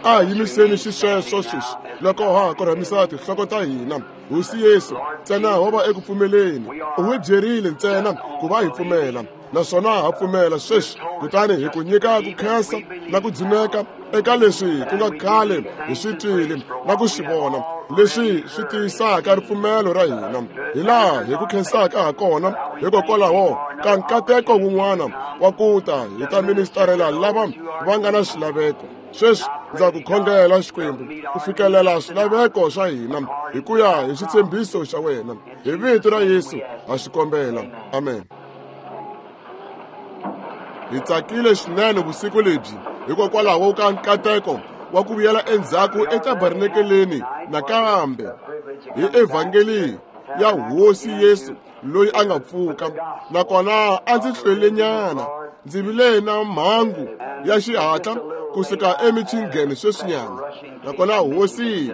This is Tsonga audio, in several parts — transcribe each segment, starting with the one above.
A hi yimiseni xisweswo sweswi loko ha korhamisa tinhloko ta hina. Hosi Yesu, ntsena ho va eku pfumeleni. U hi byerile ntsena ku va hi pfumela, naswona ha pfumela sweswi. Kutani hi ku nyika ku khensa na ku dzuneka eka leswi ku nga khale hi swi twile na ku swi vona, leswi swi tiyisaka ripfumelo ra hina, hi laha hi ku khensaka ha kona hikokwalaho ka nkateko wun'wana wa ku ta hi ta ministarela lava va nga na swilaveko. Sweswi ndza ku khongela, Xikwembu, ku fikelela swilaveko swa hina hi ku ya hi xitshembiso xa wena. Hi vito ra Yesu ha swi kombela. Amen. Hi tsakile swinene vusiku lebyi hikokwalaho ka nkateko wa ku vuyela endzhaku etabernakeleni nakambe hi evhangeli ya Hosi Yesu loyi a nga pfuka. Nakona a ndzi hlwelenyana, ndzi vile na mhangu ya xihatla kusuka eMichigan sweswinyana, nakona Hosi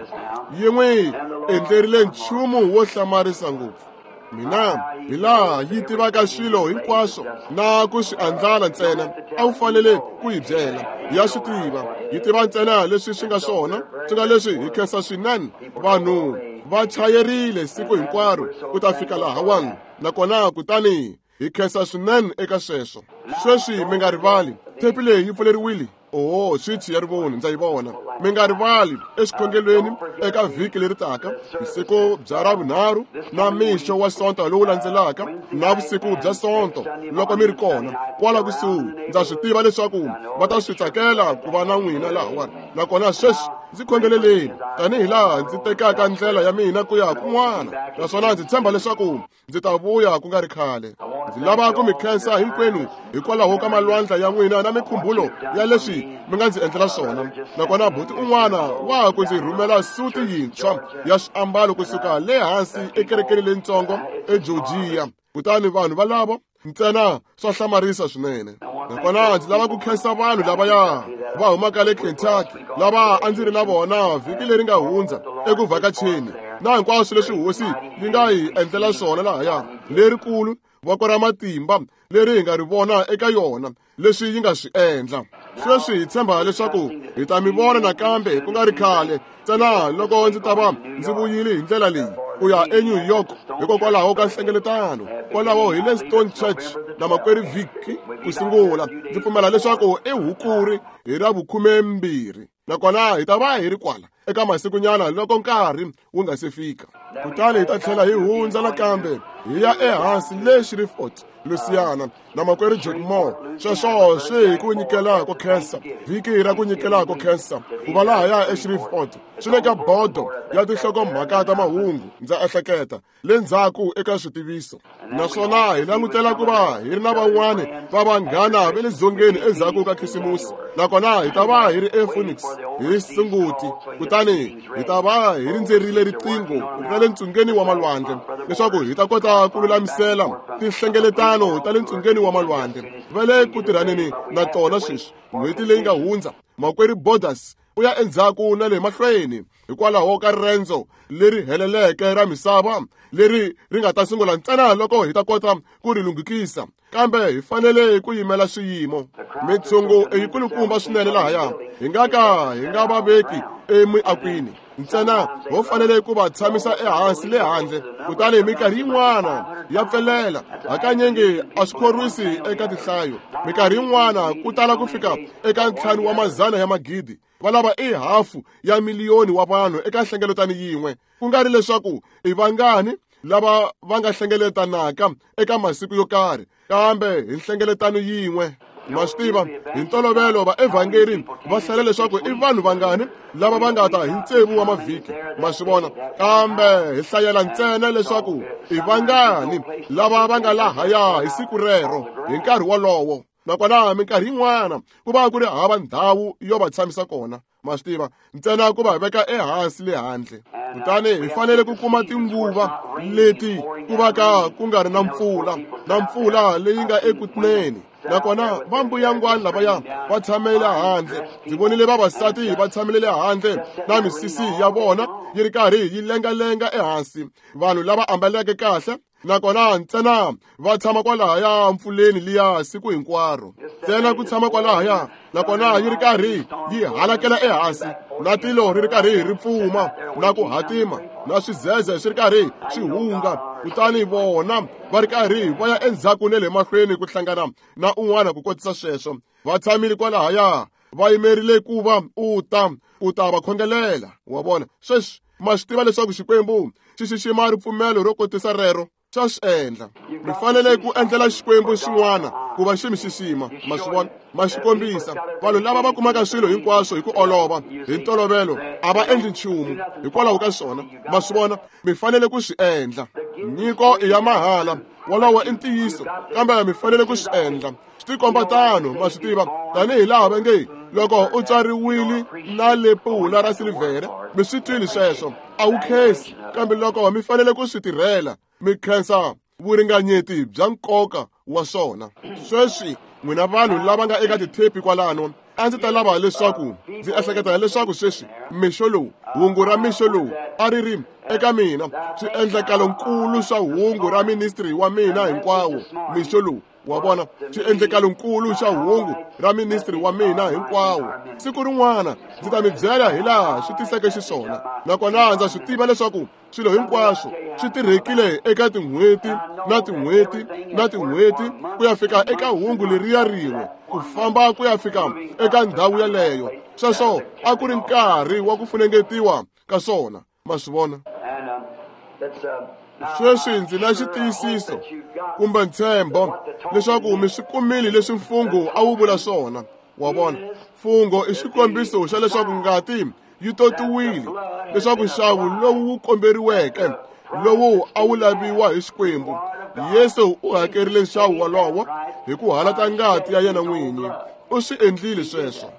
yi n'wi endlerile nchumu wo hlamarisa ngopfu. Mina hi laha yi tivaka swilo hinkwaswo na ku swi andlala ntsena, a wu fanele ku yi byela. Ya swi tiva, yi tiva ntsena leswi swi nga swona, swi nga leswi hi khensa swinene. Vanhu va chayerile siku hinkwaro ku ta fika lahawani, nakona kutani hi khensa swinene eka sweswo. Sweswi mi nga rivali, thepi leyi yi pfuleriwile. Oho, swichi ya rivoni ndza yi vona. Mi nga rivali exikhongelweni eka vhiki leri taka, vusiku bya Ravunharhu na mixo wa Sonto lowu landzelaka na vusiku bya Sonto loko mi ri kona kwala kusuhi. Ndza swi tiva leswaku va ta swi tsakela ku va na n'wina lahawani. Nakona sweswi ndzi khongeleleni tanihi laha ndzi tekaka ndlela ya mina ku ya kun'wana, naswona ndzi tshemba leswaku ndzi ta vuya ku nga ri khale. Ndzi lava ku mi khensa hinkwenu hikwalaho ka malwandla ya n'wina na mikhumbulo ya leswi mi nga ndzi endlela swona. Nakona buti un'wana wa ku ndzi rhumela suti yintshwa ya swiambalo kusuka le hansi ekerekeni leyitsongo eGeorgia. Kutani vanhu valavo ntsena swa hlamarisa swinene. Nakona ndzi lava ku khensa vanhu lavaya va humaka le Kentucky lava a ndzi ri na vona vhiki leri nga hundza eku vhakacheni, na hinkwaswo leswi Hosi yi nga hi endlela swona lahaya, lerikulu voko ra matimba leri hi nga ri vona eka yona, leswi yi nga swi endla. Sweswi hi tshemba leswaku hi ta mi vona nakambe ku nga ri khale, ntsena loko ndzi ta va ndzi vuyile hi ndlela leyi ku ya eNew York hikokwalaho ka nhlengeletano kwalaho hi le Stone Church na makwerhu Vicky ku sungula. Ndzi pfumela leswaku i Hukuri hi ra 12, nakona hi ta va hi ri kwala eka masikunyana loko nkarhi wu nga se fika. Kutani hi ta tlhela hi hundza nakambe hi ya ehansi le Shreveport, Louisiana, na makwerhu Jack Moore. Sweswo swi hi ku nyikela ko khensa, vhiki ra ku nyikela ko khensa ku va lahaya eShreveport. Swi le ka bodo ya tinhlokomhaka ta mahungu, ndza ehleketa, le ndzhaku eka switiviso. Naswona hi langutela ku va hi ri na van'wani va vanghana va le dzongeni endzhaku ka Khisimusi, nakona hi ta va hi ri ePhoenix hi Sunguti. Kutani hi ta va hi rindzerile riqingho ra le ntsungeni wa malwandle leswaku hi ta kota ku lulamisela tinhlengeletano ta le ntsungeni wa malwandle. Va le ku tirhaneni na tona sweswi. N'hweti leyi nga hundza, makwerhu Borders u ya endzhaku na le mahlweni hikwalaho ka riendzo leri heleleke ra misava leri ri nga ta sungula ntsena loko hi ta kota ku ri lunghikisa, kambe hi fanele ku yimela swiyimo. Mitshungu i yikulukumba swinene lahaya, hi nga ka hi nga va veki emiakwini ntsena, ho fanele ku va tshamisa ehansi le handle. Kutani minkarhi yin'wana ya pfelela, hakanyingi a swi khorwisi eka tinhlayo. Minkarhi yin'wana ku tala ku fika eka 5 wa mazana ya magidi, va lava i 500,000 wa vanhu eka nhlengeletano yin'we, ku nga ri leswaku i vangani lava va nga hlengeletanaka eka masiku yo karhi, kambe hi nhlengeletano yin'we. Ma swi tiva, hi ntolovelo vaevhangeri va hlela leswaku i vanhu vangani lava va nga ta hi 6 wa mavhiki, ma swi vona, kambe hi hlayela ntsena leswaku i vangani lava va nga lahaya hi siku rero hi nkarhi wolowo. Nakona minkarhi yin'wana ku va ku ri hava ndhawu yo va tshamisa kona, ma swi tiva, ntsena ku va veka ehansi le handle. Kutani hi fanele ku kuma tinguva leti ku va ka ku nga ri na mpfula, na mpfula leyi nga ekutineni. Nakona va mbuyangwani lavaya va tshamele handle. Ndzi vonile vavasati va tshamele le handle na misisi ya vona yi ri karhi yi lengalenga ehansi, vanhu lava ambaleke kahle Nakona ntsena va tshama kwalahaya mpfuleni liya siku hinkwaro. Ntsena ku tshama kwalahaya, nakona yi ri karhi yi halakela ehansi, na tilo ri ri karhi ri pfuma, na ku hatima, na swizeze swi ri karhi swi hunga, kutani vona va ri karhi va ya endzhaku ne le mahlweni ku hlangana na un'wana ku kotisa sweswo. Va tshamile kwalahaya, va yimerile ku va u ta ku ta va khongelela. Wa vona? Sweswi ma swi tiva leswaku Xikwembu xi xixima ripfumelo ro kotisa rero, xa swi endla. Mi fanele ku endlela Xikwembu xin'wana ku va xi mi xixima. Ma swi vona? Ma xi kombisa. Vanhu lava va kumaka swilo hinkwaswo hi ku olova, hi ntolovelo, a va endli nchumu hikwalaho ka swona. Ma swi vona? Mi fanele ku swi endla. Nyiko i ya mahala, wolowo i ntiyiso, kambe mi fanele ku swi endla. Swi tikomba tano, ma swi tiva, tanihi laha va nge loko u tswariwile na lepula ra silivhere, mi swi twile sweswo, a wu khensi, kambe loko mi fanele ku swi tirhela, mi khensa vuringanyeti bya nkoka wa swona. Sweswi n'wina vanhu lava nga eka tithepi kwalano, a ndzi ta lava leswaku ndzi ehleketa leswaku sweswi mixo lowu, hungu ra mixo lowu a ri ri eka mina swiendlakalonkulu swa hungu ra ministry wa mina hinkwawo mixo lowu. Wa vona, swiendlekalonkulu xa hungu ra ministry wa mina hinkwawo. Siku rin'wana ndzi ta mi byela hi laha swi tiseke xiswona, nakona ndza swi tiva leswaku swilo hinkwaswo swi tirhekile eka tin'hweti na tin'hweti na tin'hweti ku ya fika eka hungu leriya rin'we, ku famba ku ya fika eka ndhawu yeleyo. Sweswo a ku ri nkarhi wa ku funengetiwa ka swona. Ma swi vona? Sweswi ndzi na xitiyisiso kumbe ntshembo leswaku mi swi kumile leswi mfungho a wu vula swona. Wa vona? Mfungho i xikombiso xa leswaku ngati yi totiwile, leswaku nxavo lowu wu komberiweke, lowu a wu laviwa hi Xikwembu, Yesu u hakerile nxavo wolowo hi ku halata ngati ya yena n'winyi. U swi endlile sweswo.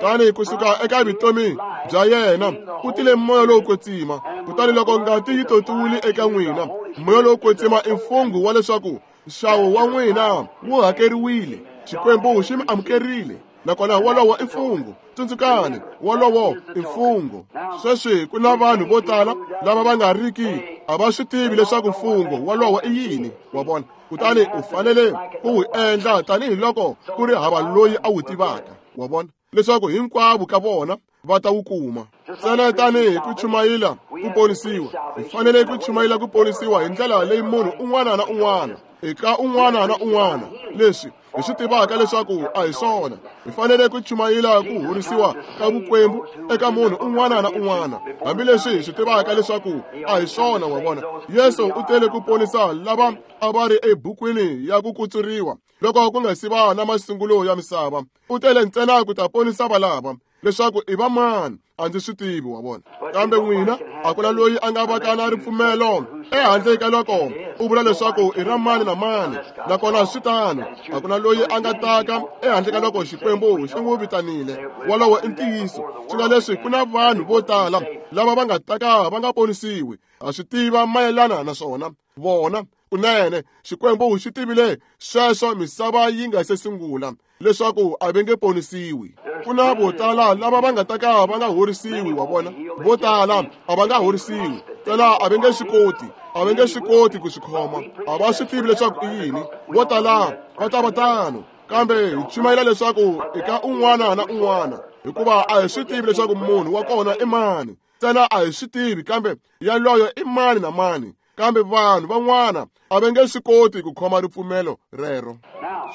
Tani kusuka eka vutomi bya yena ku tile moya lowo kwetsima, kutani loko ngati yi totiwile eka n'wina, moya lowo kwetsima i mfungho wa leswaku nxavo wa n'wina wu hakeriwile. Xikwembu xi mi amukerile, nakona wolowo i mfungho. Tsundzukani, wolowo i mfungho. Sweswi ku na vanhu vo tala lava va nga riki a va swi tivi leswaku mfungho wolowo i yini. Wa vona? Kutani u fanele ku wu endla tanihiloko ku ri hava loyi a wu tivaka. Wa vona? Leswaku hinkwavo ka vona va ta wu kuma. Ntsena tanihi ku chumayela ku ponisiwa, hi fanele ku chumayela ku ponisiwa hi ndlela leyi munhu un'wana na un'wana, eka un'wana na un'wana, leswi hi swi tivaka leswaku a hi swona. Hi fanele ku chumayela ku horisiwa ka vukwembu eka munhu un'wana na un'wana, hambileswi hi swi tivaka leswaku a hi swona. Wa vona? Yesu u tele ku ponisa lava a va ri ebukwini ya ku kutsuriwa loko ku nga si va na masungulo ya misava. U tele ntsena ku ta ponisa valava, leswaku i va mani a ndzi swi tivi. Wa vona? Kambe n'wina a ku na loyi a nga vaka na ripfumelo ehandle ka loko u vula leswaku i ra mani na mani, nakona swi tano. A ku na loyi a nga taka ehandle ka loko Xikwembu xi n'wi vitanile. Wolowo i ntiyiso. Swi nga leswi ku na vanhu vo tala lava va nga taka va nga ponisiwi, ha swi tiva mayelana na swona. Vona, kunene Xikwembu xi tivile sweswo misava yi nga se sungula, leswaku a va nge ponisiwi. Ku na vo tala lava va nga taka va nga horisiwi. Wa vona? Vo tala a va nga horisiwi, ntsena a va nge swi koti, a va nge swi koti ku swi khoma. A va swi tivi leswaku i yini. Vo tala va ta va tano, kambe hi chumayela leswaku eka un'wana na un'wana, hikuva a hi swi tivi leswaku munhu wa kona i mani. Ntsena a hi swi tivi, kambe yaloyo i mani na mani. Kambe vanhu van'wana a va nge swi koti ku khoma ripfumelo rero.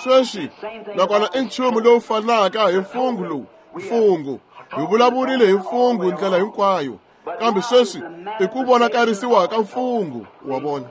Sweswi nakona i nchumu lowu fanaka hi mfungho lowu. Mfungho, hi vulavurile hi mfungho ndlela hinkwayo, kambe sweswi i ku vonakarisiwa ka mfungho. Wa vona?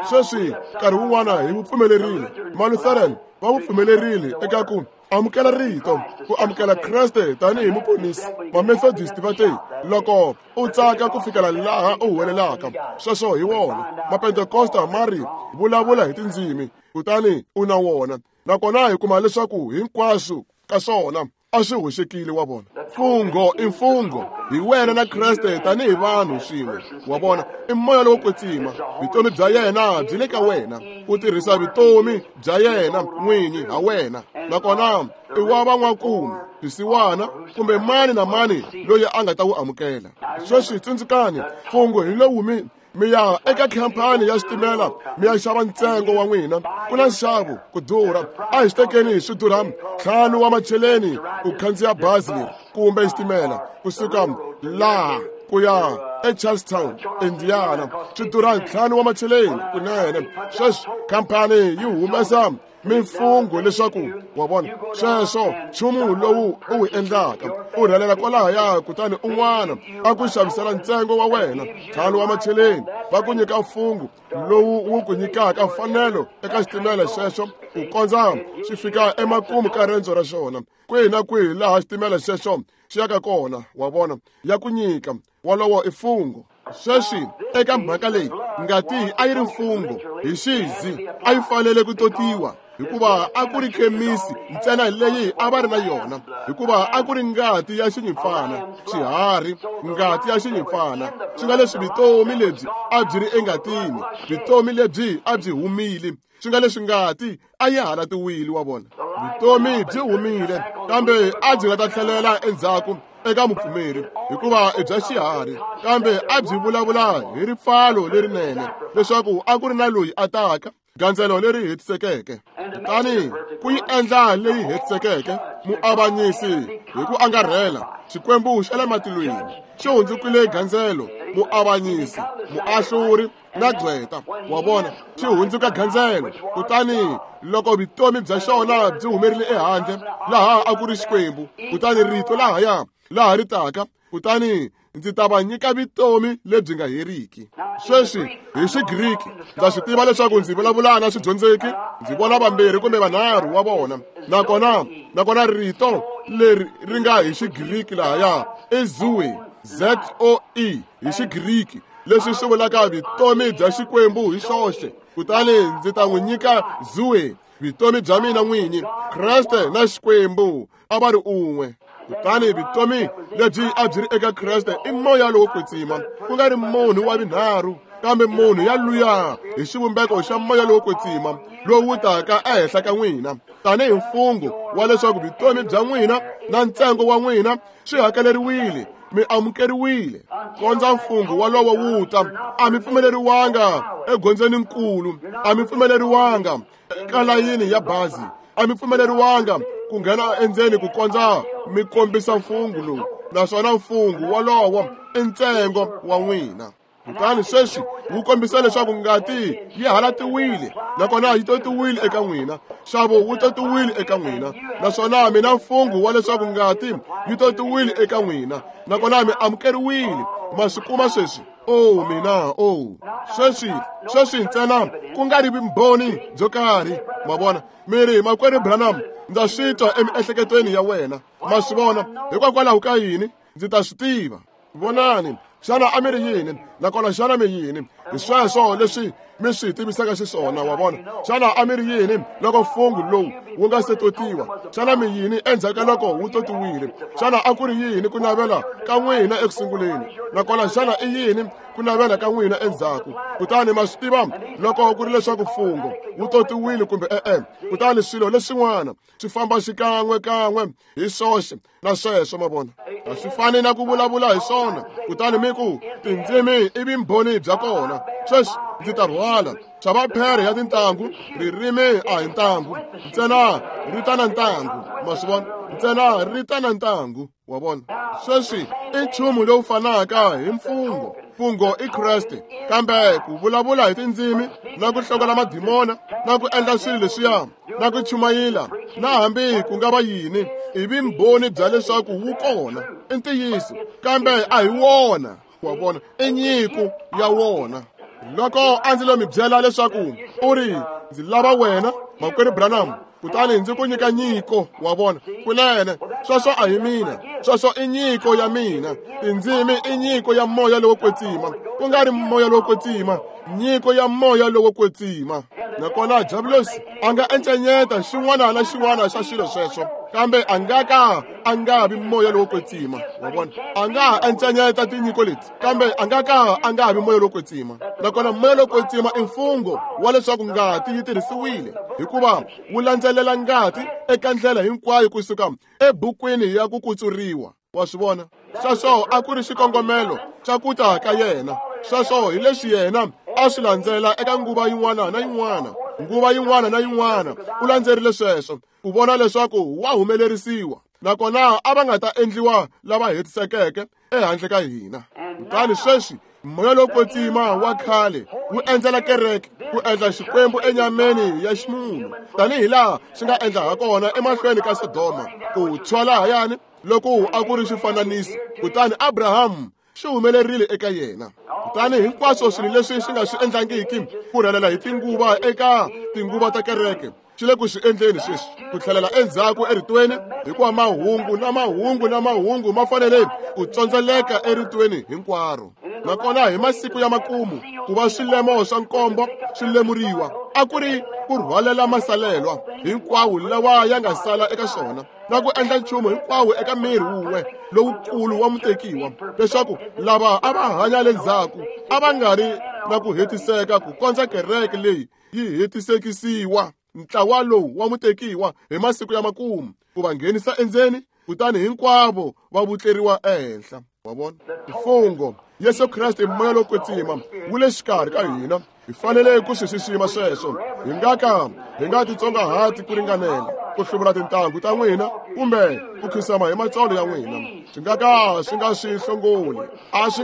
Sweswi nkarhi wun'wana hi wu pfumelerile, Malutheran va wu pfumelerile eka ku amukela rito, ku amukela Kreste tanihi muponisi. Vamethodist va te, loko u tsaka ku fikela laha u huwelelaka, sweswo hi wona. Mapentekosta ma ri, vulavula hi tindzimi, kutani u na wona. Nakona hi kuma leswaku hinkwaswo ka swona a swi hoxekile. Wa vona? Mfungho i mfungho, hi wena na Kreste tanihi vanhu swin'we. Wa vona? I moya lowo kwetsima, vutomi bya yena byi le ka wena, ku tirhisa vutomi bya yena n'winyi ha wena. Nakona i wa van'wakumi, swisiwana, kumbe mani na mani loyi a nga ta wu amukela. Sweswi tsundzukani, mfungho hi lowu mi Mi ya eka khampani ya xitimela mi ya xava ntsengo wa n'wina. Ku na nxavo ku durha. A hi swi tekeni swi durha 5 wa macheleni ku khandziya bazi leri kumbe xitimela kusuka laha ku ya eCharlestown, Indiana. Swi durha 5 wa macheleni kunene. Sweswi khampani yi humesa mimfungho leswaku wa vona sweswo nchumu lowu u wu endlaka u rhelela kwalahaya, kutani un'wana a ku xavisela ntsengo wa wena 5 wa macheleni, va ku nyika mfungho lowu wu ku nyikaka mfanelo eka xitimela xexo ku kondza xi fika emakumu ka rendzo ra xona. Kwihi na kwihi laha xitimela xexo xi yaka kona, wa vona, ya ku nyika wolowo i mfungho. Sweswi eka mhaka leyi ngati a yi ri mfungho hi xizi, a yi fanele ku totiwa hikuva a ku ri khemisi ntsena leyi a va ri na yona, hikuva a ku ri ngati ya xinyimpfana, xiharhi, ngati ya xinyimpfana. Swi nga leswi vutomi lebyi a byi ri engatini, vutomi lebyi a byi humile, swi nga leswi ngati a yi halatiwile, wa vona. Vutomi byi humile, kambe a byi nga ta tlhelela endzhaku eka mupfumeri hikuva i bya xiharhi, kambe a byi vulavula hi ripfalo lerinene leswaku a ku ri na loyi a taka, gandzelo leri hetisekeke. Kutani ku yi endla leyi hetisekeke, muavanyisi hi ku angarhela Xikwembu xa le matilweni xi hundzukile gandzelo, muavanyisi, muahluri na gqweta, wa vona, xi hundzuka gandzelo. Kutani loko vutomi bya xona byi humerile ehandle, laha a ku ri Xikwembu, kutani rito lahaya laha ri taka, kutani ndzi ta va nyika vutomi lebyi nga heriki. Sweswi hi Xigriki ndza swi tiva leswaku ndzi vulavula na swidyondzeki, ndzi vona vambirhi kumbe vanharhu wa vona, nakona rito leri ri nga hi Xigriki lahaya i zoe, Z-O-E hi Xigriki, leswi swi vulaka vutomi bya Xikwembu hi xoxe. Kutani ndzi ta n'wi nyika zoe, vutomi bya mina n'winyi. Kreste na Xikwembu a va ri un'we. Kutani vutomi lebyi a byi ri eka Kreste i moya lowo kwetsima, ku nga ri munhu wa vunharhu, kambe munhu ya luya hi xivumbeko xa moya lowo kwetsima lowu taka ehenhla ka n'wina tanihi mfungho wa leswaku vutomi bya n'wina na ntsengo wa n'wina swi hakeleriwile, mi amukeriwile. Kondza mfungho walowo wu ta, a mi pfumeleriwanga egondzweni nkulu, a mi pfumeleriwanga eka layini ya bazi, a mi pfumeleriwanga ku nghena endzeni ku kondza mi kombisa mfungho lowu, naswona mfungho walowo i ntsengo wa n'wina. Kutani sweswi wu kombisa leswaku ngati yi halatiwile, nakona yi totiwile eka n'wina, nxavo wu totiwile eka n'wina, naswona mina mfungho wa leswaku ngati yi totiwile eka n'wina, nakona mi amukeriwile. Ma swi kuma sweswi? Oh mina, oh sweswi ntsena ku nga ri vumbhoni byo karhi, ma vona. Mi ri, makwerhu Branham, ndza swi twa emiehleketweni ya wena. Ma swi vona? Hikokwalaho ka yini? Ndzi ta swi tiva. Vonani, xana a mi ri yini, nakona xana mi yini? Hi sweswo leswi mi swi tivisaka xiswona, wa vona. Xana a mi ri yini loko mfungho lowu wu nga se totiwa? Xana mi yini endzhaku ka loko wu totiwile? Xana a ku ri yini ku navela ka n'wina eku sunguleni, nakona xana i yini ku navela ka n'wina endzhaku? Kutani ma swi tiva loko ku ri leswaku mfungho wu totiwile kumbe e-e. Kutani swilo leswin'wana swi famba xikan'we kan'we hi swoxe na sweswo, ma vona. A swi fani na ku vulavula hi swona, kutani mi ku tindzimi i vumbhoni bya kona. Sweswi ndzi ta rhwala xava phere ya tintangu, ririmi a hi ntangu ntsena, ri ta na ntangu, ma swi vona, ntsena ri ta na ntangu, wa vona. Sweswi i nchumu lowu fanaka hi mfungho. Mfungho i Kreste, kambe ku vulavula hi tindzimi na ku hlongola madimona na ku endla swilo leswiya na ku chumayela na hambi ku nga va yini i vumbhoni bya leswaku wu kona, i ntiyiso, kambe a hi wona, wa vona, i nyiko ya wona. Loko a ndzi lo mi byela leswaku u ri ndzi lava wena makwerhu Branham, kutani ndzi ku nyika nyiko, wa vona, kunene sweswo a hi mina, sweswo i nyiko ya mina. Tindzimi i nyiko ya moya lowo kwetsima, ku nga ri moya lowo kwetsima, nyiko ya moya lowo kwetsima. Nakona Diabulosi a nga encenyeta xin'wana na xin'wana xa swilo sweswo, kambe a nga ka a nga vi moya lowo kwetsima, wa vona. A nga encenyeta tinyiko leti, kambe a nga ka a nga vi moya lowo kwetsima. Nakona moya lowo kwetsima i mfungho wa leswaku ngati yi tirhisiwile, hikuva wu landzelela ngati eka ndlela hinkwayo kusuka ebukwini ya ku kutsuriwa, wa swi vona. Sweswo a ku ri xikongomelo xa ku ta ka yena. Sweswo hi leswi yena a swi landzela eka nguva yin'wana na yin'wana, nguva yin'wana na yin'wana u landzerile sweswo ku vona leswaku wa humelerisiwa, nakona a va nga ta endliwa lava hetisekeke ehandle ka hina. Kutani sweswi moya lowo kwetsima wa khale wu endzela kereke ku endla Xikwembu enyameni ya ximunhu, tanihi laha xi nga endla hakona emahlweni ka Sodoma, ku tshwa lahayani loko a ku ri xifananiso. Kutani Abrahamu xi humelerile eka yena. Kutani hinkwaswo swilo leswi xi nga swi endlangiki ku rhelela hi tinguva eka tinguva ta kereke, xi le ku swi endleni sweswi, ku tlhelela endzhaku eritweni, hikuva mahungu na mahungu na mahungu ma fanele ku tsondzeleka eritweni hinkwaro. Nakona hi masiku ya makumu, ku va swilemo swa nkombo swi lemuriwa, a ku ri ku rhwalela masalelwa hinkwawo lawa ya nga sala eka swona, na ku endla nchumu hinkwawo eka miri wun'we lowukulu wa mutekiwa, leswaku lava a va hanya le ndzhaku a va nga ri na ku hetiseka ku kondza kereke leyi yi hetisekisiwa, ntlawa lowu wa mutekiwa hi masiku ya makumu, ku va nghenisa endzeni, kutani hinkwavo va vutleriwa ehenhla. Wa vona? Mfungho Yesu Kreste, moya lowo kwetsima wu le xikarhi ka hina. Hi fanele ku swi xixima sweswo. Hi nga ka hi nga titsongahati ku ringanela ku hluvula tintangu ta n'wina kumbe ku khisama hi matsolo ya n'wina. Swi nga ka swi nga swi hlongoli, a swi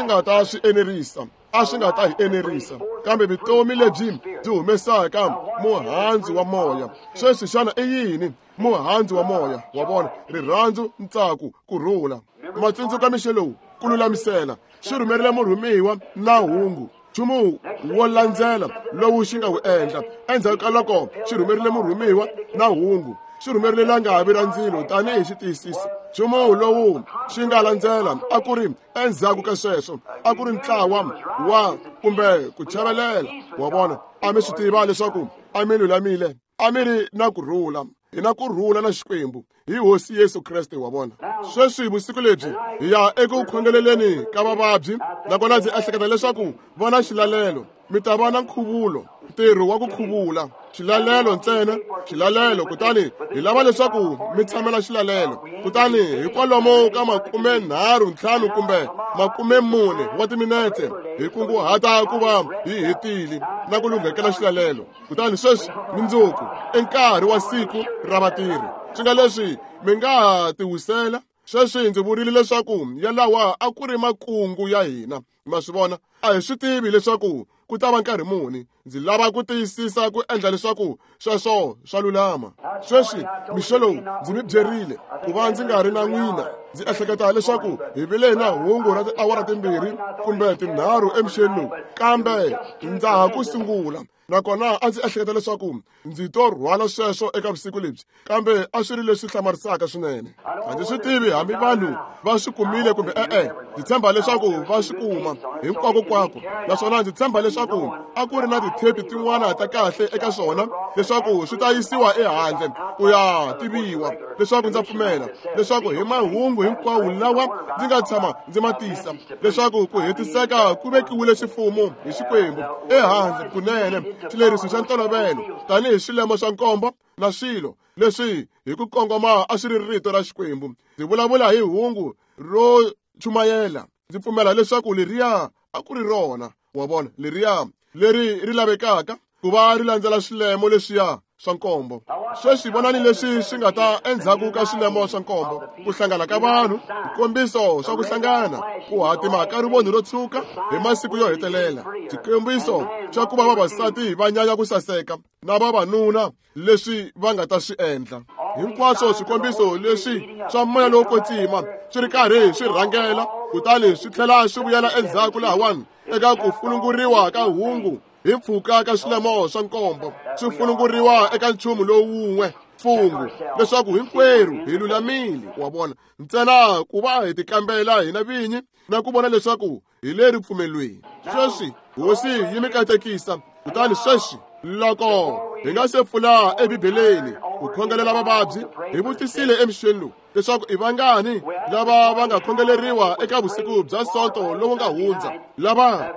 nga ta swi enerisa, a swi nga ta hi enerisa, kambe vutomi lebyi byi humesaka muhandzu wa moya. Sweswi xana i yini muhandzu wa moya? Wa vona? Rirhandzu, ntsako, ku rhula. Matsundzuka mixo lowu, ku lulamisela xi rhumerile murhumiwa na hungu, nchumu wo landzela lowu xi nga wu endla endzhaku ka loko xi rhumerile murhumiwa na hungu, xi rhumerile langavi ra ndzilo tanihi xitiyisiso. Nchumu lowu xi nga landzela a ku ri endzhaku ka sweswo a ku ri ntlawa wa kumbe ku chavelela. Wa vona? A mi swi tiva leswaku a mi lulamile, a mi ri na ku rhula, hi na ku rhula na Xikwembu hi Hosi Yesu Kreste. Wa vona? Sweswi vusiku lebyi hi ya eku khongeleleni ka vavabyi, nakona ndzi ehleketa leswaku va na xilalelo, mi ta va na nkhuvulo, ntirho wa ku khuvula, xilalelo ntsena, xilalelo. Kutani hi lava leswaku mi tshamela xilalelo. Kutani hi kwalomo ka 35 kumbe 40 wa timinete hi kunguhata ku va hi hetile na ku lunghekela xilalelo. Kutani sweswi mundzuku i nkarhi wa siku ra vatirhi, swi nga leswi mi nga ha tiwisela. Sweswi ndzi vurile leswaku yalawa a ku ri makungu ya hina. Ma swi vona? A hi swi tivi leswaku ku ta va nkarhi muni. Ndzi lava ku tiyisisa ku endla leswaku sweswo swa lulama. Sweswi mixo lowu ndzi mi byerile ku va ndzi nga ri na n'wina. Ndzi ehleketa leswaku hi vile na hungu ra tiawara 2 kumbe 3 emixeni lowu, kambe ndza ha ku sungula. Nakona a ndzi ehleketa leswaku ndzi to rhwala sweswo eka vusiku lebyi, kambe a swi ri leswi hlamarisaka swinene. A ndzi swi tivi hambi vanhu va swi kumile kumbe e-e. Ndzi tshemba leswaku va swi kuma hinkwako-kwako, naswona ndzi tshemba leswaku a ku ri na tithepi tin'wana ta kahle eka swona leswaku swi ta yisiwa ehandle ku ya tiviwa, leswaku ndza pfumela leswaku hi mahungu hinkwawo lawa ndzi nga tshama ndzi ma tisa, leswaku ku hetiseka ku vekiwile xifumo hi Xikwembu ehandle kunene, xileriso xa ntolovelo tanihi swilemo swa nkombo na swilo leswi hi ku kongoma a swi ri rito ra Xikwembu. Ndzi vulavula hi hungu ro chumayela. Ndzi pfumela leswaku leriya a ku ri rona. Wa vona? Leriya leri ri lavekaka ku va ri landzela swilemo leswiya swa nkombo. Sweswi vonani leswi swi nga ta endzhaku ka swilemo swa nkombo: ku hlangana ka vanhu, swikombiso swa ku hlangana, ku hatima ka rivoni ro tshuka hi masiku yo hetelela, swikombiso swa ku va vavasati va nyanya ku saseka na vavanuna leswi va nga ta swi endla. Hinkwaswo swikombiso leswi swa moya lowo kwetsima swi ri karhi swi rhangela, kutani swi tlhela swi vuyela endzhaku lahawani eka ku fununguriwa ka hungu hi mpfhuka ka swilemo swa nkombo, swi fununguriwa eka nchumu lowu wun'we, mfungho, leswaku hinkwerhu hi lulamile. Wa vona? Ntsena ku va hi tikambela hina vinyi na ku vona leswaku hi le ripfumelweni. Sweswi Hosi yi mi katekisa. Kutani sweswi loko hi nga se pfula eBibeleni ku khongelela vavabyi, hi vutisile emixeni lowu leswaku i vangani lava va nga khongeleriwa eka vusiku bya Sonto lowu nga hundza, lava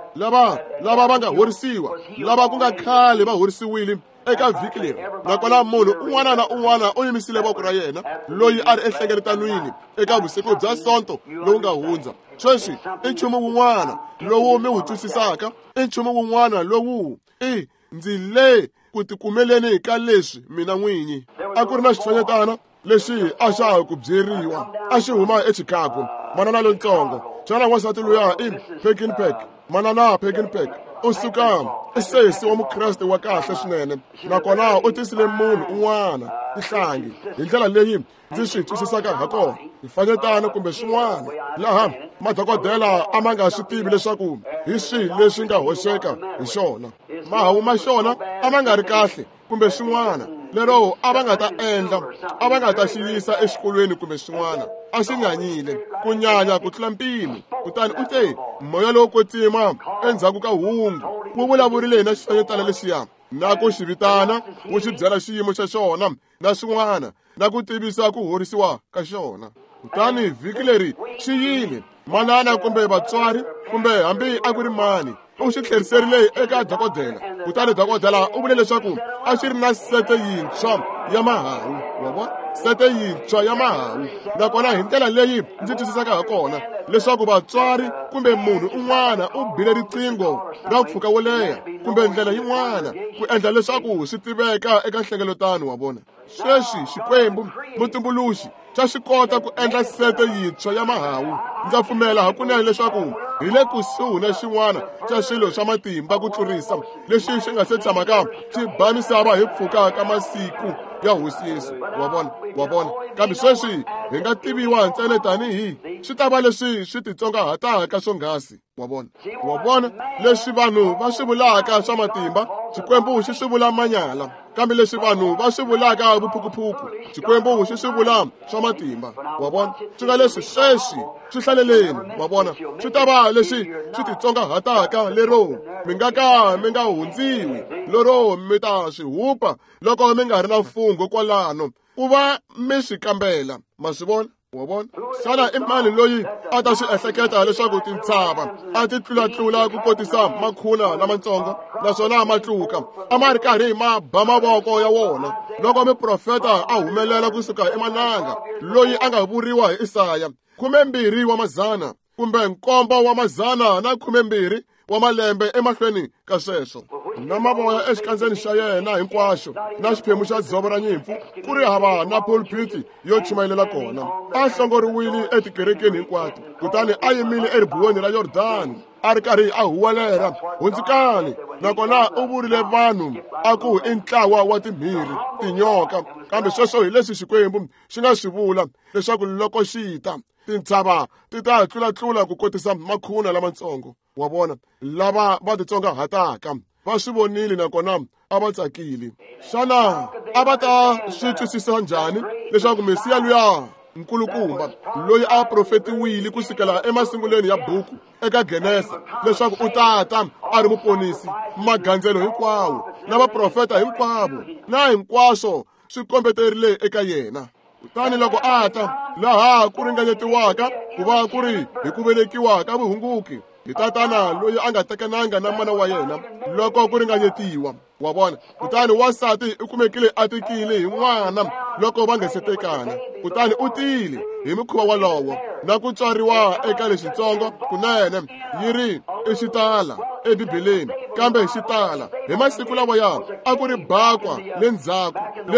va nga horisiwa, lava ku nga khale va horisiwile eka vhiki leri, nakona munhu un'wana na un'wana u yimisile voko ra yena loyi a ri enhlengeletanwini eka vusiku bya Sonto lowu nga hundza. Sweswi i nchumu wun'wana lowu mi wu twisisaka, i nchumu wun'wana lowu i ndzi le ku tikumeleni ka leswi mina n'winyi. A ku ri na xifanyetana lexi a xa ha ku byeriwa a xi huma eChicago, manana lontsongo. Xana wansati luya i Pekinpek? Manana Pekinpek u suka i sesi wa Mukreste wa kahle swinene, nakona u tisile munhu un'wana tihlangi hi ndlela leyi ndzi swi twisisaka ha kona, xifanyetana kumbe swin'wana, laha madokodela a ma nga swi tivi leswaku hi swihi leswi nga hoxeka hi xona. Mahawu ma xona a ma nga ri kahle kumbe swin'wana, lero a va nga ta endla, a va nga ta xi yisa exikolweni kumbe swin'wana. A xi nyanyile ku nyanya ku tlula mpimo. Kutani u te moya lowo kwetsima endzhaku ka hungu wu vulavurile na xifanyetana lexiya na ku xi vitana, wu xi byela xiyimo xa xona na swin'wana, na ku tivisa ku horisiwa ka xona. Kutani vhiki leri xi yile, manana kumbe vatswari kumbe hambi a ku ri mani u xi tlheriserile eka dokodela. Kutani dokodela u vule leswaku a xi ri na sete yintshwa ya mahawu, wa vona, sete yintshwa ya mahawu. Nakona hi ndlela leyi ndzi twisisaka ha kona leswaku vatswari kumbe munhu un'wana u bile riqingho ra mpfhuka wo leha kumbe ndlela yin'wana ku endla leswaku swi tiveka eka nhlengeletano, wa vona. Sweswi Xikwembu mutumbuluxi xa swi kota ku endla sete yintshwa ya mahawu. Ndza pfumela hakunene leswaku hi le kusuhi na xin'wana xa swilo swa matimba ku tlurisa lexi xi nga se tshamaka xi ba misava hi pfuka ka masiku ya Hosi Yesu, wa vona, wa vona. Kambe sweswi hi nga tiviwa ntsena tanihi swi ta va leswi swi titsongahataka swonghasi, wa vona, wa vona. Leswi vanhu va swi vulaka swa matimba, Xikwembu xi swi vula manyala, kambe leswi vanhu va swi vulaka vuphukuphuku, Xikwembu xi swi vula swa matimba, wa vona. Swi nga leswi sweswi swi hlaleleni, wa vona, swi ta va leswi swi titsongahataka lero mi nga ka mi nga hundziwi, lero mi ta swi hupa loko mi nga ri na mfungho kwalano ku va mi swi kambela. Ma swi vona, wa vona. Xana i mani loyi a ta swi ehleketa leswaku tintshava a ti tlulatlula ku kotisa makhuna lamatsongo, naswona matluka a ma ri karhi ma ba mavoko ya wona loko muprofeta a humelela kusuka emananga, loyi a nga vuriwa hi Isaya 12 wa mazana kumbe 7 wa mazana na 12 wa malembe emahlweni ka sweswo, na mavoya exikandzeni xa yena hinkwaxo na xiphemu xa dzovo ra nyimpfu, ku ri hava na pulpiti yo chumayelela kona. A hlongoriwile etikerekeni hinkwato, kutani a yimile eribuweni ra Yordani a ri karhi a huwelela, hundzukani. Nakona u vurile vanhu a ku i ntlawa wa timhiri, tinyoka. Kambe sweswo hi leswi Xikwembu xi nga swi vula leswaku loko xi ta, tintshava ti ta tlulatlula ku kotisa makhuna lamatsongo, wa vona. Lava va titsongahataka va swi vonile nakona a va tsakile. Xana a va ta swi twisisa njhani leswaku Mesiya luya nkulukumba loyi a profetiwile kusukela emasungulweni ya buku eka Genesa leswaku u tata a ri muponisi, magandzelo hinkwawo na vaprofeta hinkwavo na hinkwaswo swi kombeterile eka yena? Kutani loko a ta laha ku ringanyetiwaka ku va ku ri hi ku velekiwa ka vuhunguki hi tatana loyi a nga tekananga na mana wa yena, loko ku ringanyetiwa, wa vona. Kutani wansati u kumekile a tikile hi n'wana loko va nga se tekana, kutani u tile hi mukhuva wolowo na ku tswariwa eka lexitsongo kunene yi ri i xitala eBibeleni, kambe xitala hi masiku lawaya a ku ri bakwa le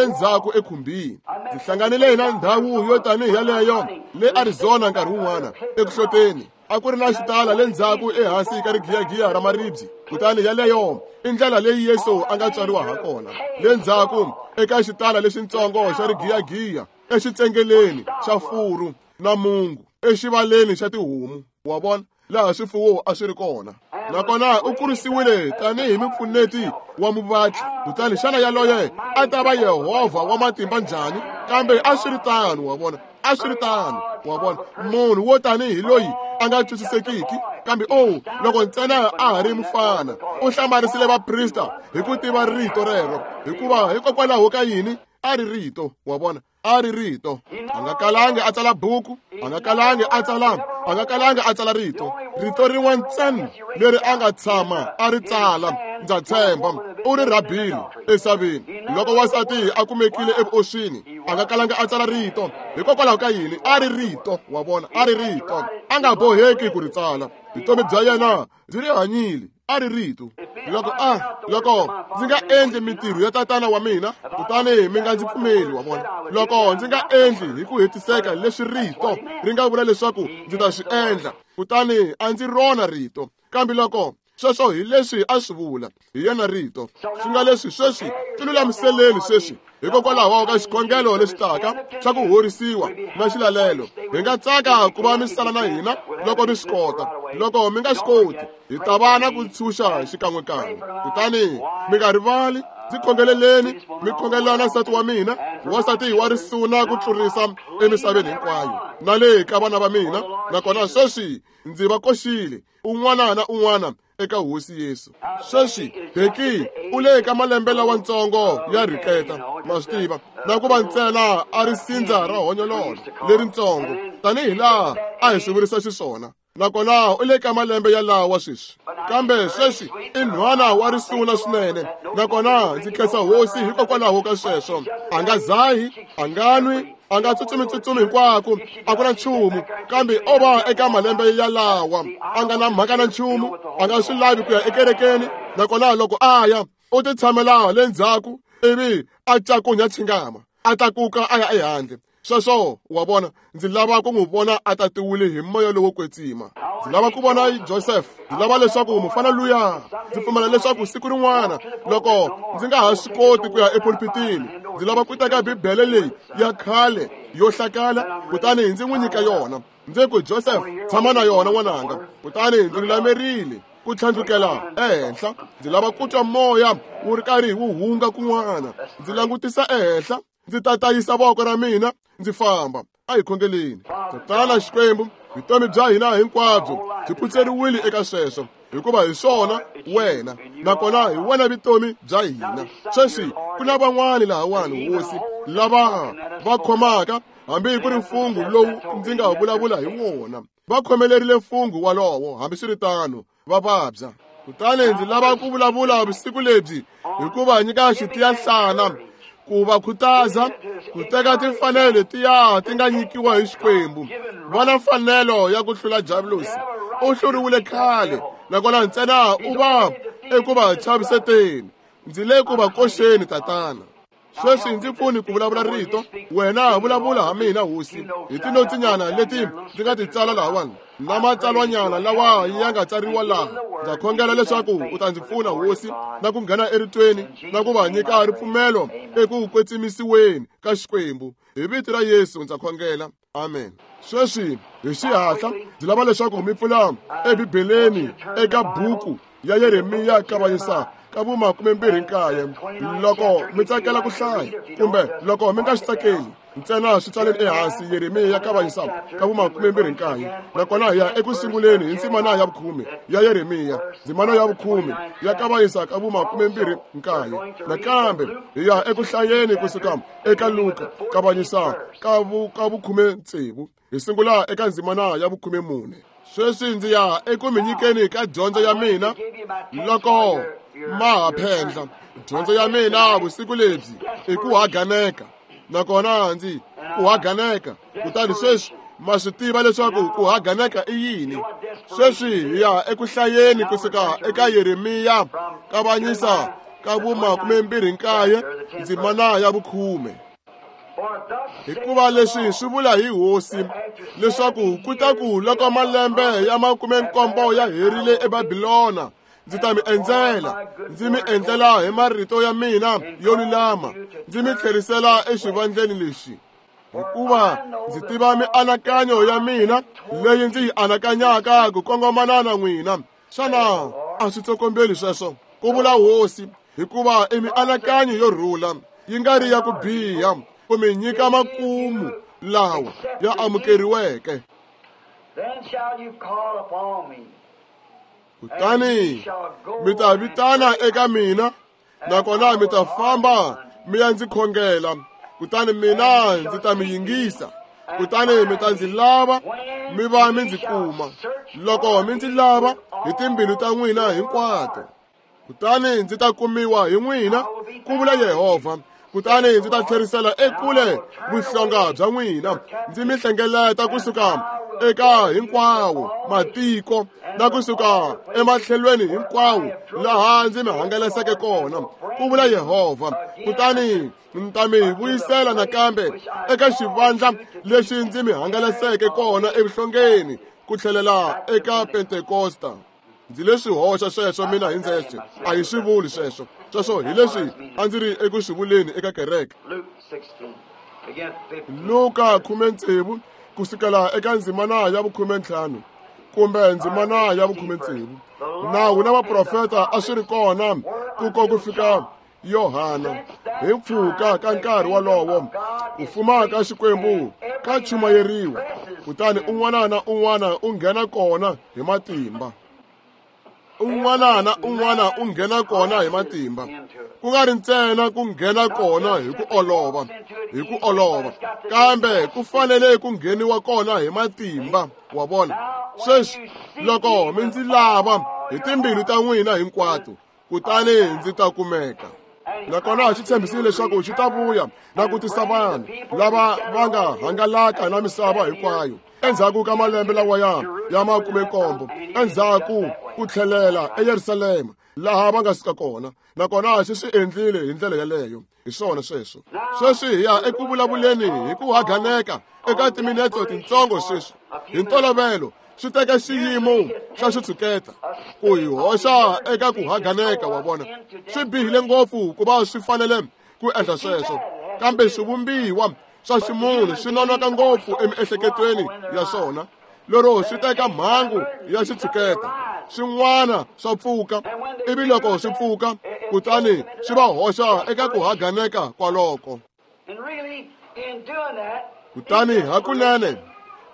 ndzhaku ekhumbini. Ndzi hlanganile na ndhawu yo tanihi yaleyo le Arizona nkarhi wun'wana eku hloteni. A ku ri na xitala le ndzhaku ehansi ka rigiyagiya ra maribye. Kutani yaleyo i ndlela leyi Yesu a nga tswariwa ha kona, le ndzhaku eka xitala lexitsongo xa rigiyagiya, exitsengeleni xa furu na mungu, exivaleni xa tihomu, wa vona, laha swifuwo a swi ri kona. Nakona u kurisiwile tanihi mupfuneti wa muvatli. Kutani xana yaloye a ta va Yehovha wa matimba njhani? Kambe a swi ri tano, wa vona, a swi ri tano, wa vona, munhu wo tanihi loyi a nga twisisekiki. Kambe o loko ntsena a ha ri mufana, u hlamarisile vaprista hi ku tiva rito rero, hikuva hikokwalaho ka yini a ri rito, wa vona, a ri rito. A nga kalangi a tsala buku, a nga kalangi a tsala, a nga kalangi a tsala rito, rito rin'we ntsena leri a nga tshama a ri tsala, ndza tshemba, U ri rhabile esaveni. Loko wansati a kumekile evuoswini, a nga kalanga a tsala rito. Hikokwalaho ka yini? A ri rito, wa vona, a ri rito. A nga boheki ku ri tsala. Vutomi bya yena byi ri hanyile, a ri rito. Loko loko ndzi nga endli mintirho ya tatana wa mina, kutani mi nga ndzi pfumeli, wa vona. Loko ndzi nga endli hi ku hetiseka leswi rito ri nga vula leswaku ndzi ta swi endla, kutani a ndzi rona rito. Kambe loko sweswo hi leswi a swi vula, hi yena rito. Swi nga leswi sweswi ti lulamiseleni sweswi, hikokwalaho ka xikhongelo lexi taka xa ku horisiwa na xilalelo. Hi nga tsaka ku va mi sala na hina loko mi swi kota. Loko mi nga swi koti, hi ta va na ku ntshunxa xikan'wekan'we. Kutani mi nga rivali, ndzi khongeleleni, mi khongelela na nsati wa mina, wansati wa risuna ku tlurisa emisaveni hinkwayo, na le ka vana va mina. Nakona sweswi ndzi va koxile un'wana na un'wana eka Hosi Yesu. Sweswi Becky u le ka malembe lawantsongo ya rhiketa, ma swi tiva, na ku va ntsena a ri sindza ra honyololo lerintsongo, tanihi laha a hi swi vurisa xiswona. Nakona u le ka malembe yalawa sweswi. Kambe sweswi i nhwana wa risuna swinene, nakona ndzi khensa Hosi hikokwalaho ka sweswo. A nga zahi, a nga nwi, a nga tsutsumi hinkwako, a ku na nchumu. Kambe o va eka malembe yalawa, a nga na mhaka na nchumu, a nga swi lavi ku ya ekerekeni. Nakona loko a ya, u ti tshamela le ndzhaku ivi a cakunya chingama, a tlakuka a ya ehandle. Sweswo, wa vona, ndzi lava ku n'wi vona a tatiwile hi moya lowo kwetsima. Ndzi lava ku vona Joseph. Ndzi lava leswaku mufana luya, ndzi pfumela leswaku siku rin'wana loko ndzi nga ha swi koti ku ya epulpitini, ndzi lava ku teka Bibele leyi ya khale yo hlakala, kutani ndzi n'wi nyika yona. Ndzi ku, Joseph, tshama na yona n'wananga. Kutani ndzi lulamerile ku tlhandlukela ehenhla. Ndzi lava ku twa moya wu ri karhi wu hunga kun'wana. Ndzi langutisa ehenhla, ndzi tatayisa voko ra mina, ndzi famba. A hi khongeleni. Tatana Xikwembu, vutomi bya hina hinkwabyo byi phutseriwile eka sweswo, hikuva hi swona wena, nakona hi wena vutomi bya hina. Sweswi ku na van'wani lahawani, Hosi, lava va khomaka hambi ku ri mfungho lowu ndzi nga vulavula hi wona. Va khomelerile mfungho walowo, hambiswiritano va vabya. Kutani ndzi lava ku vulavula vusiku lebyi hikuva nyika xitiyanhlana ku va khutaza ku teka timfanelo letiya ti nga nyikiwa hi Xikwembu. Va na mfanelo ya ku hlula Diabulosi. U hluriwile khale, nakona ntsena u va eku va chaviseteni. Ndzi le ku va koxeni, Tatana. Sweswi ndzi pfuni ku vulavula rito, wena vulavula ha mina, Hosi, hi tinotsinyana leti ndzi nga ti tsala lahawani, na matsalwanyana lawa ya nga tsariwa laha. Ndza khongela leswaku u ta ndzi pfuna, Hosi, na ku nghena eritweni, na ku va nyika ripfumelo eku kwetsimisiweni ka Xikwembu. Hi vito ra Yesu ndza khongela. Amen. Sweswi hi xihatla ndzi lava leswaku mi pfula eBibeleni eka buku ya Yeremiya kavanyisa ka vuma 29. Loko mi tsakela ku hlaya, kumbe loko mi nga swi tsakeli, ntsena swi tsaleni ehansi. Yeremiya kavanyisa ka vuma 29. Nakona hi ya eku sunguleni hi ndzimana ya 10 ya Yeremiya, ndzimana ya 10 ya kavanyisa ka vuma 29. Nakambe hi ya eku hlayeni kusuka eka Luka kavanyisa ka 16. Hi sungula eka ndzimana ya 14. Sweswi ndzi ya eku mi nyikeni ka dyondzo ya mina loko ma ha phendla. Dyondzo ya mina vusiku lebyi i ku haganeka, nakona ndzi ku haganeka. Kutani sweswi ma swi tiva leswaku ku haganeka i yini. Sweswi hi ya eku hlayeni kusuka eka Yeremiya kavanyisa ka vuma 29, ndzimana ya 10. Hikuva leswi swi vula hi Hosi, leswaku ku ta ku loko malembe ya 70 ya herile eBabilona, ndzi ta mi endzela, ndzi mi endlela hi marito ya mina yo lulama, ndzi mi tlherisela exivandleni lexi. Hikuva ndzi tiva mianakanyo ya mina leyi ndzi yi anakanyaka ku kongomana na n'wina. Xana a swi tsokombeli sweswo? Ku vula Hosi, hikuva i mianakanyo yo rhula, yi nga ri ya ku biha, ku mi nyika makumu lawa ya amukeriweke. Kutani mi ta vitana eka mina, nakona mi ta famba mi ya ndzi khongela, kutani mina ndzi ta mi yingisa. Kutani mi ta ndzi lava, mi va mi ndzi kuma, loko mi ndzi lava hi timbilu ta n'wina hinkwato. Kutani ndzi ta kumiwa hi n'wina, ku vula Yehovha. Kutani ndzi ta tlherisela ekule vuhlonga bya n'wina, ndzi mi hlengeleta kusuka eka hinkwawo matiko na kusuka ematlhelweni hinkwawo laha ndzi mi hangalaseke kona, ku vula Yehovha. Kutani ndzi ta mi vuyisela nakambe eka xivandla lexi ndzi mi hangalaseke kona evuhlongeni, ku tlhelela eka Pentekosta. Ndzi leswi hoxa sweswo mina hi ndzexe, a hi swi vuli sweswo. Sweswo hi leswi a ndzi ri eku swi vuleni eka kereke. Luka 16 kusukela eka ndzimana ya 15 kumbe ndzimana ya 16. Nawu na vaprofeta a swi ri kona ku ko ku fika Yohana. Hi mpfhuka ka nkarhi wolowo ku fuma ka Xikwembu ka chumayeriwa, kutani un'wana na un'wana u nghena kona hi matimba. Un'wana na un'wana u nghena kona hi matimba, ku nga ri ntsena ku nghena kona hi ku olova, hi ku olova, kambe ku fanele ku ngheniwa kona hi matimba. Wa vona? Sweswi loko mi ndzi lava hi timbilu ta n'wina hinkwato, kutani ndzi ta kumeka. Nakona xi tshembisile leswaku xi ta vuya na ku tisa vanhu lava va nga hangalaka na misava hinkwayo endzhaku ka malembe lawaya ya 17, endzhaku ku tlhelela eYerusalema laha va nga suka kona. Nakona xi swi endlile hi ndlela yaleyo. Hi swona sweswo. Sweswi hi ya eku vulavuleni hi ku haganeka eka timinetse tintsongo sweswi. Hi ntolovelo swi teka xiyimo xa xitshuketa ku hi hoxa eka ku haganeka. Wa vona, swi bihile ngopfu ku va swi fanele ku endla sweswo, kambe swivumbiwa swa ximunhu swi nonoka ngopfu emiehleketweni ya swona lero swi teka mhangu ya xitshuketa. Swin'wana swa pfuka, ivi loko swi pfuka kutani swi va hoxa eka ku haganeka kwaloko. Kutani hakunene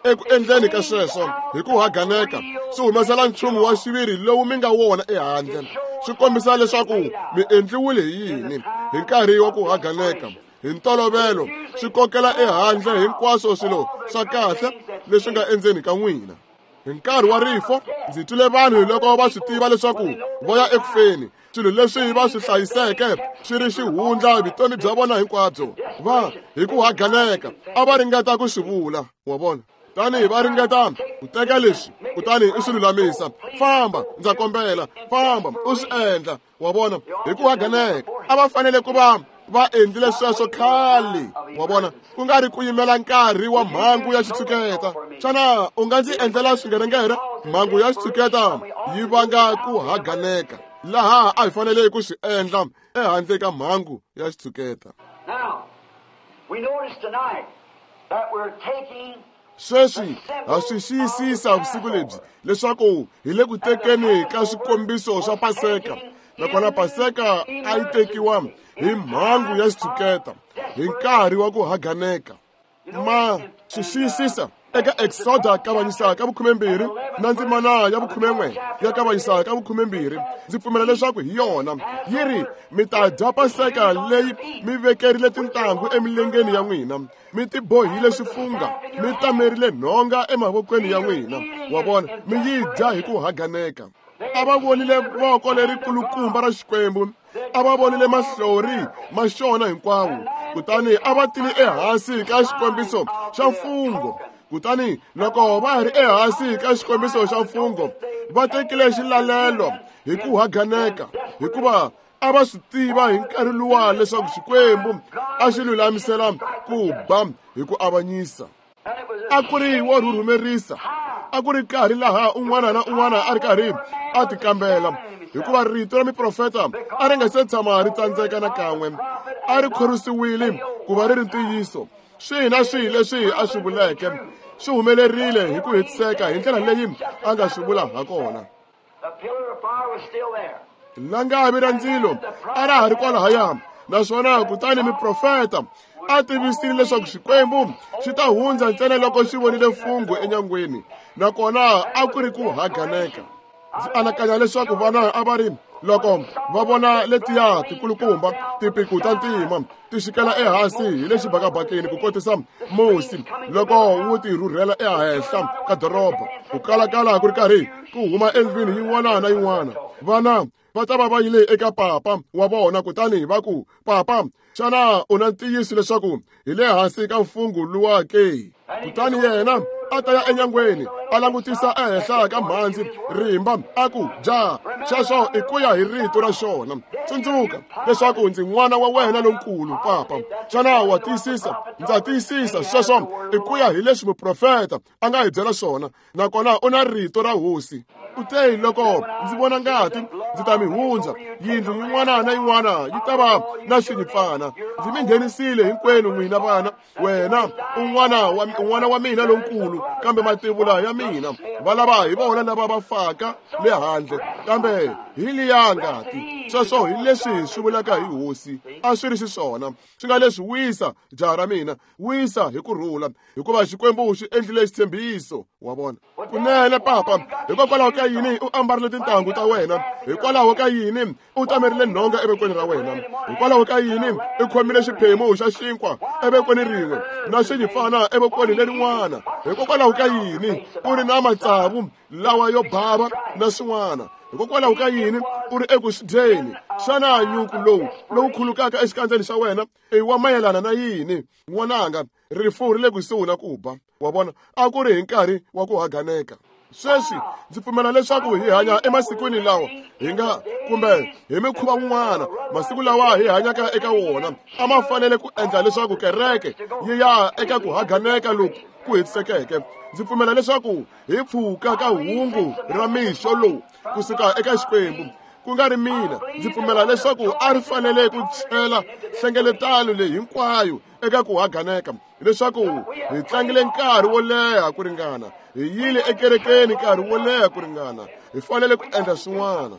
eku endleni ka sweswo hi ku haganeka swi humesela nchumu wa xiviri lowu mi nga wona ehandle. Swi kombisa leswaku mi endliwile hi yini hi nkarhi wa ku haganeka. Hi ntolovelo swi kokela ehandle hinkwaswo swilo swa kahle leswi nga endzeni ka n'wina. Hi nkarhi wa rifo ndzi twile vanhu loko va swi tiva leswaku va ya ekufeni, swilo leswi va swi hlayiseke swi ri xihundla vutomi bya vona hinkwabyo, va hi ku haganeka a va ringeta ku swi vula. Wa vona? Tanihi va ringeta ku teka leswi kutani u swi lulamisa. Famba, ndza kombela, famba u swi endla. Wa vona? Hi ku haganeka a va fanele ku va va endlile sweswo khale. Wa vona? Ku nga ri ku yimela nkarhi wa mhangu ya xitshuketa. Xana u nga ndzi endlela swingerengere? Mhangu ya xitshuketa yi vanga ku haganeka laha a hi fanele ku swi endla ehandle ka mhangu ya xitshuketa. Sweswi ha swi xiyisisa vusiku lebyi leswaku hi le ku tekeni ka swikombiso swa Paseka. Nakona Paseka a yi tekiwa hi mhangu ya xitshuketa hi nkarhi wa ku haganeka. Ma swi xiyisisa eka Exoda kavanyisa ka 12 na ndzimana ya 11 ya kavanyisa ka 12. Ndzi pfumela leswaku hi yona yi ri, mi ta dya Paseka leyi mi vekerile tintangu emilengeni ya n'wina, mi tibohile swifunga, mi tamerile nhonga emavokweni ya n'wina. Wa vona, mi yi dya hi ku haganeka. A va vonile voko lerikulukumba ra Xikwembu, a va vonile mahlori ma xona hinkwawo, kutani a va tile ehansi ka xikombiso xa mfungho. Kutani loko va ri ehansi ka xikombiso xa mfungho, va tekile xilalelo hi ku haganeka, hikuva a va swi tiva hi nkarhi luwa leswaku Xikwembu a xi lulamisela ku ba hi ku avanyisa. A ku ri wo rhurhumerisa, a ku ri nkarhi laha un'wana na un'wana a ri karhi a tikambela, hikuva rito ra miprofeta a ri nga se tshama ri tsandzeka nakan'we, a ri khorwisiwile ku va ri ri ntiyiso. Swihi na swihi leswi a swi vuleke swi humelerile hi ku hetiseka hi ndlela leyi a nga swi vula ha kona. Langavi ra ndzilo a ra ha ri kwalahaya, naswona kutani miprofeta a tivisile leswaku Xikwembu xi ta hundza ntsena loko xi vonile mfungho enyangweni, nakona a ku ri ku haganeka. Ndzi anakanya leswaku vana a va ri Loko va vona letiya tikulukumba tipiku ta ntima ti xikela ehansi hi le xibakabakeni ku kotisa musi loko wu ti rhurhela ehenhla ka doroba, ku kalakala ku ri karhi ku huma endlwini yin'wana na yin'wana, vana va ta va va yile eka papa wa vona kutani va ku, "Papa, xana u na ntiyiso leswaku hi le hansi ka mfungho luwa ke?" Kutani yena a ta ya enyangweni a langutisa ehenhla ka mhandzi rimba a ku, "Ja, xexo i ku ya hi rito ra xona. Tsundzuka leswaku ndzi n'wana wa wena lonkulu, papa. Xana wa tiyisisa? Ndza tiyisisa, sweswo i ku ya hi leswi muprofeta a nga hi byela swona, nakona u na rito ra hosi. U te, loko ndzi vona ngati ndzi ta mi hundza, yindlu yin'wana na yin'wana yi ta va na xinyimpfana. Ndzi mi nghenisile hinkwenu n'wina vana, wena un'wana wa mina lonkulu, kambe mativula ya mina va lava hi vona lava va faka le handle, kambe hi liya ngati. Sweswo hi leswi swi vulaka hi hosi, a swi ri xiswona. Swi nga leswi, wisa jaha ra mina, wisa hi ku rhula, hikuva Xikwembu xi endlile xitshembiso." Wa vona? Kunene papa, hikokwalaho ka yini u ambarile tintangu ta wena? Hikwalaho ka yini u tamerile nhonga evokweni ra wena? Hikwalaho ka yini u khomile xiphemu xa xinkwa evokweni rin'we na xinyimpfana evokweni lerin'wana? Hikokwalaho ka yini u ri na matsavu lawa yo bava na swin'wana? Hikokwalaho ka yini u ri eku swi dyeni? Xana nyuku lowu lowu khulukaka exikandzeni xa wena i wa mayelana na yini? N'wananga, rifu ri le kusuhi na ku ba. Wa vona, a ku ri hi nkarhi wa ku haganeka. Sweswi ndzi pfumela leswaku hi hanya emasikwini lawa hi nga, kumbe hi mikhuva wun'wana, masiku lawa hi hanyaka eka wona a ma fanele ku endla leswaku kereke yi ya eka ku haganeka loku ku hetisekeke. Ndzi pfumela leswaku hi pfuka ka hungu ra mixo lowu kusuka eka Xikwembu, ku nga ri mina. Ndzi pfumela leswaku a ri fanele ku chela nhlengeletano leyi hinkwayo eka ku haganeka, leswaku hi tlangile nkarhi wo leha ku ringana, hi yile ekerekeni nkarhi wo leha ku ringana, hi fanele ku endla swin'wana.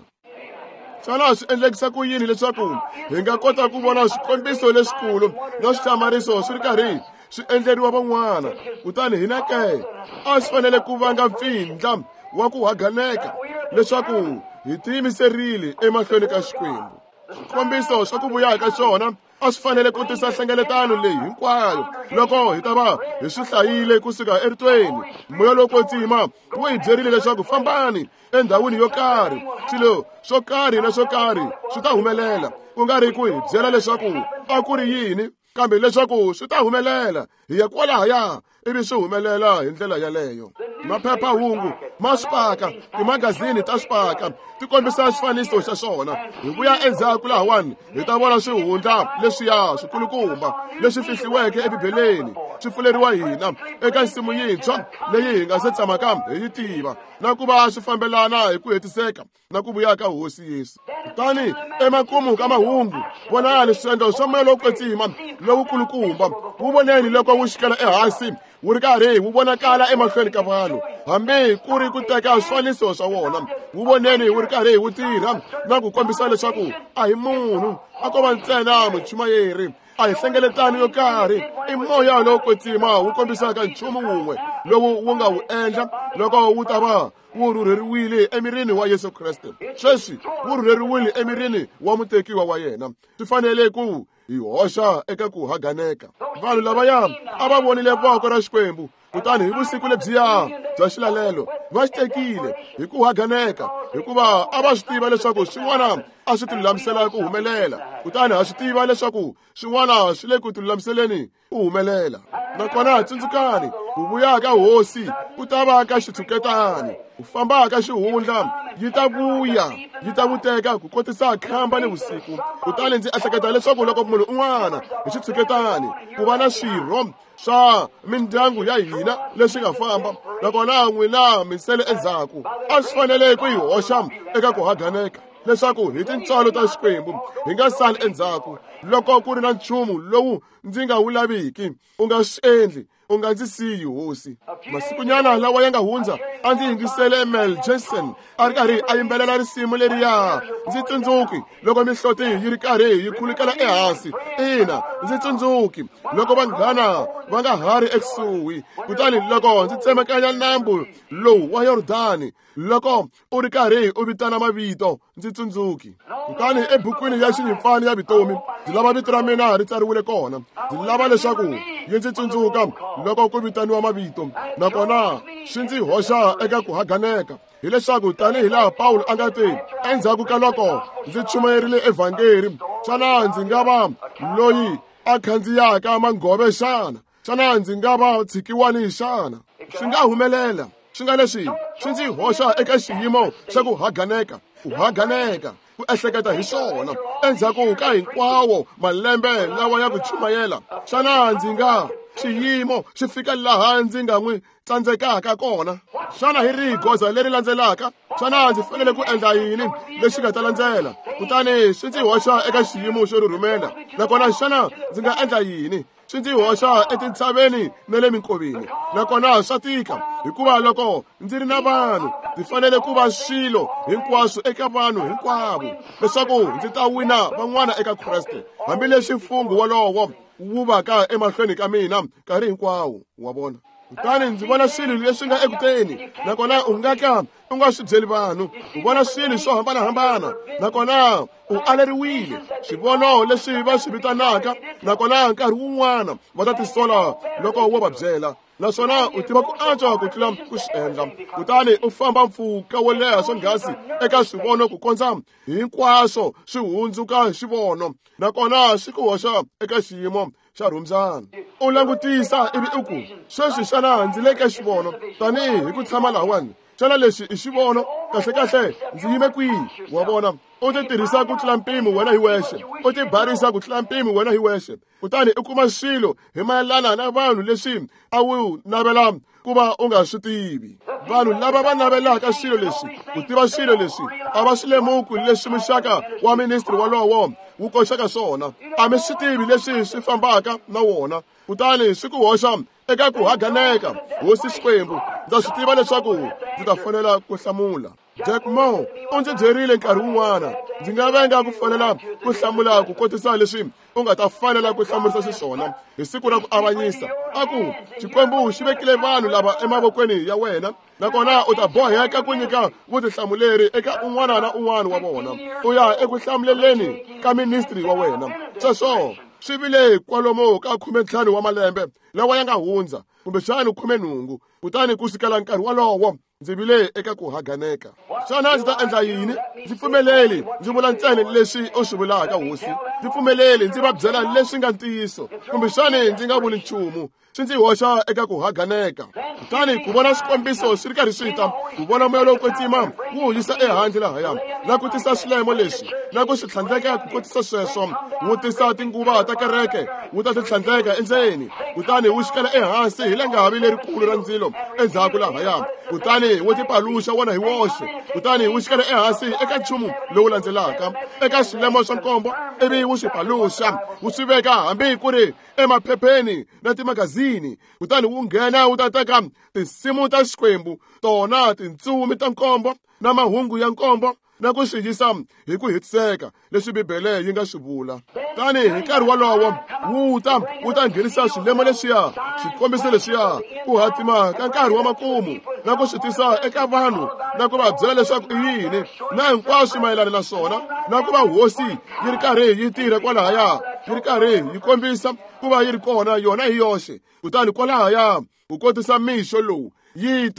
Xana swi endlekisa ku yini leswaku hi nga kota ku vona swikombiso leswikulu na swihlamariso swi ri karhi swi endleriwa van'wana, kutani hina ke? A swi fanele ku vanga mpfindla wa ku haganeka leswaku hi tiyimiserile emahlweni ka Xikwembu. Swikombiso swa ku vuya ka xona a swi fanele ku tisa nhlengeletano leyi hinkwayo loko hi ta va hi swi hlayile kusuka eritweni. Moya lowo kwetsima wu hi byerile leswaku fambani endhawini yo karhi, swilo swo karhi na swo karhi swi ta humelela, ku nga ri ku hi byela leswaku a ku ri yini, kambe leswaku swi ta humelela. Hi ya kwalahaya ivi swi humelela hi ndlela yaleyo. Maphephahungu ma swi paka, timagazini ta swi paka, ti kombisa xifaniso xa swona. Hi vuya endzhaku lahawani hi ta vona swihundla leswiya swikulukumba leswi fihliweke eBibeleni swi pfuleriwa hina eka nsimu yintshwa leyi hi nga se tshamaka hi yi tiva, na ku va swi fambelana hi ku hetiseka na ku vuya ka Hosi Yesu. Kutani emakumu ka mahungu, vonani swiendlo swa moya lowo kwetsima lowukulukumba, wu voneni loko wu xikela ehansi wu ri karhi wu vonakala emahlweni ka vanhu, hambi ku ri ku teka swifaniso swa wona. Wu voneni wu ri karhi wu tirha na ku kombisa leswaku a hi munhu, a ko va ntsena muchumayeri, a hi hlengeletano yo karhi, i moya lowo kwetsima wu kombisaka nchumu wun'we lowu wu nga wu endla loko wu ta va wu rhurheriwile emirini wa Yesu Kreste. Sweswi wu rhurheriwile emirini wa mutekiwa wa yena. Swi fanele ku hi hoxa eka ku haganeka. Vanhu lavaya a va vonile voko ra Xikwembu, kutani hi vusiku lebyiya bya xilalelo va xi tekile hi ku haganeka, hikuva a va swi tiva leswaku swin'wana a swi tilulamisela ku humelela. Kutani ha swi tiva leswaku swin'wana swi le ku tilulamiseleni ku humelela. Nakona tsundzukani, ku vuya ka hosi ku ta va ka xitshuketani, ku famba ka xihundla yi ta vuya, yi ta vuteka ku kotisa khamba ni vusiku. Kutani ndzi ehleketa leswaku loko munhu un'wana hi xitshuketani ku va na swirho swa mindyangu ya hina leswi nga famba, nakona n'wina mi sele endzhaku, a swi fanele ku yi hoxa eka ku haganeka leswaku hi tintswalo ta Xikwembu hi nga sali endzhaku. Loko ku ri na nchumu lowu ndzi nga wu laviki, u nga swi endli. U nga ndzi siyi, Hosi. Masikunyana lawa ya nga hundza a ndzi yingisele Mel Jensen a ri karhi a yimbelela risimu leriya. Ndzi tsundzuki loko mihloti yi ri karhi yi khulukela ehansi. Ina, ndzi tsundzuki loko vanghana va nga ha ri ekusuhi. Kutani loko ndzi tsemakanya nambu lowu wa Yordani, loko u ri karhi u vitana mavito, ndzi tsundzuki. Kutani ebukwini ya xinyimpfana ya vutomi, ndzi lava vito ra mina ri tsariwile kona. Ndzi lava leswaku yi ndzi tsundzuka loko ku vitaniwa mavito, nakona swi ndzi hoxa eka ku haganeka. Hileswaku tanihi laha Pawulo a nga te, endzhaku ka loko ndzi chumayerile evhangeri, xana ndzi nga va loyi a khandziyaka manghove xana? Xana ndzi nga va tshikiwani xana? Swi nga humelela. Swi nga leswi swi ndzi hoxa eka xiyimo xa ku haganeka, ku haganeka, ku ehleketa hi swona endzhaku ka hinkwawo malembe lawa ya ku chumayela. Xana ndzi nga xiyimo xi fika laha ndzi nga n'wi tsandzekaka kona? Xana hi rihi goza leri landzelaka? Xana ndzi fanele ku endla yini lexi nga ta landzela? Kutani swi ndzi hoxa eka xiyimo xo rhurhumela. Nakona xana ndzi nga endla yini? Swi ndzi hoxa etintshaveni na le minkoveni. Nakona swa tika, hikuva loko ndzi ri na vanhu, ndzi fanele ku va swilo hinkwaswo eka vanhu hinkwavo, leswaku ndzi ta wina van'wana eka Kreste, hambileswi mfungho wolowo wu vaka emahlweni ka mina nkarhi hinkwawo. Wa vona? Kutani ndzi vona swilo leswi nga ekuteni, nakona u nga ka u nga swi byeli vanhu. U vona swilo swo hambanahambana, nakona u aleriwile swivono leswi va swi vitanaka, nakona nkarhi wun'wana va ta tisola loko wo va byela. Naswona u tiva ku antswa ku tlula ku swi endla. Kutani u famba mpfhuka wo leha swonghasi eka swivono ku kondza hinkwaswo swi hundzuka xivono, nakona swi ku hoxa eka xiyimo xa rhumbyana. U langutisa ivi u ku, sweswi xana ndzi le ka xivono? Tanihi hi ku tshama lahawani, xana lexi i xivono? Kahlekahle ndzi yime kwihi? Wa vona, u ti tirhisa ku tlula mpimo wena hi wexe, u ti barisa ku tlula mpimo wena hi wexe, kutani u kuma swilo hi mayelana na vanhu leswi a wu navela ku va u nga swi tivi. Vanhu lava va navelaka swilo leswi, ku tiva swilo leswi, a va swi lemuki leswi muxaka wa ministri wolowo wu koxaka swona. A mi swi tivi leswi swi fambaka na wona, kutani swi ku hoxa eka ku haganeka. Hosi Xikwembu, ndza swi tiva leswaku ndzi ta fanela ku hlamula. Jack Moore u ndzi byerile nkarhi wun'wana, ndzi nga venga ku fanela ku hlamula ku kotisa leswi u nga ta fanela ku hlamurisa xiswona hi siku ra ku avanyisa. A ku, Xikwembu xi vekile vanhu lava emavokweni ya wena, nakona u ta boheka ku nyika vutihlamuleri eka un'wana na un'wana wa vona. U ya eku hlamuleleni ka ministri wa wena. Sweswo swi vile kwalomu ka 15 wa malembe lawa ya nga hundza, kumbexana 18. Kutani ku sukela nkarhi wolowo ndzi vile eka ku haganeka. Xana ndzi ta endla yini? Ndzi pfumeleli ndzi vula ntsena leswi u swi vulaka, Hosi. Ndzi pfumeleli ndzi va byela leswi nga ntiyiso, kumbexani ndzi nga vuli nchumu. Swi ndzi hoxa eka ku haganeka. Kutani ku vona swikombiso swi ri karhi swi ta, ku vona moya lowo kwetsima wu yisa ehandle lahaya, na ku tisa swilemo leswi, na ku swi tlhandleka ku kotisa sweswo, wu tisa tinguva ta kereke, wu ta ti tlhandleka endzeni, kutani wu xikela ehansi hi langavi lerikulu ra ndzilo endzhaku lahaya, kutani wu tipaluxa wona hi woxe, kutani wu xikela ehansi eka nchumu lowu landzelaka, eka swilemo swa nkombo, ivi wu swi paluxa, wu swi veka hambi ku ri emaphepheni na timagazini, kutani wu nghena wu ta teka tinsimu ta Xikwembu, tona tintsumi ta nkombo na mahungu ya nkombo, na ku swi yisa hi ku hetiseka leswi Bibele yi nga swi vula. Tani hi nkarhi wolowo wu ta nghenisa swilemo leswiya, swikombiso leswiya, ku hatima ka nkarhi wa makumu, na ku swi tisa eka vanhu, na ku va byela leswaku i yini, na hinkwaswo mayelana na swona, na ku va Hosi yi ri karhi yi tirha kwalahaya, yi ri karhi yi kombisa ku va yi ri kona yona hi yoxe. Kutani kwalahaya ku kotisa mixo lowu yi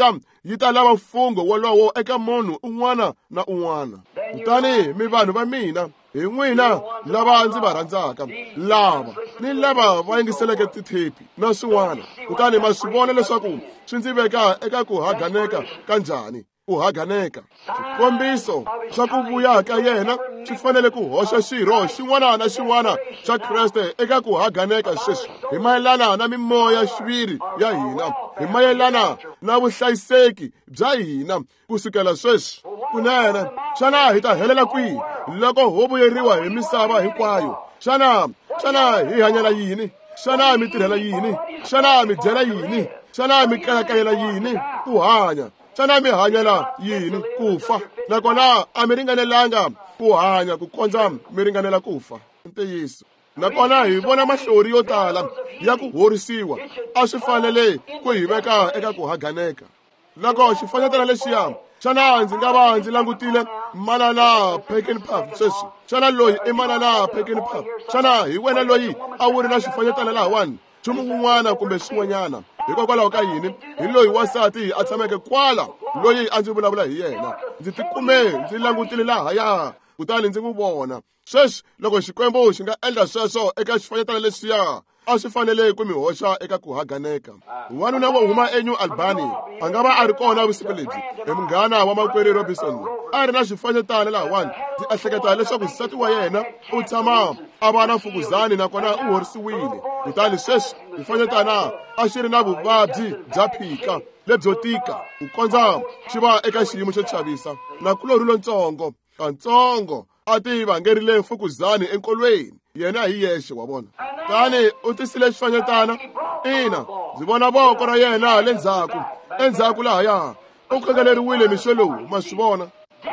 ta lava mfungho wolowo eka munhu un'wana na un'wana. Kutani mi vanhu va mina, hi n'wina lava ndzi va rhandzaka, lava ni lava va yingiseleke tithepi na swin'wana, kutani ma swi vona leswaku swi ndzi veka eka ku haganeka ka njhani. Ku haganeka. Xikombiso xa ku vuya ka yena swi fanele ku hoxa xirho xin'wana na xin'wana xa Kreste eka ku haganeka sweswi, hi mayelana na mimoya xiviri ya hina, hi mayelana na vuhlayiseki bya hina ku sukela sweswi. Kunene, xana hi ta helela kwihi loko ho vuyeriwa hi misava hinkwayo? Xana hi hanyela yini? Xana mi tirhela yini? Xana mi dyela yini? Xana mi kayakayela yini ku hanya? Xana mi hanyela yini ku fa? Nakona a mi ringanelanga ku hanya ku kondza mi ringanela ku fa. Ntiyiso. Nakona hi vona mahlori yo tala ya ku horisiwa, a swi fanele ku hi veka eka ku haganeka. Loko xifanyetana lexiya, xana ndzi nga va ndzi langutile Manana Peckinpah sweswi? Xana loyi i Manana Peckinpah? Xana hi wena loyi a wu ri na xifanyetana lahawani? Nchumu wun'wana kumbe swin'wanyana. Hikokwalaho ka yini? Hi loyi wansati a tshameke kwala, loyi a ndzi vulavula hi yena. Ndzi tikume ndzi langutile lahaya, kutani ndzi n'wi vona. Sweswi loko Xikwembu xi nga endla sweswo eka xifanyetana lexiya, a swi fanele ku mi hoxa eka ku haganeka. Wanuna wo huma eNew Albany a nga va a ri kona vusiku lebyi, hi munghana wa makwerhu Robinson, a ri na xifanyetana lahawani. Ndzi ehleketa leswaku nsati wa yena u tshama a va na mfukuzani nakona u horisiwile. Kutani sweswi xifanyetana a xi ri na vuvabyi bya phika lebyo tika ku kondza xi va eka xiyimo xo chavisa. Nakulorhi lontsongo katsongo a ti vangerile mfukuzani enkolweni, yena hi yexe, wa vona. Tani u tisile xifanyetana. Ina, ndzi vona voko ra yena le ndzhaku, endzhaku lahaya. U khongeleriwile mixo lowu, ma swi vona.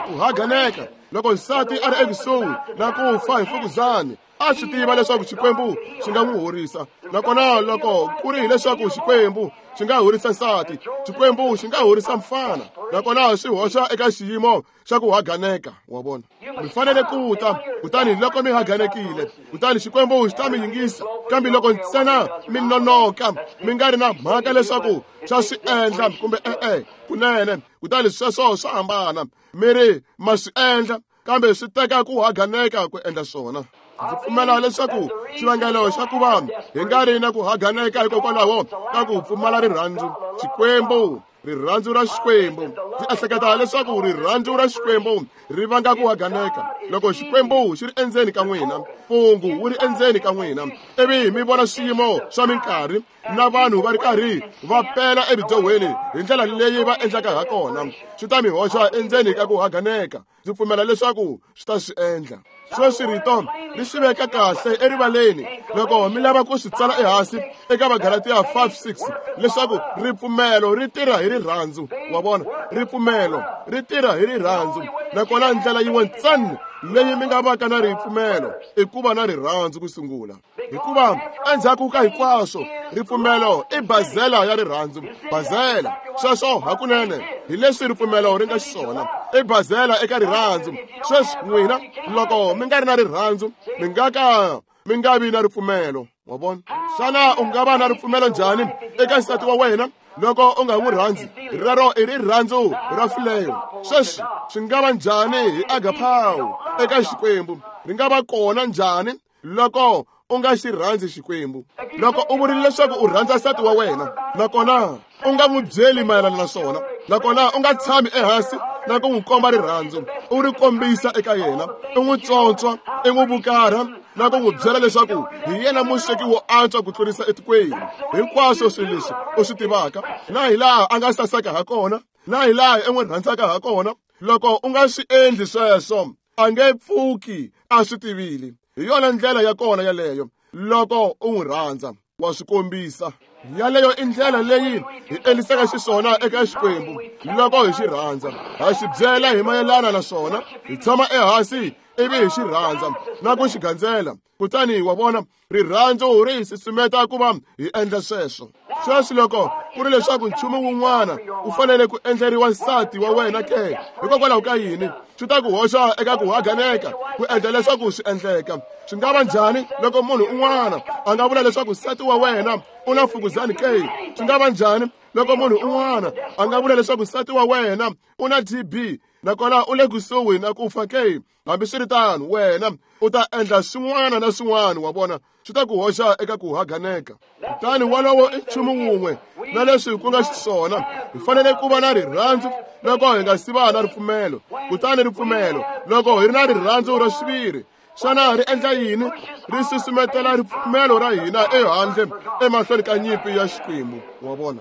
Ku haganeka loko nsati a ri ekusuhi na ku fa hi mfukuzani, a swi tiva leswaku Xikwembu xi nga n'wi horisa. Nakona loko ku ri hileswaku Xikwembu xi nga horisa nsati, Xikwembu xi nga horisa mfana. Nakona swi hoxa eka xiyimo xa ku haganeka, wa vona. Mi fanele ku ta, kutani loko mi haganekile, kutani Xikwembu xi ta mi yingisa. Kambe loko ntsena mi nonoka, mi nga ri na mhaka leswaku xa swi endla kumbe e-e, kunene, kutani sweswo swa hambana. Mi ri ma swi endla, kambe swi teka ku haganeka ku endla swona. Ndzi pfumela leswaku xivangelo xa ku va hi nga ri na ku haganeka hikokwalaho ka ku pfumala rirhandzu. Xikwembu, rirhandzu ra Xikwembu. Ndzi ehleketa leswaku rirhandzu ra Xikwembu ri vanga ku haganeka. Loko Xikwembu xi ri endzeni ka n'wina, mpungu wu ri endzeni ka n'wina, ivi mi vona swiyimo swa minkarhi na vanhu va ri karhi va pela ebidyohweni hi ndlela leyi va endlaka ha kona, swi ta mi hoxa endzeni ka ku haganeka. Ndzi pfumela leswaku swi ta swi endla. Sweswi rito ri swi veka kahle erivaleni loko mi lava ku swi tsala ehansi eka Vagalatiya 5:6 leswaku ripfumelo ri tirha hi rirhandzu. Wa vona, ripfumelo ri tirha hi rirhandzu. Nakona ndlela yin'we ntsena leyi mi nga vaka na ripfumelo i ku va na rirhandzu ku sungula. Hikuva endzhaku ka hinkwaswo, ripfumelo i bazela ya rirhandzu. Bazela, sweswo hakunene hi leswi ripfumelo ri nga xiswona, i bazela eka rirhandzu. Sweswi n'wina loko mi nga ri na rirhandzu, mi nga ka mi nga vi na ripfumelo. Wa vona? Xana u nga va na ripfumelo njhani eka nsati wa wena loko u nga n'wi rhandzi? Rero i rirhandzu ra fileyo. Sweswi swi nga va njhani hi agapao eka Xikwembu? Ri nga va kona njhani loko u nga xi rhandzi Xikwembu? Loko u vurile leswaku u rhandza nsati wa wena, nakona u nga n'wi byeli mayelana na swona, nakona u nga tshami ehansi na ku n'wi komba rirhandzu, u ri kombisa eka yena, u n'wi tswontswa, i n'wi vukarha, na ku n'wi byela leswaku hi yena musweki wo antswa ku tlurisa etikweni, hinkwaswo swilo leswi u swi tivaka, na hi laha a nga saseka ha kona, na hi laha i n'wi rhandzaka ha kona. Loko u nga swi endli sweswo, a nge pfuki a swi tivile. Hi yona ndlela ya kona yaleyo. Loko u n'wi rhandza, wa swi kombisa. Yaleyo i ndlela leyi hi endlisaka xiswona eka Xikwembu. Loko hi xi rhandza, ha xi byela hi mayelana na swona, hi tshama ehansi ivi hi xi rhandza na ku xi gandzela. Kutani wa vona, rirhandzu ri hi susumeta ku va hi endla sweswo. Sweswi loko ku ri leswaku nchumu wun'wana wu fanele ku endleriwa nsati wa wena ke, hikokwalaho ka yini swi ta ku hoxa eka ku haganeka ku endla leswaku swi endleka? Swi nga va njhani loko munhu un'wana a nga vula leswaku nsati wa wena u na mfukuzani ke? Swi nga va njhani loko munhu un'wana a nga vula leswaku nsati wa wena u na TB nakona u le kusuhi na ku fa ke? Hambiswiritano, wena u ta endla swin'wana na swin'wana, wa vona, swi ta ku hoxa eka ku haganeka. Kutani wolowo i nchumu wun'we na leswi ku nga xiswona. Hi fanele ku va na rirhandzu loko hi nga si va na ripfumelo. Kutani ripfumelo, loko hi ri na rirhandzu ra xiviri, xana ri endla yini? Ri susumetela ripfumelo ra hina ehandle emahlweni ka nyimpi ya Xikwembu. Wa vona?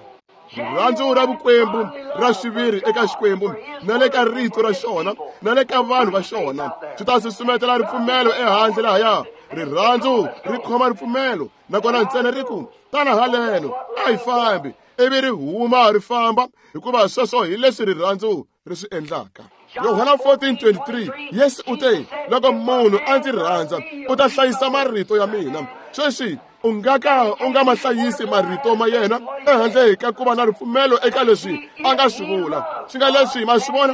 Rirhandzu ra vukwembu ra xiviri eka Xikwembu na le ka rito ra xona na le ka vanhu va xona swi ta susumetela ripfumelo ehandle lahaya. Rirhandzu ri khoma ripfumelo, nakona ntsena ri ku tana haleno, a hi fambi, ivi ri huma ri famba, hikuva sweswo hi leswi rirhandzu ri swi endlaka. Yohana 14:23, Yesu u te, loko munhu a ndzi rhandza, u ta hlayisa marito ya mina. Sweswi u nga ka u nga ma hlayisi marito ma yena ehandle ka ku va na ripfumelo eka leswi a nga swi vula. Swi nga leswi ma swi vona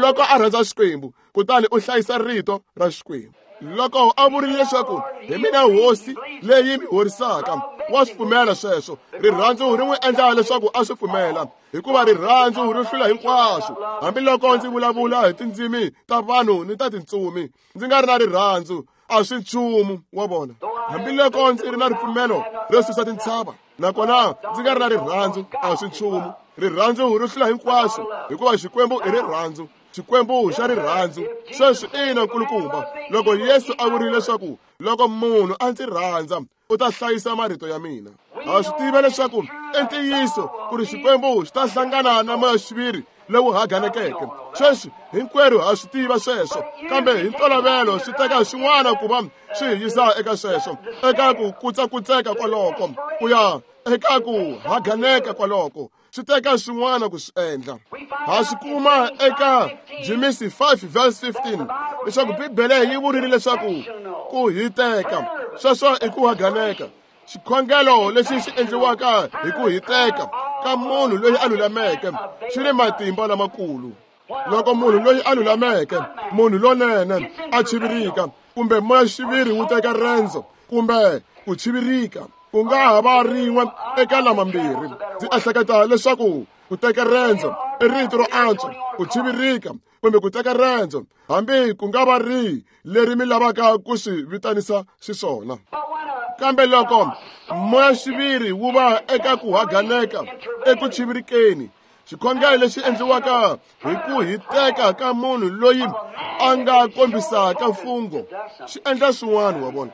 loko a rhandza Xikwembu, kutani u hlayisa rito ra Xikwembu. Loko a vurile leswaku hi mina hosi leyi mi horisaka, wa swi pfumela sweswo. Rirhandzu ri n'wi endla leswaku a swi pfumela, hikuva rirhandzu ri hlula hinkwaswo. Hambiloko ndzi vulavula hi tindzimi ta vanhu ni ta tintsumi, ndzi nga ri na rirhandzu, a swi nchumu wa vona. Hambiloko ndzi ri na ripfumelo ro susa tintshava, nakona ndzi nga ri na rirhandzu, a swi nchumu. Rirhandzu ri hlula hinkwaswo, hikuva Xikwembu i rirhandzu. Xikwembu xa rirhandzu. Sweswi ina nkulukumba, loko Yesu a vurile leswaku loko munhu a ndzi rhandza, u ta hlayisa marito ya mina. Ha swi tiva leswaku i ntiyiso ku ri Xikwembu xi ta hlangana na moya-xiviri lowu haganekeke. Sweswi hinkwerhu ha swi tiva sweswo, kambe hi ntolovelo swi teka swin'wana ku va swi hi yisa eka sweswo, eka ku kutsakutseka kwaloko, ku ya eka ku haganeka kwaloko. Swi teka swin'wana ku swi endla. Ha swi kuma eka Jimisi 5 verse 15 leswaku Bibele yi vurile leswaku ku hiteka, sweswo i ku haganeka. Xikhongelo lexi xi endliwaka hi ku hiteka ka munhu loyi a lulameke xi ni matimba lamakulu. Loko munhu loyi a lulameke, munhu lonene, a chivirika, kumbe moya-xiviri wu teka rendzo kumbe ku chivirika, ku nga ha va rin'we eka lamambirhi. Ndzi ehleketa leswaku ku teka rendzo i rito ro antswa, ku chivirika kumbe ku teka rendzo, hambi ku nga va rihi leri mi lavaka ku swi vitanisa xiswona. Kambe loko moya-xiviri wu va eka ku haganeka eku chivirikeni, xikhongelo lexi endliwaka hi ku hiteka ka munhu loyi a nga kombisaka mfungho xi endla swin'wana wa vona.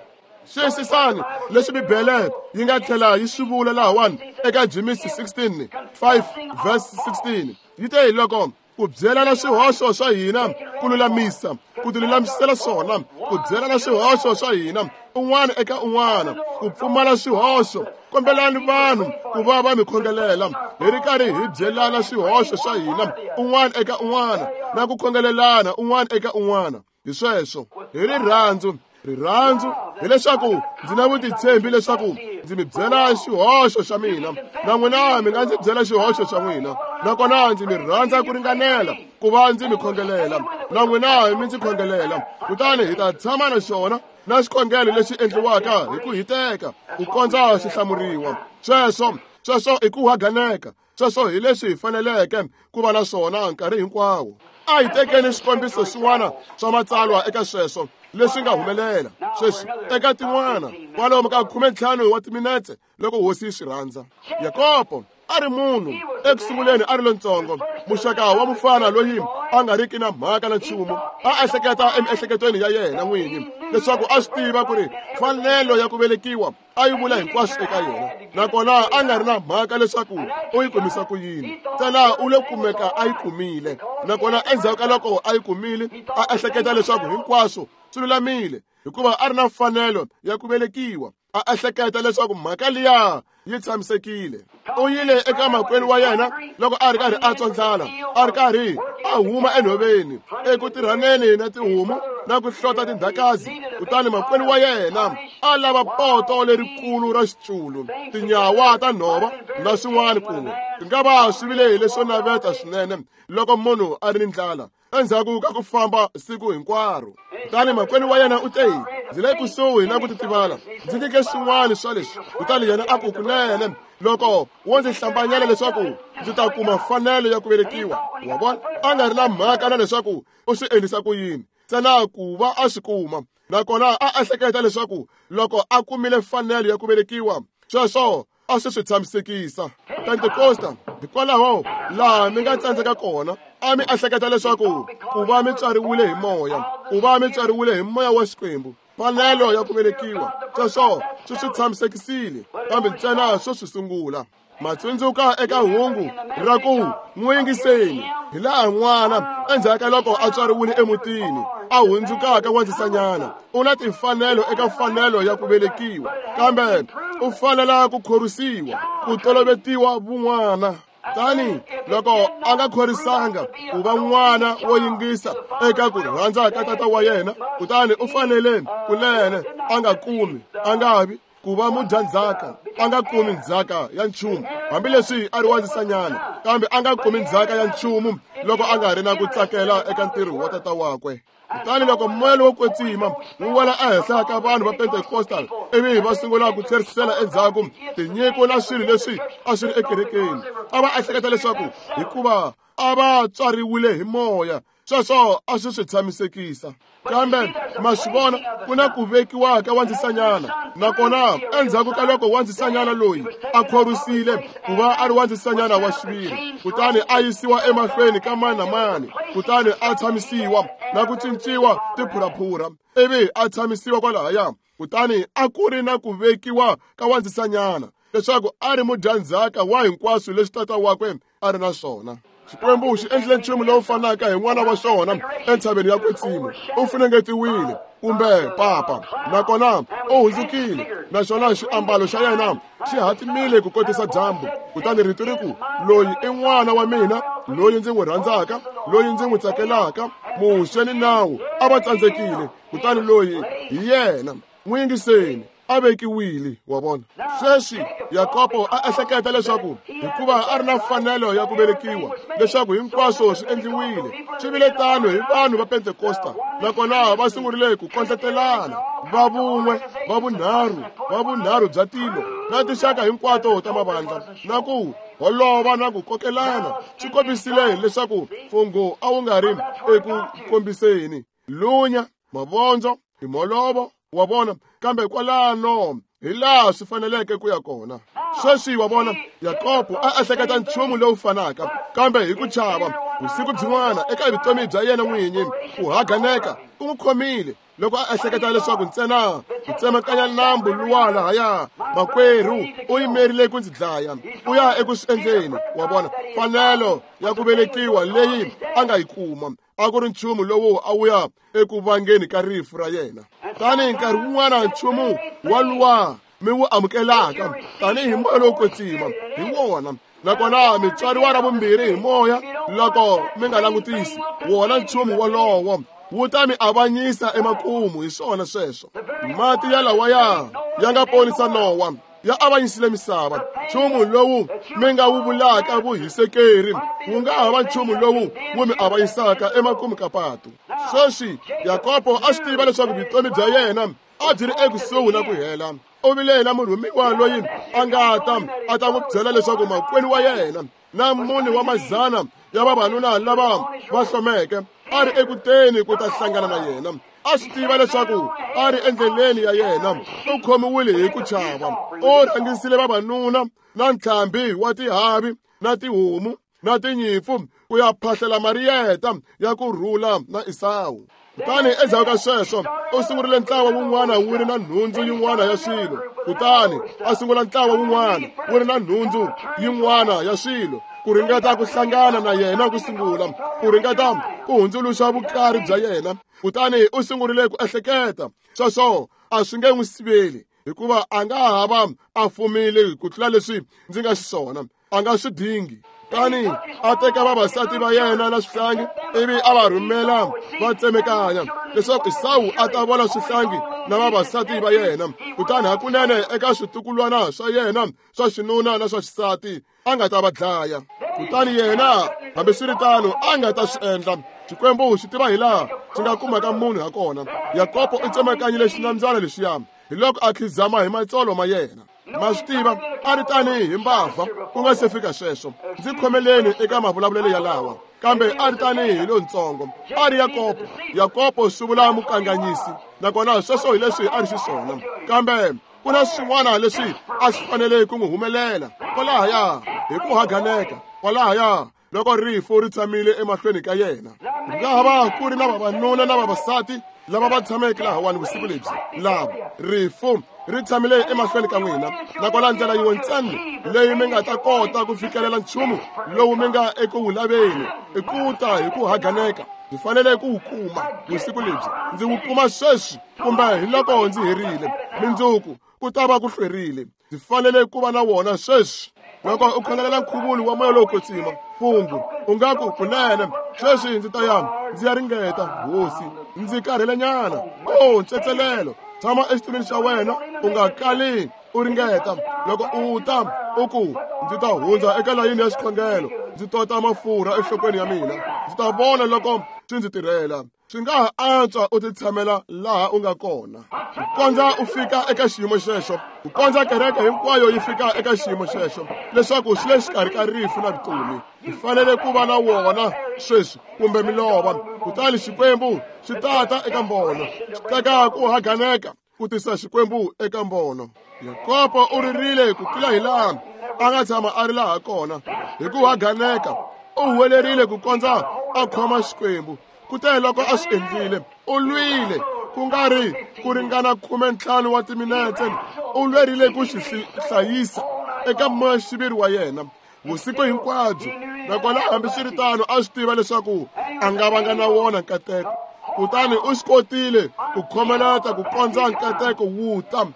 Xiyisisani leswi Bibele yi nga tlhela yi swi vula lahawani eka Jimisi 16 5 verse 16. Yi te hi loko ku byelana swihoxo swa hina, ku lulamisa, ku tilulamisela swona, ku byelana swihoxo swa hina un'wana eka un'wana, ku pfumala swihoxo. Kombelani vanhu ku va va mi khongelela, hi ri karhi hi byelana swihoxo swa hina un'wana eka un'wana, na ku khongelelana un'wana eka un'wana. Hi sweswo, hi rirhandzu. Rirhandzu hileswaku ndzi na vutitshembi leswaku ndzi mi byela xihoxo xa mina, na n'wina mi nga ndzi byela xihoxo xa n'wina, nakona ndzi mi rhandza ku ringanela ku va ndzi mi khongelela, na n'wina mi ndzi khongelela. Kutani hi ta tshama na xona na xikhongelo lexi endliwaka hi ku hiteka ku kondza xi hlamuriwa. Sweswo i ku haganeka. Sweswo hi leswi hi faneleke ku va na swona nkarhi hinkwawo. A hi tekeni swikombiso swin'wana swa matsalwa eka sweswo leswi nga humelela sweswi eka tin'wana kwalomu ka 15 wa timinetse loko hosi yi swi rhandza. Yakobo a ri munhu eku sunguleni a ri lontsongo, muxaka wa mufana loyi a nga riki na mhaka na nchumu. A ehleketa emiehleketweni ya yena n'winyi leswaku a swi tiva ku ri mfanelo ya ku velekiwa a yi vula hinkwaswo eka yena, nakona a nga ri na mhaka leswaku u yi kumisa ku yini, ntsena u le kumeka a yi kumile. Nakona endzhaku ka loko a yi kumile, a ehleketa leswaku hinkwaswo swi lulamile, hikuva a ri na mfanelo ya ku velekiwa. A ehleketa leswaku mhaka liya yi tshamisekile. U yile eka makwenu wa yena loko a ri karhi a twa ndlala, a ri karhi a huma enhoveni eku tirhaneni na tihomu na ku hlota tindhakazi. Kutani makwenu wa yena a lava poto lerikulu ra xiculu, tinyawa ta nhova na swin'wana kun'we. Swi nga va swi vile hi leswo naveta swinene loko munhu a ri ni ndlala endzhaku ka ku famba siku hinkwaro. Kutani makwenu wa yena u te, ndzi le kusuhi na ku titivala, ndzi nyike swin'wana swa leswi. Kutani yena a ku, kunene loko wo ndzi hlambanyela leswaku ndzi ta kuma mfanelo ya ku velekiwa. Wa vona, a nga ri na mhaka na leswaku u swi endlisa ku yini, ntsena ku va a swi kuma. Nakona a ehleketa leswaku loko a kumile mfanelo ya ku velekiwa, sweswo a swi swi tshamisekisa. Pentekosta, hikwalaho laha mi nga tsandzeka kona, a mi ehleketa leswaku ku va mi tswariwile hi moya, ku va mi tswariwile hi moya wa Xikwembu, mfanelo ya ku velekiwa, sweswo swi swi tshamisekisile, kambe ntsena swo swi sungula. Matsundzuka eka hungu ra ku n'wi yingiseni, hi laha n'wana endzhaku ka loko a tswariwile emutini a hundzukaka wandzisanyana u na timfanelo eka mfanelo ya ku velekiwa, kambe u fanela ku khorwisiwa, ku tolovetiwa vun'wana. Tani loko a nga khorisanga ku va n'wana wo yingisa eka ku rhandza ka tata wa yena, kutani u fanele kunene a nga kumi, a nga vi ku va mudyandzhaka, a nga kumi ndzhaka ya nchumu, hambileswi a ri wandzisanyana, kambe a nga kumi ndzhaka ya nchumu loko a nga ri na ku tsakela eka ntirho wa tata wakwe. Kutani loko moya lowo kwetsima wu wela ehenhla ka vanhu va Pentecostal, ivi va sungula ku tlherisela endzhaku tinyiko na swilo leswi a swi ri ekerekeni, a va ehleketa leswaku hikuva a va tswariwile hi moya, sweswo a swi swi tshamisekisa. Kambe ma swi vona, ku na ku vekiwa ka wandzisanyana, nakona endzhaku ka loko wandzisanyana loyi a khorwisile ku va a ri wandzisanyana wa xiviri, kutani a yisiwa emahlweni ka mani na mani, kutani a tshamisiwa na ku cinciwa tiphuraphura, ivi a tshamisiwa kwalahaya, kutani a ku ri na ku vekiwa ka wandzisanyana leswaku a ri mudyandzhaka wa hinkwaswo leswi tata wakwe a ri na swona. Xikwembu xi endlile nchumu lowu fanaka hi n'wana wa xona entshaveni ya kwetsima. U funengetiwile kumbe papa, nakona u hundzukile, naswona xiambalo xa yena xi hatimile ku kotisa dyambu. Kutani rito ri ku, loyi i n'wana wa mina, loyi ndzi n'wi rhandzaka, loyi ndzi n'wi tsakelaka. Muxe ni nawu a va tsandzekile, kutani loyi hi yena, n'wi yingiseni, a vekiwile. Wa vona? Sweswi Yakobo a ehleketa leswaku hikuva a ri na mfanelo ya ku velekiwa, leswaku hinkwaswo swi endliwile. Swi vile tano hi vanhu va Pentekosta, nakona va sungurile ku kondletelana, va vun'we, va vunharhu, va vunharhu bya tilo, na tinxaka hinkwato ta mavandla, na ku holova na ku kokelana. Swi kombisile leswaku mfungho a wu nga ri eku kombiseni lunya, mavondzo, timholovo, wa vona, kambe kwalano hi laha swi faneleke ku ya kona. Sweswi wa vona, Yakobo a ehleketa nchumu lowu fanaka, kambe hi ku chava vusiku byin'wana eka vutomi bya yena n'winyi, ku haganeka ku n'wi khomile loko a ehleketa leswaku ntsena ku tsemakanya nambu luwa lahaya, makwerhu u yimerile ku ndzi dlaya, u ya eku swi endleni. Wa vona, mfanelo ya ku velekiwa leyi a nga yi kuma a ku ri nchumu lowu a wu ya eku vangeni ka rifu ra yena. Tanihi nkarhi wun'wana nchumu wa luwa mi wu amukelaka tanihi moya lowo kwetsima hi wona, nakona mi tswariwa ra vumbirhi hi moya, loko mi nga langutisi wona nchumu wolowo wu ta mi avanyisa emakumu. Hi swona sweswo. Mati ya lawaya ya nga ponisa Nowa, ya avanyisile misava. Nchumu lowu mi nga wu vulaka vuhisekeri wu nga ha va nchumu lowu wu mi avanyisaka emakumu ka patu. Sweswi Yakobo a swi tiva leswaku vutomi bya yena a byi ri ekusuhi na ku hela. U vile na murhumiwa loyi a nga ta a ta n'wi byela leswaku makwenu wa yena na mune wa mazana ya vavanuna lava va hlomeke a ri ekuteni ku ta hlangana na yena. A swi tiva leswaku a ri endleleni ya yena, u khomiwile hi ku chava. U rhangisile vavanuna na ntlhambi wa tihavi na tihomu na tinyimpfu ku ya phahlela mariyeta ya ku rhula na Esawu. Kutani endzhaku ka sweswo u sungurile ntlawa wun'wana wu ri na nhundzu yin'wana ya swilo, kutani a sungula ntlawa wun'wana wu ri na nhundzu yin'wana ya swilo, ku ringeta ku hlangana na yena ku sungula, ku ringeta ku hundzuluxa vukari bya yena. Kutani u sungurile ku ehleketa sweswo a swi nge n'wi siveli, hikuva a nga ha va a fumile ku tlula leswi ndzi nga xiswona, a nga swi dingi. Tani a teka vavasati va yena na swihlangi, ivi a va rhumela va tsemekanya leswaku Esawu a ta vona swihlangi na vavasati va yena, kutani hakunene eka switukulwana swa yena swa xinuna na swa xisati a nga ta va dlaya. Kutani yena hambiswiritano a nga ta swi endla. Xikwembu xi tiva hi laha xi nga kumaka munhu ha kona. Yakobo u tsemakanyile xinambyana lexiya, hi loko a khizama hi matsolo ma yena. Ma swi tiva, a ri tanihi hi mbavha ku nga se fika sweswo. Ndzi khomeleni eka mavulavulelo yalawa, kambe a ri tanihi hi lontsongo. A ri Yakobo. Yakobo swi vula mukanganyisi, nakona sweswo hi leswi a ri xiswona. Kambe ku na swin'wana leswi a swi fanele ku n'wi humelela kwalahaya hi ku haganeka, kwalahaya loko rifu ri tshamile emahlweni ka yena. Ku nga ha va ku ri na vavanuna na vavasati lava va tshameke lahawani vusiku lebyi, lava rifu ri tshamile emahlweni ka n'wina, nakona ndlela yin'we ntsena leyi mi nga ta kota ku fikelela nchumu lowu mi nga eku wu laveni i ku ta hi ku haganeka. Ndzi fanele ku wu kuma vusiku lebyi, ndzi wu kuma sweswi kumbe hi loko ndzi herile mindzuku ku ta va ku hlwerile. Ndzi fanele ku va na wona sweswi. Loko u khongelela nkhuvulo wa moya lowo kwetsima, mfungho, u nga ku, kunene sweswi ndzi ta ya ndzi ya ringeta, hosi, ndzi karhelenyana. O ntsetselelo, tshama exitulwini xa wena, u nga kali u ringeta. Loko u ta u ku, ndzi ta hundza eka layini ya xikhongelo, ndzi tota mafurha enhlokweni ya mina, ndzi ta vona loko swi ndzi tirhela. Swi nga ha antswa u titshamela laha u nga kona ku kondza u fika eka xiyimo xexo, ku kondza kereke hinkwayo yi fika eka xiyimo xexo, leswaku swi le xikarhi ka rifu na vutomi. Hi fanele ku va na wona sweswi kumbe milova. Kutani Xikwembu xi tata eka mbono, xi teka ku haganeka ku tisa Xikwembu eka mbono. Yakobo u ririle ku tlula hi laha a nga tshama a ri laha kona hi ku haganeka. U huwelerile ku kondza a khoma Xikwembu. Kute loko a swi endlile, u lwile ku nga ri ku ringana 15 wa timinetse. U lwerile ku xi hlayisa eka moya-xiviri wa yena vusiku hinkwabyo, nakona hambiswiritano a swi tiva leswaku a nga vanga na wona nkateko. Kutani u swi kotile ku khomeleta ku kondza nkateko wu ta.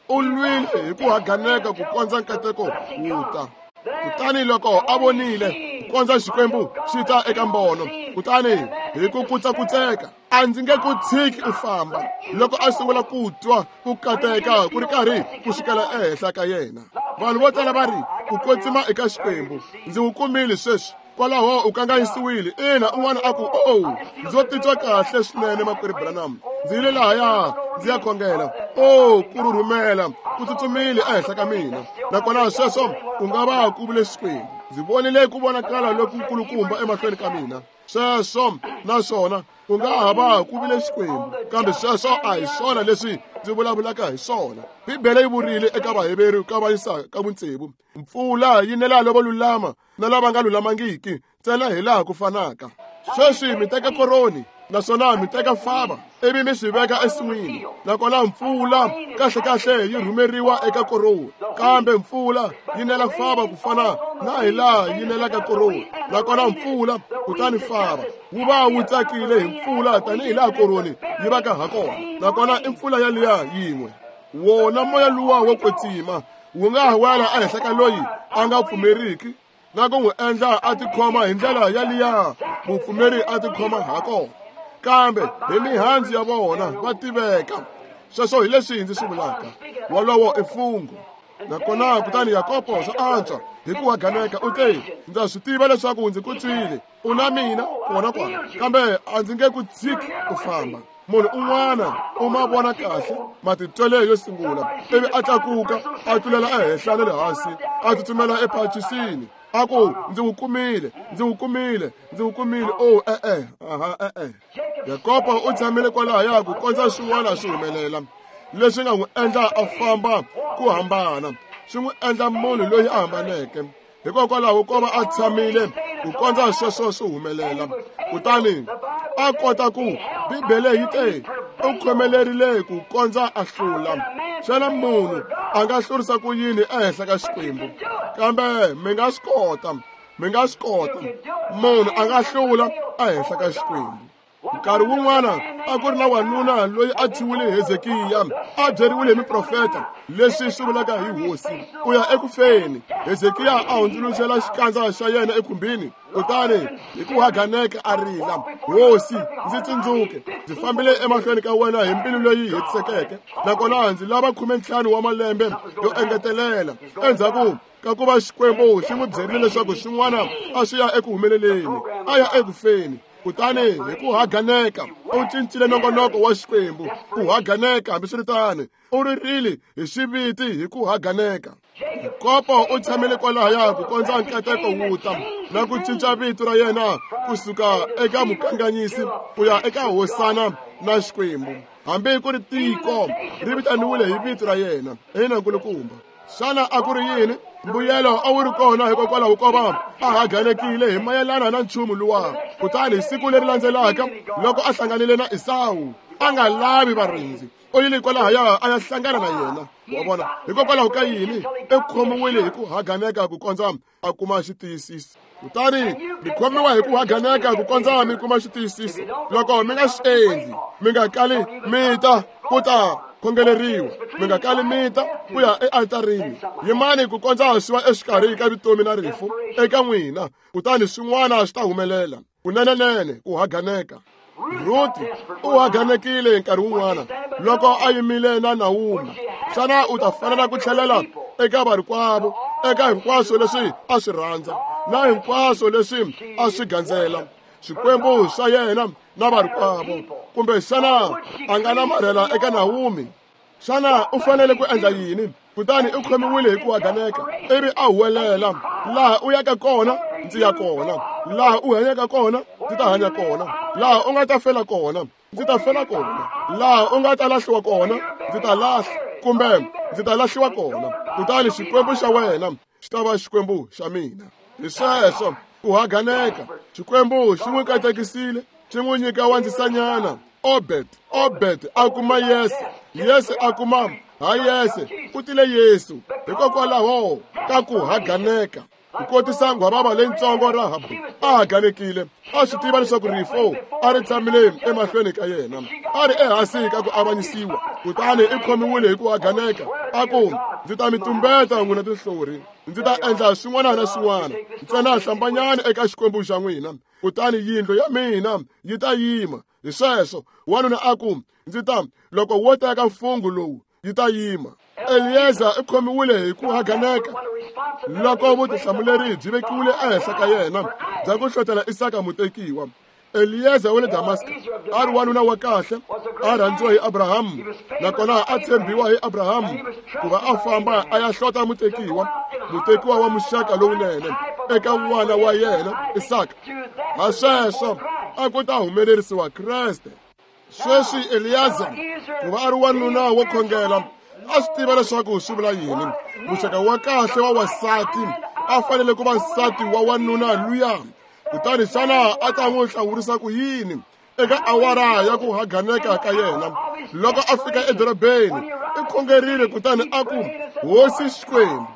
U lwile hi ku haganeka ku kondza nkateko wu ta. Kutani loko a vonile ku kondza Xikwembu xi ta eka mbono, kutani hi ku kutsakutseka, a ndzi nge ku tshiki u famba. Loko a sungula ku twa ku kateka ku ri karhi ku xikela ehenhla ka yena. Vanhu vo tala va ri, ku kwetsima eka Xikwembu, ndzi wu kumile sweswi. Kwalaho u kanganyisiwile. Ina, un'wana a ku, oh, ndzo titwa kahle swinene, makwerhu Branham, ndzi yile lahaya ndzi ya khongela. Oh, ku rhurhumela ku tsutsumile ehenhla ka mina, nakona sweswo ku nga va ku vule Xikwembu. Ndzi vonile ku vonakala lokukulukumba emahlweni ka mina. Sweswo naswona ku nga ha va ku vile Xikwembu, kambe sweswo a hi swona leswi ndzi vulavulaka hi swona. Bibele yi vurile eka Vaheveru ka vayisa ka vutsevu, mpfula yi nela lavo lulama na lava nga lulamangiki ntsena hi laha ku fanaka. Sweswi mi teka koroni naswona mi teka fava ivi mi swi veka ensin'wini, nakona mpfula kahlekahle yi rhumeriwa eka koroni, kambe mpfula yi nela fava ku fana na hi laha yi nelaka koroni. Nakona mpfula kutani fava wu va wu tsakile hi mpfula tanihi laha koroni yi vaka ha kona, nakona i mpfula yaliya yin'we. Wona moya luwa wo kwetsima wu nga wela ehenhla ka loyi a nga pfumeriki na ku n'wi endla a tikhoma hi ndlela yaliya mupfumeri a tikhoma ha kona, kambe hi mihandzu ya vona va tiveka. Sweswo hi leswi ndzi swi vulaka. Wolowo i mfungho. Nakona kutani Yakobo swa antswa hi ku haganeka u te, ndza swi tiva leswaku ndzi ku twile, u na mina kona kwala, kambe a ndzi nge ku tshiki ku famba. Munhu un'wana u ma vona kahle matitwelo yo sungula, ivi a tlakuka a tlulela ehenhla na le hansi, a tsutsumela ephacisini, a ku, ndzi wu kumile, ndzi wu kumile, ndzi wu kumile. Oh, e-e, aha, e-e. Yakobo u tshamile kwalahaya ku kondza swin'wana swi humelela leswi nga n'wi endla a famba ku hambana, swi n'wi endla munhu loyi a hambaneke. Hikokwalaho ko va a tshamile ku kondza sweswo swi humelela, kutani a kota ku, Bibele yi te, u khomelerile ku kondza a hlula. Xana munhu a nga hlurisa ku yini ehenhla ka Xikwembu? Kambe mi nga swi kota, mi nga swi kota. Munhu a nga hlula ehenhla ka Xikwembu. Nkarhi wun'wana a ku ri na wanuna loyi a thyiwile Hezekiya, a byeriwile hi miprofeta leswi swi vulaka hi hosi, u ya eku feni. Hezekiya a hundzuluxela xikandza xa yena ekhumbini, kutani hi ku haganeka a rila, hosi, ndzi tsundzuke, ndzi fambile emahlweni ka wena hi mbilu leyi hetisekeke, nakona ndzi lava 15 wa malembe yo engetelela. Endzhaku ka ku va Xikwembu xi n'wi byerile leswaku swin'wana a swi ya eku humeleleni, a ya eku feni. Kutani hi ku haganeka u cincile nongonoko wa Xikwembu. Ku haganeka, hambiswiritano, u ririle hi xiviti hi ku haganeka. Yakobo u tshamile kwalahaya ku kondza nkateko wu ta na ku cinca vito ra yena kusuka eka mukanganyisi ku ya eka hosana na Xikwembu. Hambi ku ri tiko ri vitaniwile hi vito ra yena. Ina, nkulukumba. Xana a ku ri yini? Mbuyelo a wu ri kona hikokwalaho ko va a haganekile hi mayelana na nchumu luwa. Kutani siku leri landzelaka loko a hlanganile na Esawu, a nga lavi varindzi, u yile kwalahaya a ya hlangana na yena. Wa vona, hikokwalaho ka yini? U khomiwile hi ku haganeka ku kondza a kuma xitiyisiso. Kutani mi khomiwa hi ku haganeka ku kondza mi kuma xitiyisiso. Loko mi nga swi endli, mi nga kali mi ta ku ta khongeleriwa, mi nga kali mi ta ku ya ealtarini. Yimani ku kondza swi va exikarhi ka vutomi na rifu eka n'wina, kutani swin'wana swi ta humelela. Kunenenene ku haganeka. Ruti u haganekile nkarhi wun'wana loko a yimile na Naomi. Xana u ta fanela ku tlhelela eka varikwavo, eka hinkwaswo leswi a swi rhandza na hinkwaswo leswi a swi gandzela, swikwembu swa yena na varikwavo, kumbe xana a nga namarhela eka Naomi? Xana u fanele ku endla yini? Kutani u khomiwile hi ku haganeka, ivi a huwelela, laha u yaka kona ndzi ya kona, laha u hanyaka kona ndzi ta hanya kona, laha u nga ta fela kona ndzi ta fela kona, laha u nga ta lahliwa kona ndzi ta lahla, kumbe ndzi ta lahliwa kona. Kutani Xikwembu xa wena xi ta va Xikwembu xa mina. Hi sweswo ku haganeka. Xikwembu xi n'wi katekisile, xi n'wi nyika wandzisanyana Obed. Obed a kuma Yese, Yese a kuma ha Yese, ku tile Yesu. Hikokwalaho ka ku haganeka, ku kotisa nghwavava leyitsongo Rahabu a haganekile, a swi tiva leswaku rifo a ri tshamile emahlweni ka yena, a ri ehansi ka ku avanyisiwa. Kutani i khomiwile hi ku haganeka, a ku, ndzi ta mi tumbeta n'wina tinhlori, ndzi ta endla swin'wana na swin'wana, ntsena hlambanyani eka Xikwembu xa n'wina, kutani yindlu ya mina yi ta yima. Hi sweswo wanuna a ku, ndzi ta loko wo teka mfungho lowu yi ta yima. Eliyeza u khomiwile hi ku haganeka loko vutihlamuleri byi vekiwile ehenhla ka yena bya ku hlotela Isaka mutekiwa. Eliyeza wa le Damaska a ri wanuna wa kahle, a rhandziwa hi Abrahamu, nakona a tshembiwa hi Abrahamu ku va a famba a ya hlota mutekiwa, mutekiwa wa muxaka lowunene eka n'wana wa yena Isaka. Ha sweswo a ku ta humelerisiwa Kreste. Sweswi Eliyaza, ku va a ri wanuna wo khongela, a swi tiva leswaku swi vula yini. Muxaka wa kahle wa wasati a fanele ku va nsati wa wanuna luya. Kutani xana a ta n'wi hlawurisa ku yini eka awara ya ku haganeka ka yena? Loko a fika edorobeni, i khongerile kutani a ku, Hosi Xikwembu.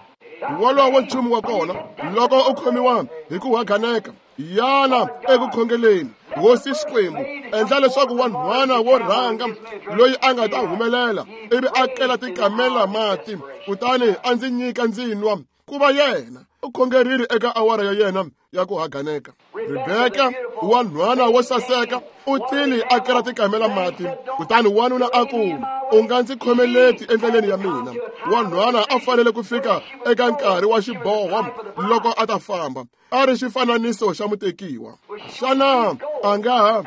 Wolowo nchumu wa kona, loko u khomiwa hi ku haganeka, yana eku khongeleni. Hosi Xikwembu, endla leswaku wanhwana wo rhanga loyi a nga ta humelela ivi a kela tikamela mati, kutani a ndzi nyika ndzi nwa, ku va yena. U khongerile eka awara ya yena ya ku haganeka. Rebeka, wanhwana wo saseka, u tile a kela tikamela mati, kutani wanuna a ku, u nga ndzi khomeleti endleleni ya mina. Wanhwana a fanele ku fika eka nkarhi wa xiboho loko a ta famba, a ri xifananiso xa mutekiwa. Xana a nga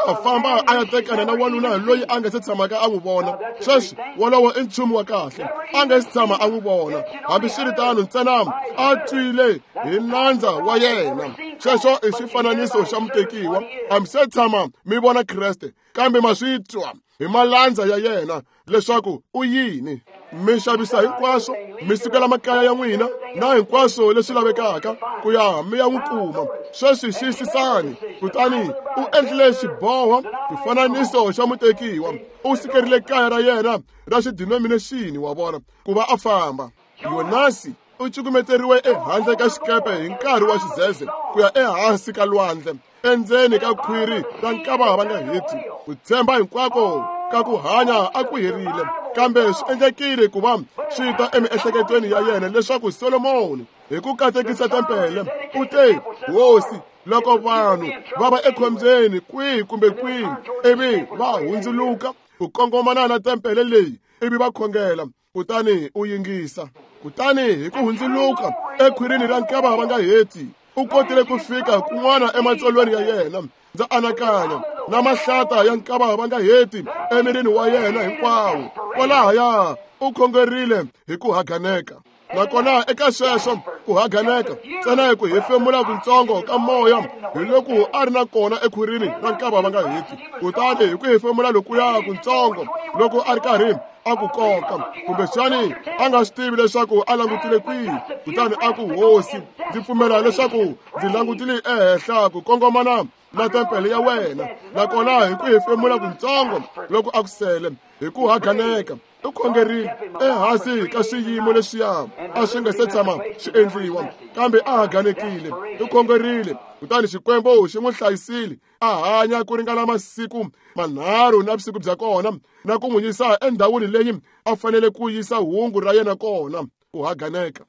ha famba a ya tekana na wanuna loyi a nga se tshamaka a n'wi vona? Sweswi wolowo i nchumu wa kahle, a nga se tshama a n'wi vona. Hambiswiritano, ntsena a twile hi nandza wa yena. Sweswo i xifananiso xa mutekiwa. A mi se tshama mi vona Kreste, kambe ma swi twa hi malandza ya yena leswaku u yini. Mi xavisa hinkwaswo, mi sukela makaya ya n'wina na hinkwaswo leswi lavekaka ku ya mi ya n'wi kuma. Sweswi xiyisisani. Kutani u endlile xiboho, xifananiso xa mutekiwa. U sukerile kaya ra yena ra xidinominexini, wa vona, ku va a famba. Yonasi u cukumeteriwe ehandle ka xikepe hi nkarhi wa xidzedze ku ya ehansi ka lwandle, endzeni ka khwiri ra nkava va nga heti. Ku tshemba hinkwako ka ku hanya a ku herile, kambe swi endlekile ku va swi ta emiehleketweni ya yena leswaku Solomoni hi ku katekisa tempele u te, Hosi, loko vanhu va va ekhombyeni kwihi kumbe kwihi ivi va hundzuluka ku kongomana na tempele leyi ivi va khongela, kutani u yingisa. Kutani hi ku hundzuluka ekhwirini ra nkava va nga heti, u kotile ku fika kun'wana ematsolweni ya yena. Ndza anakanya na mahlata ya nkava va nga heti emirini wa yena hinkwawo. Kwalahaya u khongerile hi ku haganeka. Nakona eka sweswo ku haganeka, ntsena hi ku hefemula kuntsongo ka moya hi loko a ri na kona ekhwirini ra nkava va nga heti. Kutani hi ku hefemula lokuya kuntsongo loko a ri karhi a ku koka, kumbexani a nga swi tivi leswaku a langutile kwihi. Kutani a ku, Hosi, ndzi pfumela leswaku ndzi langutile ehenhla ku kongomana na tempele ya wena. Nakona hi ku hefemula kuntsongo loko a ku sele hi ku haganeka, U khongerile ehansi ka swiyimo leswiya a swi nga se tshama swi endliwa, kambe a haganekile. U khongerile, kutani Xikwembu xi n'wi hlayisile a hanya ku ringana masiku manharhu na vusiku bya kona, na ku n'wi yisa endhawini leyi a fanele ku yisa hungu ra yena kona. Ku haganeka.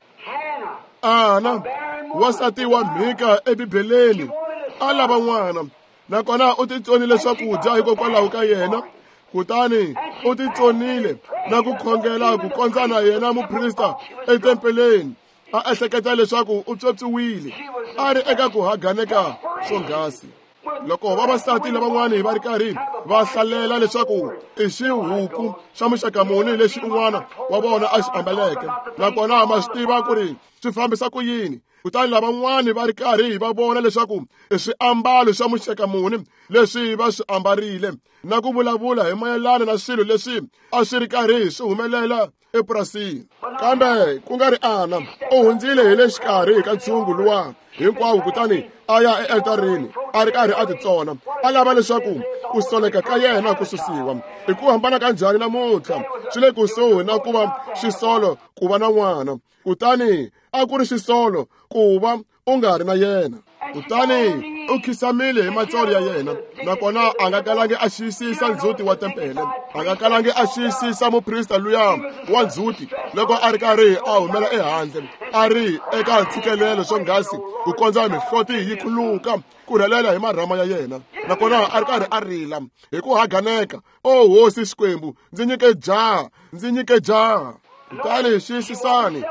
Ana, wansati wa mhika eBibeleni, a lava n'wana, nakona u titsonile swakudya hikokwalaho ka yena. Kutani u titsonile na ku khongela ku kondza na yena muprista etempeleni a ehleketa leswaku u pyopyiwile, a ri eka ku haganeka swonghasi. Loko vavasati lavan'wani va ri karhi va hlalela leswaku i xihuku xa muxaka muni lexi un'wana wa vona a xi ambaleke, nakona ma swi tiva ku ri swi fambisa ku yini, kutani lavan'wani va ri karhi va vona leswaku i swiambalo swa muxaka muni leswi va swi ambarile, na ku vulavula hi mayelana na swilo leswi a swi ri karhi swi humelela epurasini. Kambe ku nga ri Ana, u hundzile hi le xikarhi ka ntshungu luwa hinkwawo, kutani a ya ealtarini a ri karhi a titsona, a lava leswaku ku soleka ka yena ku susiwa. I ku hambana ka njhani namuntlha! Swi le kusuhi na ku va xisolo ku va na n'wana, kutani a ku ri xisolo ku va u nga ri na yena. Kutani u khisamile hi matsolo ya yena, nakona a nga kalangi a xiyisisa ndzhuti wa tempele, a nga kalangi a xiyisisa muprista luya wa ndzhuti loko a ri karhi a humela ehandle, a ri eka ntshikelelo swonghasi ku kondza mihloti yi khuluka ku rhelela hi marhama ya yena, nakona a ri karhi a rila hi ku haganeka, O Hosi Xikwembu, ndzi nyike jaha, ndzi nyike jaha. Kutani xiyisisani,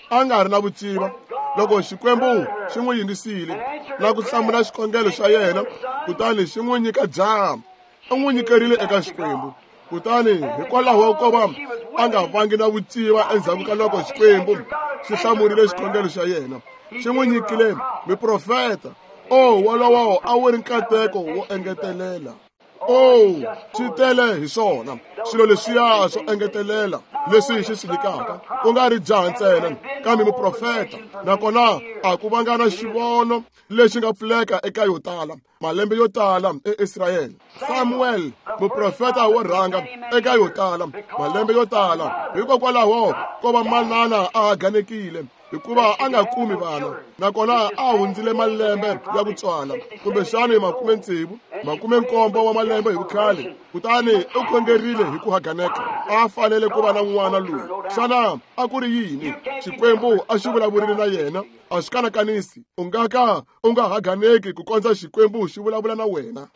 a nga ri na vuciva loko Xikwembu xi n'wi yingisile na ku hlamula xikhongelo xa yena, kutani xi n'wi nyika jaha. U n'wi nyikerile eka Xikwembu. Kutani hikwalaho ko va a nga vangi na vuciva endzhaku ka loko Xikwembu xi hlamurile xikhongelo xa yena, xi n'wi nyikile muprofeta. O, wolowo a wu ri nkateko wo engetelela. O, swi tele hi swona swilo leswiya swo engetelela leswi xi swi nyikaka, ku nga ri jaha ntsena kambe muprofeta. Nakona a ku vanga na xivono lexi nga pfuleka eka yo tala malembe yo tala eIsrayele. Samuel, muprofeta wo rhanga eka yo tala malembe yo tala, hikokwalaho ko va manana a haganekile hikuva a nga kumi vana, nakona a hundzile malembe ya ku tswala, kumbexani 60, 70 wa malembe hi vukhale. Kutani u khongerile hi ku haganeka, a fanele ku va na n'wana loyi. Xana a ku ri yini? Xikwembu a xi vulavurile na yena, a swi kanakanisi. U nga ka u nga haganeki ku kondza Xikwembu xi vulavula na wena.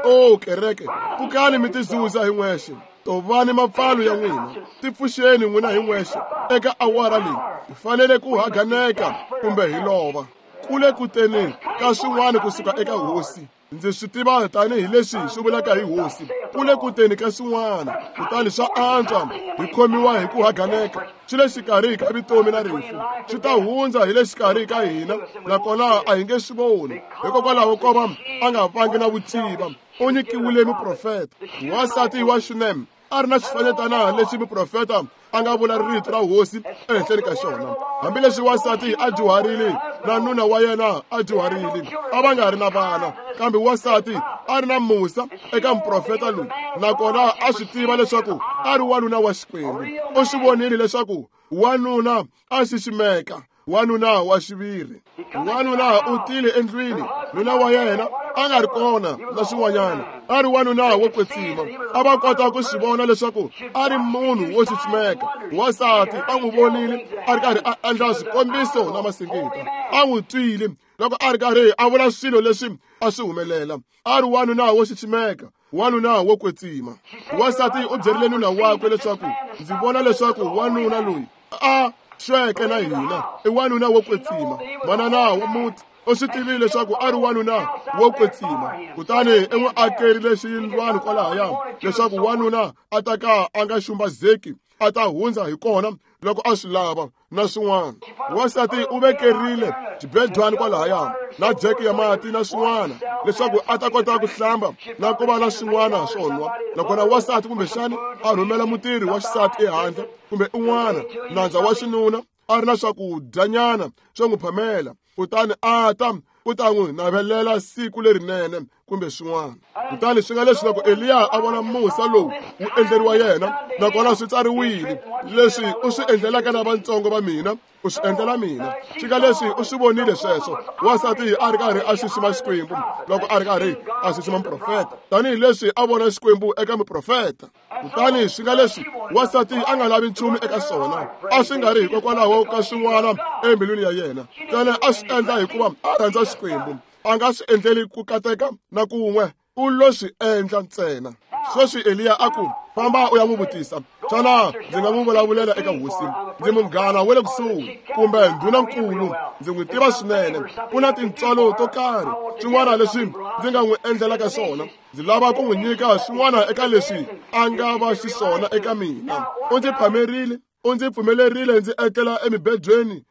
O kereke, pfukani mi tizuza hi n'wexe, tovani mapfalo ya n'wina, tipfuxeni n'wina hi n'wexe eka awara leyi. Hi fanele ku haganeka kumbe hi lova. Kule kuteni ka swin'wana kusuka eka Hosi. Ndzi swi tiva tanihi leswi swi vulaka hi Hosi. Kule kuteni ka swin'wana, kutani swa antswa hi khomiwa hi ku haganeka. Swi le xikarhi ka vutomi na rifu, swi ta hundza hi le xikarhi ka hina, nakona a hi nge swi voni. Hikokwalaho ko va a nga vangi na vuciva, u nyikiwile muprofeta. Wansati wa Shunem a ri na xifanyetana lexi muprofeta a nga vula rito ra Hosi ehenhleni ka xona. Hambileswi wansati a dyuharile na nuna wa yena a dyuharile, a va nga ri na vana, kambe wansati a ri na musa eka muprofeta loyi, nakona a swi tiva leswaku a ri wanuna wa Xikwembu. U swi vonile leswaku wanuna a xiximeka, wanuna wa xiviri. Wanuna u tile endlwini, nuna wa yena a nga ri kona na swin'wanyana, a ri wanuna wo kwetsima. A va kota ku swi vona leswaku a ri munhu wo xiximeka. Wansati a n'wi vonile a ri karhi a endla swikombiso na masingita, a n'wi twile loko a ri karhi a vula swilo leswi a swi humelela. A ri wanuna wo xiximeka, wanuna wo kwetsima. Wansati u byerile nuna wakwe leswaku, ndzi vona leswaku wanuna loyi a xweke na hina i wanuna wo kwetsima. Manana wa muti u swi tivile leswaku a ri wanuna wo kwetsima, kutani i n'wi akerile xiyindlwana kwalahaya leswaku wanuna a ta ka a nga xumbazeki, a ta hundza hi kona loko a swi lava na swin'wana. Wansati u vekerile xibedwani kwalahaya na jeke ya mati na swin'wana leswaku a ta kota ku hlamba na ku va na swin'wana swo nwa. Nakona wansati kumbexani a rhumela mutirhi wa xisati ehandle kumbe un'wana nandza wa xinuna a ri na swakudyanyana swo n'wi phamela, kutani a ta ku ta n'wi navelela siku lerinene kumbe swin'wana. Kutani swi nga leswi loko Eliya a vona musa lowu wu endleriwa yena, nakona swi tsariwile, leswi u swi endlelaka lavatsongo va mina, u swi endlela mina. Swi nga leswi u swi vonile sweswo, wansati a ri karhi a xixima Xikwembu loko a ri karhi a xixima muprofeta, tanihileswi a vona Xikwembu eka muprofeta. Kutani swi nga leswi wansati a nga lavi nchumu eka swona, a swi nga ri hikokwalaho ka swin'wana embilwini ya yena, ntsena a swi endla hikuva a rhandza Xikwembu. A nga swi endleli ku kateka na kun'we, u lo swi endla ntsena. Sweswi Eliya a ku, famba u ya n'wi vutisa, xana ndzi nga n'wi vulavulela eka hosi? Ndzi munghana wa le kusuhi kumbe ndhunankulu, ndzi n'wi tiva swinene. Ku na tintswalo to karhi, swin'wana leswi ndzi nga n'wi endlelaka swona. Ndzi lava ku n'wi nyika swin'wana eka leswi a nga va xiswona eka mina. U ndzi phamerile, u ndzi pfumelerile ndzi etlela emibedweni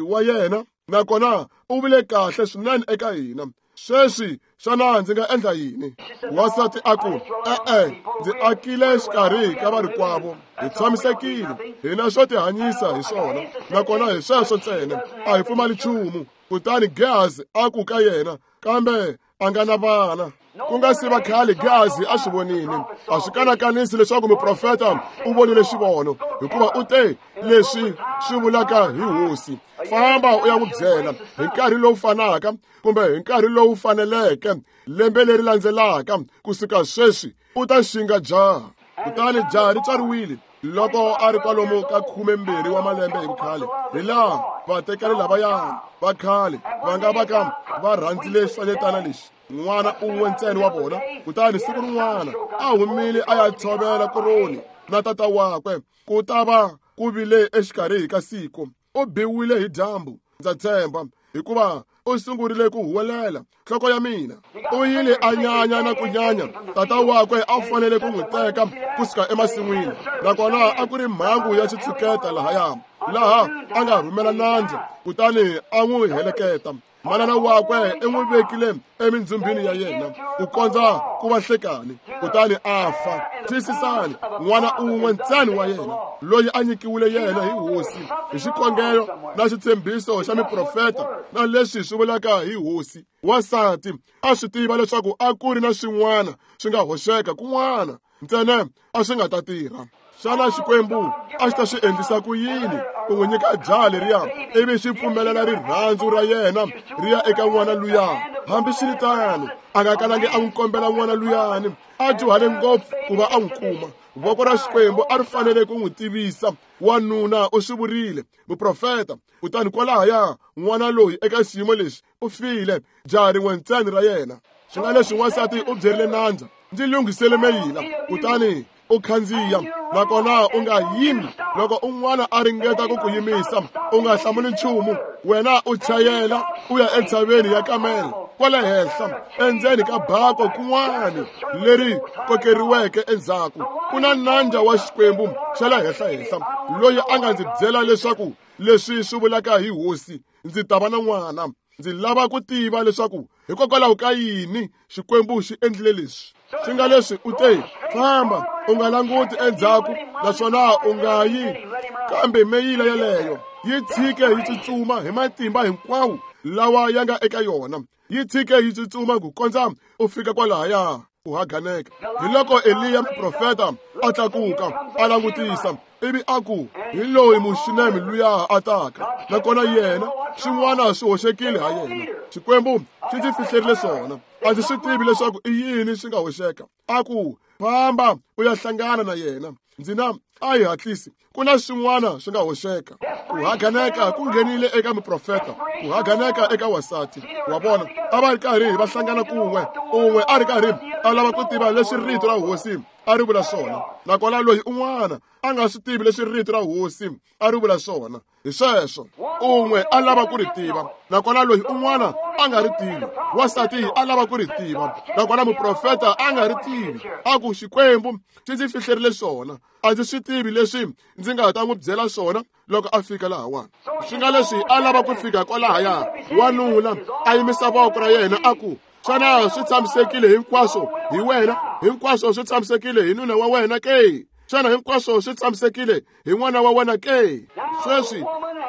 wa yena, nakona u vile kahle swinene eka hina. Sweswi xana ndzi nga endla yini? Wansati a ku, e-e, ndzi akile xikarhi ka varikwavo, hi tshamisekile, hina swo tihanyisa hi swona, nakona hi sweswo ntsena, a hi pfumali nchumu. Kutani Gehazi a ku ka yena, kambe a nga na vana. Ku nga si va khale Gehazi a swi vonile. A swi kanakanisi leswaku muprofeta u vonile xivono, hikuva u te leswi swi vulaka hi hosi. Famba u ya n'wi byela hi nkarhi lowu fanaka kumbe hi nkarhi lowu faneleke lembe leri landzelaka kusuka sweswi u ta xinga jaha. Kutani jaha ri tswariwile loko a ri kwalomu ka 12 wa malembe hi vukhale, hi laha vatekani lavaya va khale va nga va ka va rhandzile xifanyetana lexi, n'wana un'we ntsena wa vona. Kutani siku rin'wana a humile a ya tshovela koroni na tata wakwe, ku ta va ku vile exikarhi ka siku. U biwile hi dyambu, ndza tshemba, hikuva u sungurile ku huwelela, nhloko ya mina. U yile a nyanya na ku nyanya. Tata wakwe a fanele ku n'wi teka kusuka emasin'wini, nakona a ku ri mhangu ya xitshuketa lahaya, laha a nga rhumela nandzu kutani a n'wi heleketa. Manana wakwe i n'wi vekile emindzhumbini ya yena ku kondza ku va nhlekani, kutani a fa. Twisisani, n'wana un'we ntsena wa yena loyi a nyikiwile yena hi hosi hi xikhongelo na xitshembiso xa miprofeta na leswi swi vulaka hi hosi. Wansati a swi tiva leswaku a ku ri na swin'wana swi nga hoxeka kun'wana, ntsena a swi nga ta tirha. Xana Xikwembu a xi ta swi endlisa ku yini ku n'wi nyika jaha leriya ivi xi pfumelela rirhandzu ra yena ri ya eka n'wana luya? Hambiswiritano, a nga kalangi a n'wi kombela n'wana luyani, a dyuhale ngopfu ku va a n'wi kuma. Voko ra Xikwembu a ri fanele ku n'wi tivisa. Wanuna u swi vurile, muprofeta. Kutani kwalahaya n'wana loyi eka xiyimo lexi u file, jaha rin'we ntsena ra yena. Swi nga leswi wansati u byerile nandza, ndzi lunghisele meyila, kutani u khandziya, nakona u nga yimi. Loko un'wana a ringeta ku ku yimisa, u nga hlamuli nchumu. Wena u chayela u ya entshaveni ya Kamela kwale henhla, endzeni ka bako kun'wana leri kokeriweke endzhaku, ku na nandza wa Xikwembu xa le henhla-henhla loyi a nga ndzi byela leswaku leswi swi vulaka hi hosi, ndzi ta va na n'wana. Ndzi lava ku tiva leswaku hikokwalaho ka yini Xikwembu xi endlile leswi. Swi nga leswi u te, famba, u nga languti endzhaku naswona u nga yi, kambe meyila yeleyo yi tshike yi tsutsuma hi matimba hinkwawo lawa ya nga eka yona, yi tshike yi tsutsuma ku kondza u fika kwalahaya ku haganeka. Hi loko Eliya muprofeta a tlakuka a langutisa, ivi a ku, hi loyi Muxunemi luya a taka, nakona yena swin'wana swi hoxekile ha yena. Xikwembu xi ndzi fihlerile swona, a ndzi swi tivi leswaku i yini swi nga hoxeka. A ku, famba u ya hlangana na yena, ndzi na a hi hatlisi, ku na swin'wana swi nga hoxeka. Ku haganeka ku nghenile eka muprofeta, ku haganeka eka wansati. Wa vona, a va ri karhi va hlangana kun'we, un'we a ri karhi a lava ku tiva leswi rito ra hosi a ri vula swona, nakona loyi un'wana a nga swi tivi leswi rito ra hosi a ri vula swona. Hi sweswo, un'we a lava ku ri tiva, nakona loyi un'wana a nga ri tivi. Wansati a lava ku ri tiva, nakona muprofeta a nga ri tivi. A ku, Xikwembu xi ndzi fihlerile swona, a ndzi swi tivi leswi ndzi nga ta n'wi byela swona loko a fika lahawani. Swi nga leswi a lava ku fika kwalahaya, wanuna a yimisa voko ra yena a ku, xana swi tshamisekile hinkwaswo hi wena? Hinkwaswo swi tshamisekile hi nuna wa wena ke? Xana hinkwaswo swi tshamisekile hi n'wana wa wena ke? Sweswi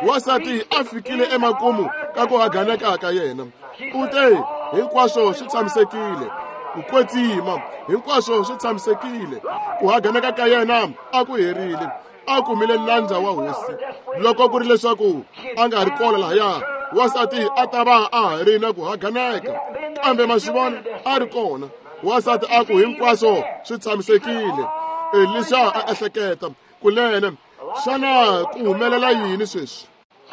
wansati a fikile emakumu ka ku haganeka ka yena. U te hinkwaswo swi tshamisekile, ku kwetsima hinkwaswo swi tshamisekile. Ku haganeka ka yena a ku herile, a kumile nandza wa hosi. Loko ku ri leswaku a nga ri kona lahaya, wansati a ta va a ha ri na ku haganeka, kambe maswivona a ri kona. Wansati a ku hinkwaswo swi tshamisekile. Elisha a ehleketa, kunene xana ku humelela yini sweswi?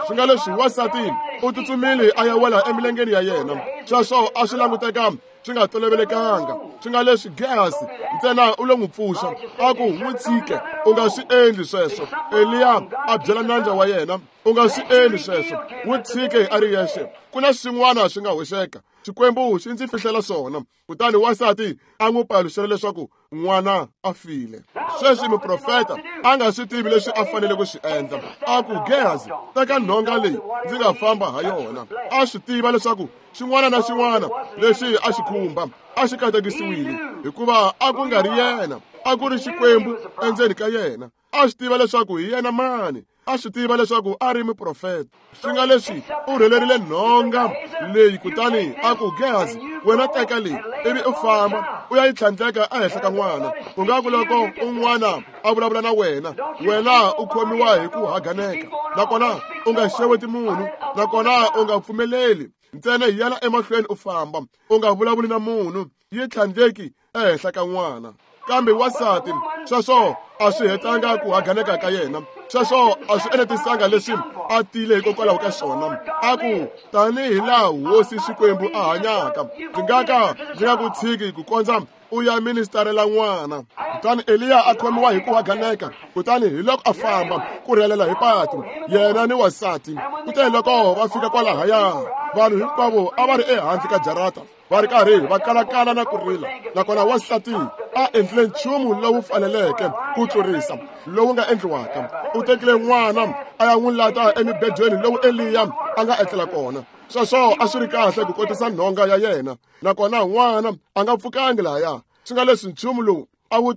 Swi nga leswi wansati u tsutsumile a ya wela emilengeni ya yena. Sweswo a swi languteka swi nga tolovelekanga. Swi nga leswi Gehazi ntsena u lo n'wi pfuxa, a ku n'wi tshike, u nga swi endli sweswo. Eliya a byela nandza wa yena, u nga swi endli sweswo, n'wi tshike a ri yexe. Ku na swin'wana swi nga hoxeka, Xikwembu xi ndzi fihlela swona. Kutani wansati a n'wi paluxela leswaku n'wana a file. Sweswi muprofeta a nga swi tivi leswi a fanele ku swi endla. A ku, Gehazi, teka nhonga leyi ndzi nga famba ha yona. A swi tiva leswaku xin'wana na xin'wana lexi a xi khumba a xi katekisiwile, hikuva a ku nga ri yena, a ku ri Xikwembu endzeni ka yena. A swi tiva leswaku hi yena mani, a swi tiva leswaku a ri muprofeta. Swi nga leswi u rhelerile nhonga leyi, kutani a ku, Gehazi, wena teka leyi ivi u famba u ya yi tlhandleka ehenhla ka n'wana. U nga ku loko un'wana a vulavula na wena, wena u khomiwa hi ku haganeka, nakona u nga xeweti munhu, nakona u nga pfumeleli ntsena hi yana emahlweni u famba, u nga vulavuli na munhu, yi tlhandleki ehenhla ka n'wana. Kambe wansati sweswo a swi hetanga ku haganeka ka yena, sweswo a swi enetisanga leswi a tile hikokwalaho ka swona. A ku, tanihi laha hosi Xikwembu a hanyaka, ndzi nga ka ndzi nga ku tshiki ku kondza u ya ministarela n'wana. Kutani Eliya a khomiwa hi ku haganeka, kutani hi loko a famba ku rhelela hi patu, yena ni wansati. Kute loko va fika kwalahaya, vanhu hinkwavo a va ri ehandle ka jarata, va ri karhi va kalakala na ku rila. Nakona wansati a endlile nchumu lowu faneleke ku tlurisa lowu nga endliwaka. U tekile n'wana a ya n'wi lata emibedweni lowu Eliya a nga etlela kona. Sweswo a swi ri kahle ku kotisa nhonga ya yena, nakona n'wana a nga pfukangi lahaya. Swi nga leswi nchumu lowu a wu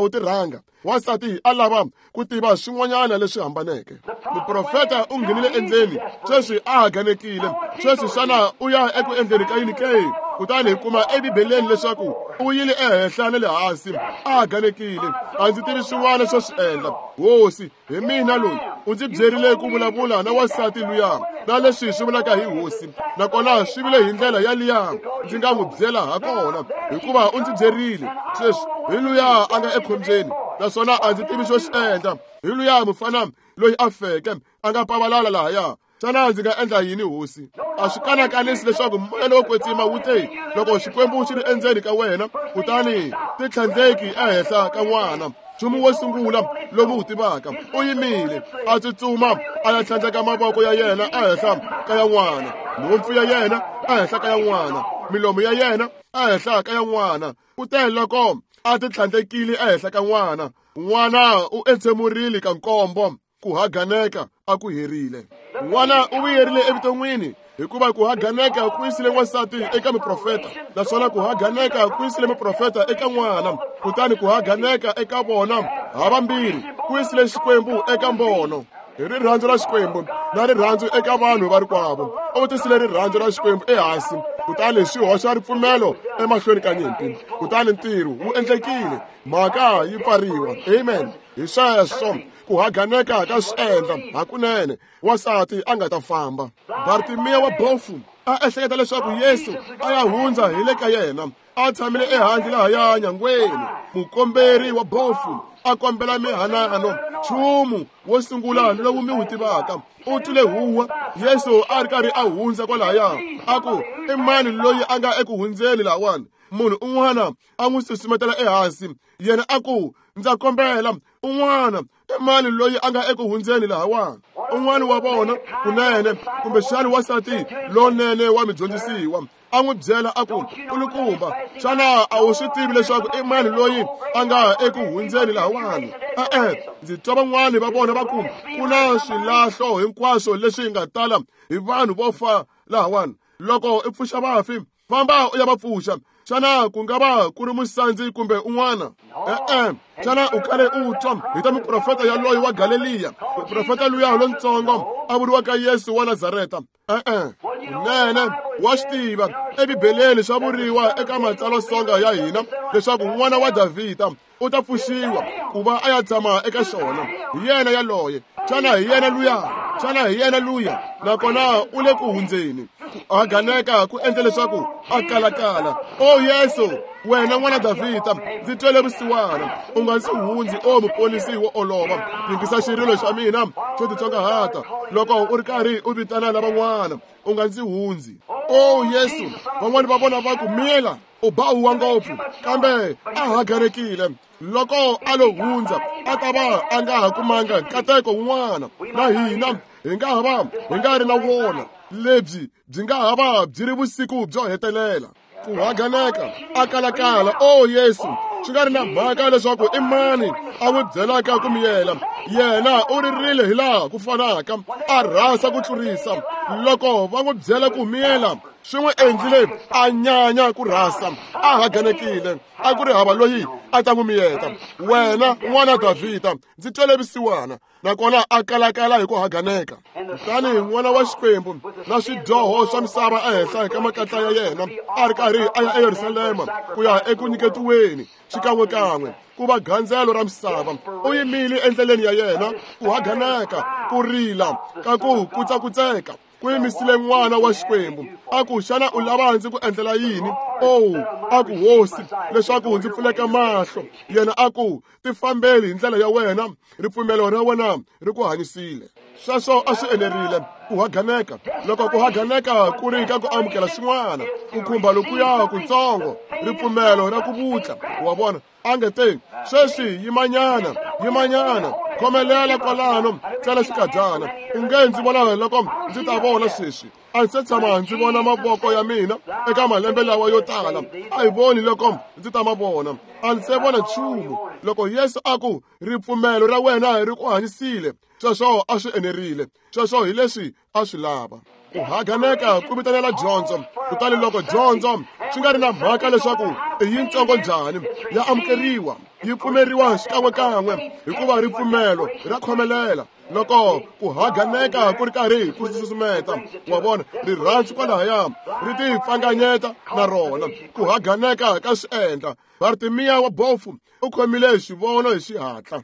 tirhanga. Wansati a lava ku tiva swin'wanyana leswi hambaneke. Muprofeta u nghenile endzeni, sweswi a haganekile. Sweswi xana u ya eku endleni ka yini ke? Kutani hi kuma eBibeleni leswaku u yile ehenhla na le hansi, a haganekile. A ndzi tivi swin'wana swo swi endla. Hosi, hi mina loyi u ndzi byerile ku vulavula na wansati luya, na leswi swi vulaka hi hosi, nakona swi vile hi ndlela yaliya ndzi nga n'wi byela ha kona, hikuva u ndzi byerile. Sweswi hi luya a nga ekhombyeni, naswona a ndzi tivi xo xi endla. Hi luya mufana loyi a feke a nga pavalala lahaya. Xana ndzi nga endla yini, hosi? A swi kanakanisi leswaku moya lowo kwetsima wu te loko Xikwembu xi ri endzeni ka wena, kutani ti tlhandleki ehenhla ka n'wana. Nchumu wo sungula lowu wu tivaka, u yimile a tsutsuma a ya tlhandleka mavoko ya yena ehenhla ka ya n'wana, nhompfu ya yena ehenhla ka ya n'wana, milomu ya yena ehenhla ka ya n'wana. Kute loko a ti tlhandlekile ehenhla ka n'wana, n'wana u entsemurile ka nkombo. Ku haganeka a ku herile. N'wana u vuyerile evuton'wini, hikuva ku haganeka ku yisile wansati eka muprofeta, naswona ku haganeka ku yisile muprofeta eka n'wana, kutani ku haganeka eka vona havambirhi ku yisile Xikwembu eka mbono. Hi rirhandzu ra Xikwembu na rirhandzu eka vanhu va rikwavo, u tisile rirhandzu ra Xikwembu ehansi, kutani swi hoxa ripfumelo emahlweni ka nyimpi. Kutani ntirho wu endlekile, mhaka yi pfariwa. Amen. Hi sweswo ku haganeka ka swi endla hakunene wansati a nga ta famba. Bartimiya wa bofu a ehleketa leswaku Yesu a ya hundza hi le ka yena, a tshamile ehandle lahaya nyangweni. Mukomberi wa bofu a kombela mihanano, nchumu wo sungula lowu mi wu tivaka. U twile huwa, Yesu a ri karhi a hundza kwalahaya, a ku, i mani loyi a nga eku hundzeni lahawani? Munhu un'wana a n'wi susumetela ehansi, yena a ku, ndza kombela, un'wana i mani loyi a nga eku hundzeni lahawani? Un'wana wa vona kunene, kumbexani wansati lonene wa midyondzisiwa, a n'wi byela a ku, kulukumba, xana a wu swi tivi leswaku i mani loyi a nga eku hundzeni lahawani? E-e, ndzi twa van'wani va vona va ku ku na swilahlo hinkwaswo leswi nga tala hi vanhu vo fa lahawani. Loko i pfuxa vafi, famba u ya va pfuxa. Xana ku nga va ku ri musandzi kumbe un'wana? E-e, xana u kale u twa hi ta muprofeta yaloye wa Galeliya, muprofeta luya lontsongo a vuriwaka Yesu wa Nazareta? E-e, kunene wa swi tiva, eBibeleni swa vuriwa eka matsalwasonga ya hina leswaku n'wana wa Davhida u ta pfuxiwa ku va a ya tshama eka xona. Hi yena yaloye. Xana hi yena luya? Xana hi yena luya? Nakona u le ku hundzeni. Ku haganeka ku endle leswaku a kalakala. O Yesu, wena n'wana Davhida, ndzi twele vusiwana. U nga ndzi hundzi, o muponisi wo olova. Yingisa xirilo xa mina xo titsongahata loko u ri karhi u vitana lavan'wana. U nga ndzi hundzi. O Yesu, van'wana va vona va ku miyela, u ba huwa ngopfu, kambe a haganekile. Loko a lo hundza, a ta va a nga ha kumanga nkateko wun'wana. Na hina hi nga ha va hi nga ri na wona. Lebyi byi nga ha va byi ri vusiku byo hetelela. Ku haganeka, a kalakala. O Yesu, swi nga ri na mhaka leswaku i mani a n'wi byelaka ku miyela, yena u ririle hilaha ku fanaka, a rhasa ku tlurisa. Loko va n'wi byela ku miyela, swi n'wi endlile a nyanya ku rhasa, a haganekile. A ku ri hava loyi a ta n'wi miyeta. Wena n'wana Davhida, ndzi twele vusiwana. Nakona a kalakala hi ku haganeka. Kutani n'wana wa Xikwembu na swidyoho swa misava ehenhla ka makatla ya yena, a ri karhi a ya eYerusalema ku ya eku nyiketiweni xikan'wekan'we ku va gandzelo ra misava. U yimile endleleni ya yena, ku haganeka, ku rila ka ku kutsakutseka ku yimisile n'wana wa Xikwembu. A ku, xana u lava ndzi ku endlela yini? O, a ku, Hosi, leswaku ndzi pfuleka mahlo. Yena a ku, tifambeli hi ndlela ya wena, ripfumelo ra wena ri ku hanyisile. Sweswo a swi enerile. Ku haganeka, loko ku haganeka ku ri ka ku amukela swin'wana, ku khumba lokuya kutsongo, ripfumelo ra ku vutla. Wa vona? A nge te, sweswi yimanyana, yimanyana, khomelela kwalano, tsala xikadyana. U nge ndzi vona loko ndzi ta vona sweswi. A ndzi se tshama ndzi vona mavoko ya mina eka malembe lawa yo tala. A hi voni loko ndzi ta ma vona. A ndzi se vona nchumu. Loko Yesu a ku, ripfumelo ra wena ri ku hanyisile, sweswo a swi enerile. Sweswo hi leswi a swi lava. Ku haganeka ku vitanela dyondzo. Kutani loko dyondzo swi nga ri na mhaka leswaku i yintsongo njhani, ya amukeriwa, yi pfumeriwa xikan'wekan'we, hikuva ripfumelo ra khomelela. Loko ku haganeka ku ri karhi ku susumeta, wa vona, rirhandzu kwalahaya ri tipfanganyeta na rona. Ku haganeka ka swi endla. Bartimiya wa bofu u khomile xivono hi xihatla.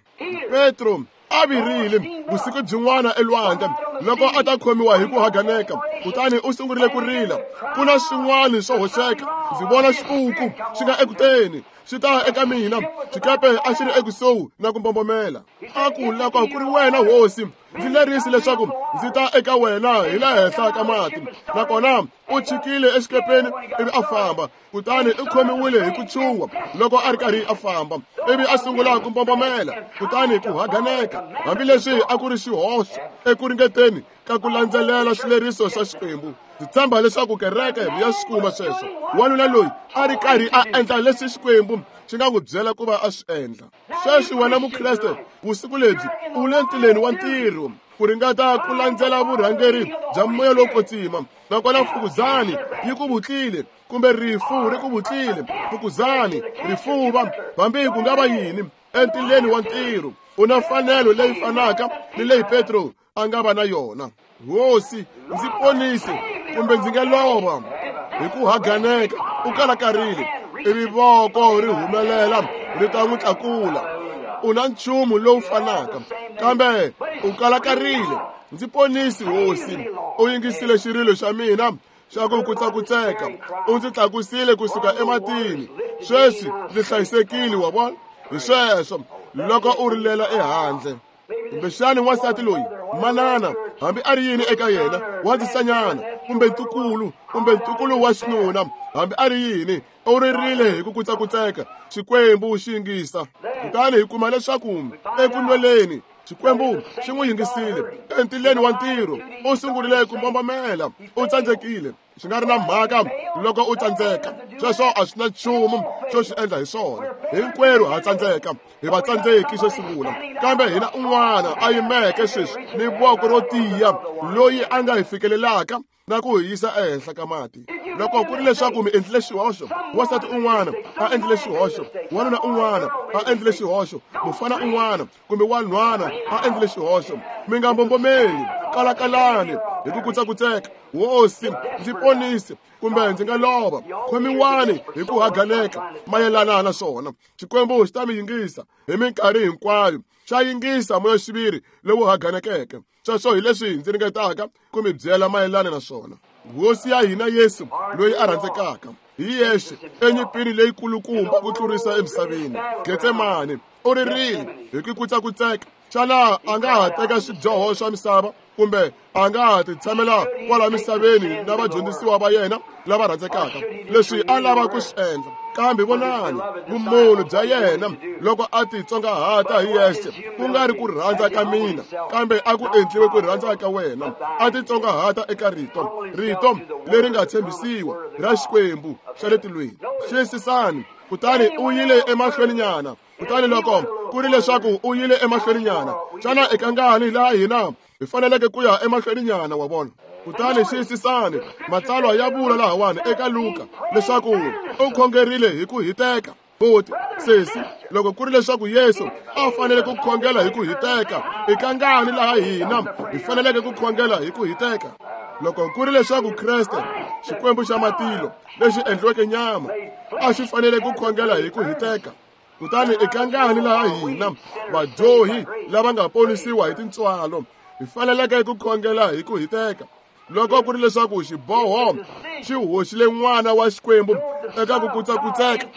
Petro a virile vusiku byin'wana elwandle loko a ta khomiwa hi ku haganeka, kutani u sungurile ku rila. Ku na swin'wana swo hoxeka. Ndzi vona xipuku xi nga ekuteni, xi ta eka mina. Xikepe a xi ri ekusuhi na ku mbombomela. A ku, loko ku ri wena Hosi, ndzi lerisi leswaku ndzi ta eka wena hi le henhla ka mati. Nakona u chikile exikepeni ivi a famba. Kutani u khomiwile hi ku chuha loko a ri karhi a famba, ivi a sungula ku mbombomela. Kutani ku haganeka, hambileswi a ku ri xihoxo eku ringeteni ka ku landzelela swileriso swa Xikwembu. Ndzi tshemba leswaku kereke ya swi kuma sweswo. Wanuna loyi a ri karhi a endla leswi Xikwembu xi nga n'wi byela ku va a swi endla. Sweswi wena Mukreste, vusiku lebyi u le ntileni wa ntirho ku ringeta ku landzela vurhangeri bya moya lowo kwetsima. Nakona mfukuzani yi ku vutlile, kumbe rifu ri ku vutlile, mfukuzani, rifuva, hambi ku nga va yini, entileni wa ntirho u na mfanelo leyi fanaka ni leyi Petro a nga va na yona. Hosi, ndzi ponise kumbe ndzi nga lova. Hi ku haganeka u kalakarile, ivi voko ri humelela ri ta n'wi tlakula. U na nchumu lowu fanaka, kambe u kalakarile. Ndzi ponisi, Hosi. U yingisile xirilo xa mina xa ku kutsakutseka, u ndzi tlakusile kusuka ematini. Sweswi ndzi hlayisekile, wa vona. Hi sweswo loko u rilela ehandle. Kumbexani wansati loyi, manana, hambi a ri yini eka yena, wa ndzisanyana, kumbe ntukulu, kumbe ntukulu wa xinuna, hambi a ri yini, u ririle hi ku kutsakutseka. Xikwembu xi yingisa. Kutani hi kuma leswaku eku lweleni Xikwembu xi n'wi yingisile. Entileni wa ntirho u sungurile ku mbombomela, u tsandzekile. Swi nga ri na mhaka loko u tsandzeka, sweswo a swi na nchumu xo xi endla hi swona. Hinkwerhu ha tsandzeka, hi vatsandzeki xo sungula, kambe hina un'wana a yimeke sweswi ni voko ro tiya loyi a nga hi fikelelaka na ku hi yisa ehenhla ka mati. Loko ku ri leswaku mi endlile xihoxo, wansati un'wana a endlile xihoxo, wanuna un'wana a endlile xihoxo, mufana un'wana kumbe wanhwana a endlile xihoxo, mi nga mbombomeli, kalakalani hi ku kutsakutseka. Hosi, ndzi ponise kumbe ndzi nga lova. Khomiwani hi ku haganeka mayelana na swona. Xikwembu xi ta mi yingisa hi minkarhi hinkwayo. Xa yingisa moya-xiviri lowu haganekeke. Sweswo hi leswi ndzi ringetaka ku mi byela mayelana na swona. Hosi ya hina Yesu loyi a rhandzekaka hi yexe enyimpini leyikulukumba ku tlurisa emisaveni, Getsemane, u ririle hi ku kutsakutseka. Xana a nga ha teka swidyoho swa misava kumbe a nga ha ti tshamela kwala misaveni na vadyondzisiwa va yena lava rhandzekaka? Leswi a lava ku swi endla, kambe vonani vumunhu bya yena loko a titsongahata hi yexe, ku nga ri ku rhandza ka mina, kambe a ku endliwe ku rhandza ka wena. A titsongahata eka rito, rito leri nga tshembisiwa ra Xikwembu xa le tilweni. Xiyisisani, kutani u yile emahlweninyana. Kutani loko ku ri leswaku u yile emahlweninyana, xana eka ngani laha hina hi faneleke ku ya emahlweninyana wa vona? Kutani xiyisisani, matsalwa ya vula lahawani eka Luka leswaku u khongerile hi ku hiteka. Buti, sesi, loko ku ri leswaku Yesu a fanele ku khongela hi ku hiteka, eka ngani laha hina hi faneleke ku khongela hi ku hiteka? Loko ku ri leswaku Kreste, Xikwembu xa matilo lexi endliweke nyama, a xi fanele ku khongela hi ku hiteka, kutani eka ngani laha hina vadyohi lava nga ponisiwa hi tintswalo hi faneleke ku khongela hi ku hiteka? Loko ku ri leswaku xiboho xi hoxile n'wana wa Xikwembu eka ku kutsakutseka,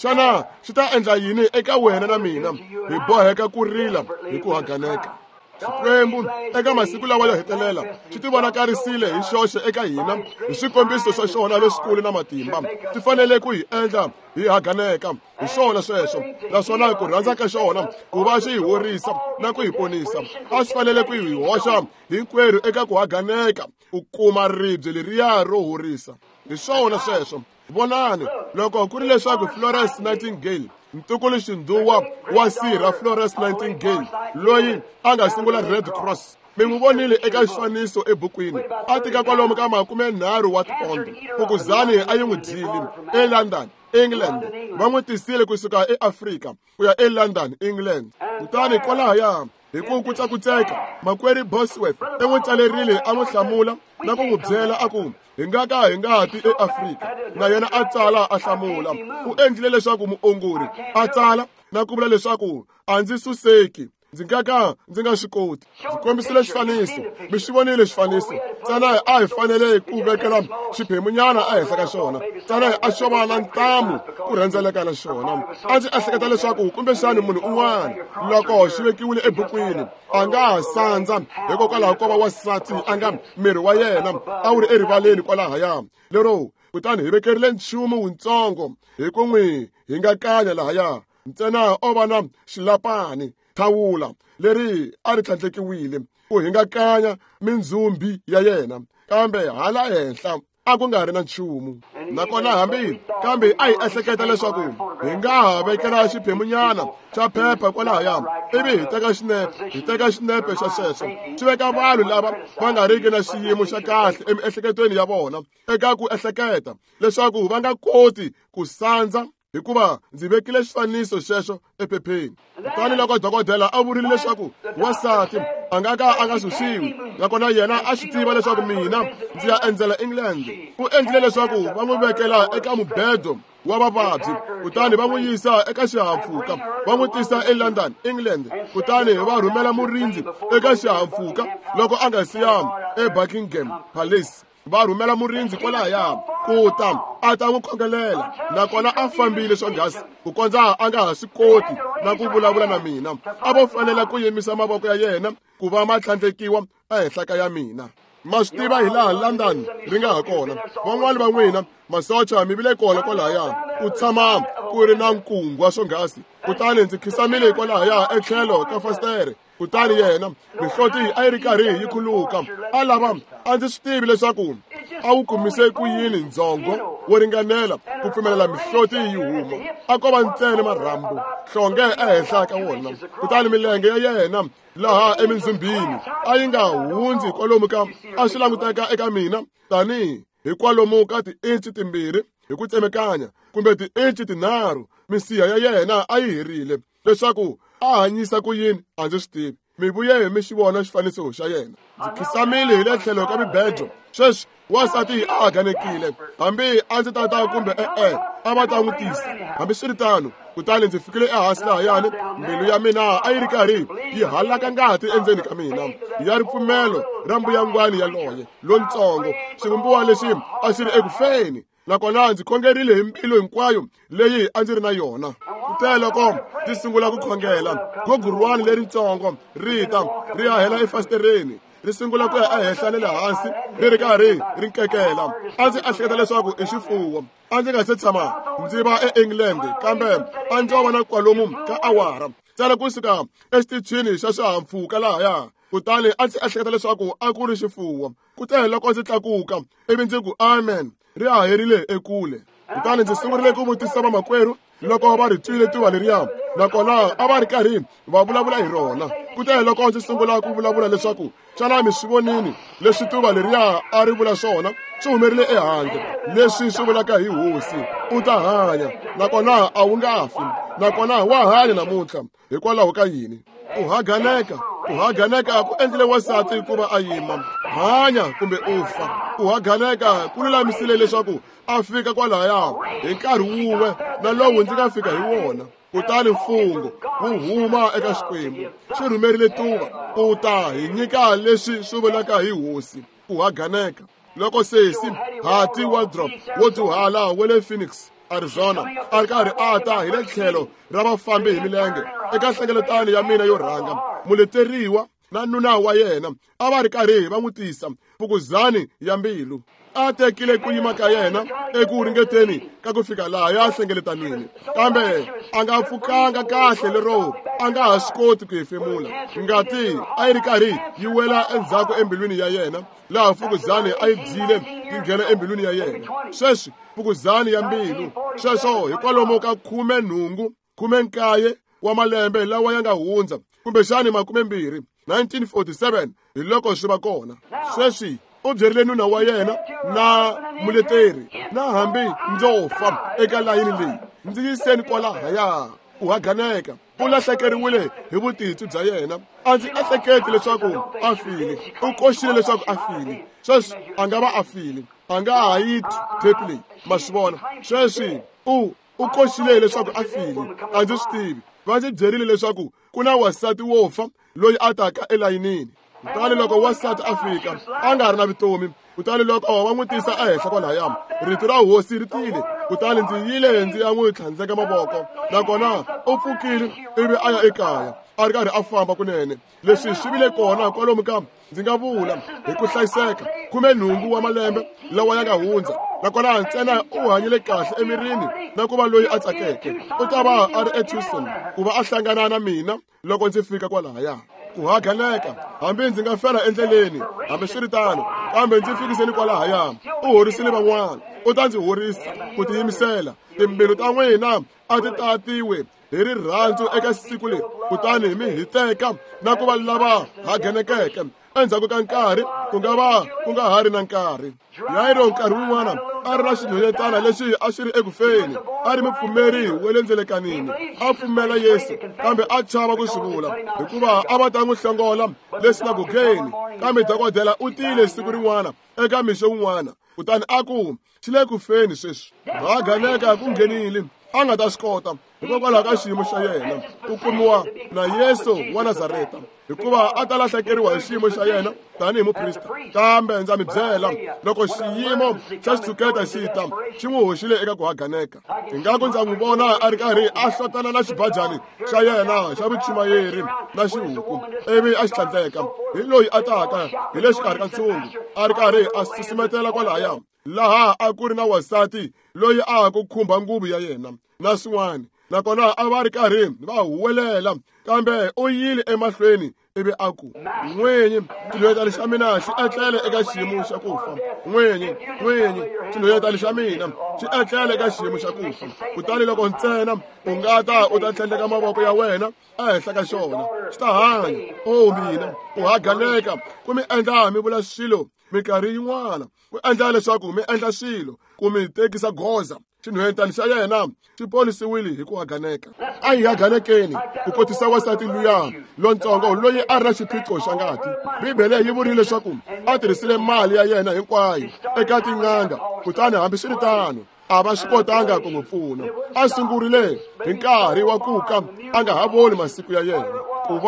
xana xi ta endla yini eka wena na mina? Hi boheka ku rila hi ku haganeka. Xikwembu eka masiku lawa yo hetelela xi tivonakarisile hi xoxe eka hina hi swikombiso swa xona leswikulu na matimba. Ti fanele ku hi endla hi haganeka hi swona sweswo, naswona ku rhandza ka xona ku va xi hi horisa na ku hi ponisa a swi fanele ku hi hoxa hinkwerhu eka ku haganeka ku kuma ribye leriya ro horisa. Hi swona sweswo. Vonani, loko ku ri leswaku Florence Nightingale, ntukulu xindhuwa wa sirha Florence Nightingale, loyi a nga sungula Red Cross, mi n'wi vonile eka xifaniso ebukwini, a tika kwalomu ka 30 wa tipondo, fukuzani a yi n'wi dyile eLondon, England. Va n'wi tisile kusuka eAfrika ku ya eLondon, England. Kutani kwalahaya hi ku kutsakutseka, makwerhu Bosworth u n'wi tsalerile a n'wi hlamula na ku n'wi byela a ku hi nga ka hi nga ti eAfrika. Na yena a tsala a hlamula. U endlile leswaku muongori a tsala na ku vula leswaku a ndzi suseki, ndzi nga ka ndzi nga swi koti. Ndzi kombisile xifaniso, mi xi vonile xifaniso. Ntsena a hi fanele ku vekela xiphemunyana ehenhla ka xona, ntsena a xo va na ntamu ku rhendzeleka na xona. A ndzi ehleketa leswaku kumbexani munhu un'wana loko xi vekiwile ebukwini a nga ha sandza hikokwalaho ko va wansati a nga miri wa yena a wu ri erivaleni kwalahaya lero. Kutani hi vekerile nchumu wutsongo hi ku n'wi hingakanya lahaya, ntsena o va na xilapani, thawula leri a ri tlhandlekiwile ku hingakanya mindzhumbi ya yena, kambe hala henhla a ku nga ri na nchumu. Nakona hambi kambe a hi ehleketa leswaku hi nga ha vekela xiphemunyana xa phepha kwalahaya ivi hi teka xinepe, hi teka xinepe xa sweswo, xi veka vanhu lava va nga riki na xiyimo xa kahle emiehleketweni ya vona eka ku ehleketa leswaku va nga koti ku sandza, hikuva ndzi vekile xifaniso xexo ephepheni. Kutani loko dokodela a vurile leswaku wansati a nga ka a nga susiwi, nakona yena a swi tiva leswaku mina ndzi ya endzela England, u endlile leswaku va n'wi vekela eka mubedo wa vavabyi, kutani va n'wi yisa eka xihahampfhuka, va n'wi tisa eLondon, England. Kutani va rhumela murindzi eka xihahampfhuka loko a nga siya eBuckingham Palace. Va rhumela murindzi kwalahaya ku ta a ta n'wi khongelela, nakona a fambile swonghasi ku kondza a nga ha swi koti na ku vulavula na mina. A vo fanela ku yimisa mavoko ya yena ku va ma tlhandlekiwa ehenhla ka ya mina. Ma swi tiva hi laha London ri nga ha kona. Van'wani va n'wina masocha mi vile kona kwalahaya, ku tshama ku ri na nkungwa swonghasi. Kutani ndzi khisamile kwalahaya etlhelo ka fasitere, kutani yena mihloti a yi ri karhi yi khuluka. A lava a ndzi swi tivi leswaku a wu kumise ku yini ndzhongo wo ringanela ku pfumelela mihloti yi huma. A ko va ntsena marhambu hlonge ehenhla ka wona, kutani milenge ya yena laha emindzhumbini a yi nga hundzi kwalomu ka a swi languteka eka mina tanihi hi kwalomu ka tiinci 2 hi ku tsemekanya kumbe tiinci 3 misiha ya yena a yi herile. Leswaku a hanyisa ku yini a ndzi swi tivi. Mi vuye mi xi vona xifaniso xa yena. Ndzi khisamile hi le tlhelo ka mibejo. Sweswi wansati a haganekile, hambi a ndzi tata kumbe e-e a va ta n'wi tisa. Hambiswiritano, kutani ndzi fikile ehansi lahayani, mbilu ya mina a yi ri karhi yi halaka ngati endzeni ka mina ya ripfumelo ra mbuyangwani yaloye lontsongo, xivumbiwa lexi a xi ri ekufeni. Nakona ndzi khongerile hi mbilu hinkwayo leyi a ndzi ri na yona. Kute loko ndzi sungula ku khongela, gugurwani leritsongo ri ta ri ya hela efasitereni, ri sungula ku ya ehenhla ni le hansi ri ri karhi ri nkekela. A ndzi ehleketa leswaku i xifuwo. A ndzi nga se tshama ndzi va eEngland, kambe a ndzo va na kwalomu ka awara ntsena kusuka exitichini xa swihahampfhuka lahaya. Kutani a ndzi ehleketa leswaku a ku ri xifuwo. Kute loko ndzi tlakuka ivi ndzi ku amen, ri haherile ekule. Kutani ndzi sungurile ku vutisa vamakwerhu loko va ri twile tuva leriya, nakona a va ri karhi va vulavula hi rona. Kute loko ndzi sungula ku vulavula leswaku xana mi swi vonini leswi tuva leriya a ri vula swona, swi humerile ehandle leswi swi vulaka hi hosi, u ta hanya nakona a wu nga fi, nakona wa hanya namuntlha. Hikwalaho ka yini? Ku haganeka, ku haganeka ku endlile wansati ku va a yima. Hanya kumbe u fa. Ku haganeka ku lulamisile leswaku a fika kwalaya hi nkarhi wun'we na lowu ndzi nga fika hi wona. Kutani mfungho wu huma eka Xikwembu, xi rhumerile tuva ku ta hi nyika leswi swi vulaka hi hosi. Ku haganeka. Loko sesi Hattie Waldrop wo dyuhala wa le Phoenix, Arizona, a ri karhi a ta hi le tlhelo ra vafambi hi milenge eka nhlengeletano ya mina yo rhanga, muleteriwa na nuna wa yena a va ri karhi va n'wi tisa fukuzani ya mbilu. A tekile ku yima ka yena eku ringeteni ka ku fika laha ya hlengeletanini, kambe a nga pfukanga kahle lero a nga ha swi koti ku hefemula. Ngati a yi ri karhi yi wela endzhaku embilwini ya yena, laha fukuzani a yi dyile yi nghena embilwini ya yena. Sweswi fukuzani ya mbilu, sweswo hi kwalomu ka 18, 19 wa malembe lawa ya nga hundza, kumbexani 20, 1947 hi loko swi va kona. Sweswi u byerile nuna wa yena na muleteri, na hambi ndzo fa eka layini leyi, ndzi yiseni kwalahaya. Ku haganeka, u lahlekeriwile hi vutitwi bya yena. A ndzi ehleketi leswaku a file. U koxile leswaku a file. Sweswi a nga va a file, a nga ha yi tape leyi, ma swi vona. Sweswi u koxile leswaku a file, a ndzi swi tivi. Va ndzi byerile leswaku ku na wansati wo fa loyi a taka elayinini. Kutani loko wansati a fika a nga ri na vutomi, kutani loko va n'wi tisa ehenhla kwalaya, rito ra hosi ri tile. Kutani ndzi yile ndzi ya n'wi tlhandleka mavoko, nakona u pfukile ivi a ya ekaya a ri karhi a famba kunene. Leswi swi vile kona kwalomu ka, ndzi nga vula hi ku hlayiseka, 18 wa malembe lawa ya nga hundza, nakona ntsena u hanyile kahle emirini na ku va loyi a tsakeke. U ta va a ri eTucson ku va a hlangana na mina loko ndzi fika kwalaya. Ku haganeka, hambi ndzi nga fela endleleni, hambiswiritano, kambe ndzi fikiseni kwalahaya. U horisile van'wana, u ta ndzi horisa. Ku tiyimisela, timbilu ta n'wina a ti tatiwe hi rirhandzu eka siku leri, kutani mi hiteka na ku va lava haganekeke. Endzhaku ka nkarhi ku nga va ku nga ha ri na nkarhi. Yairo nkarhi wun'wana a ri na xinhwanyetana lexi a xi ri ekufeni, a ri mupfumeri wa le ndzelekanini, a pfumela Yesu, kambe a chava ku swi vula hikuva a va ta n'wi hlongola le sinagogeni. Kambe dokodela u tile siku rin'wana eka mixo wun'wana, kutani a ku xi le ku feni sweswi. Haganeka ku nghenile, a nga ta swi kota hikokwalaho ka xiyimo xa yena ku kumiwa na Yesu wa Nazareta, hikuva a ta lahlekeriwa hi xiyimo xa yena tanihi muprista. Kambe ndza mi byela, loko xiyimo xa xitshuketa xi ta, xi n'wi hoxile eka ku haganeka. Ingaku ndza n'wi vona a ri karhi a hlotana na xibajani xa yena xa vuchumayeri na xihuku, ivi a xi tlhandleka hi loyi a taka hi le xikarhi ka ntshungu, a ri karhi a susumetela kwalaya laha a ku ri na wansati loyi a ha ku khumba nguvu ya yena na swin'wana, nakona a va ri karhi va huwelela. Kambe u yile emahlweni ivi a ku, n'winyi, xinhwanyetana xa mina xi etlele eka xiyimo xa ku fa. N'winyi, n'winyi, xinhwanyetana xa mina xi etlele eka xiyimo xa ku fa. Kutani loko ntsena u nga ta u ta tlhandleka mavoko ya wena ehenhla ka xona, xi ta hanya. O mina, ku haganeka ku mi endla mi vula swilo Minkarhi yin'wana ku endla leswaku mi endla swilo ku mi tekisa goza. Xinhwentani xa yena xi ponisiwile hi ku haganeka. A hi haganekeni ku kotisa wansati luya lontsongo loyi a ri na xiphiqo xa ngati. Bibele yi vurile leswaku a tirhisile mali ya yena hinkwayo eka tin'anga, kutani hambiswiritano a va swi kotanga ku n'wi pfuna. A sungurile hi nkarhi wa ku ka a nga ha voni masiku ya yena, ku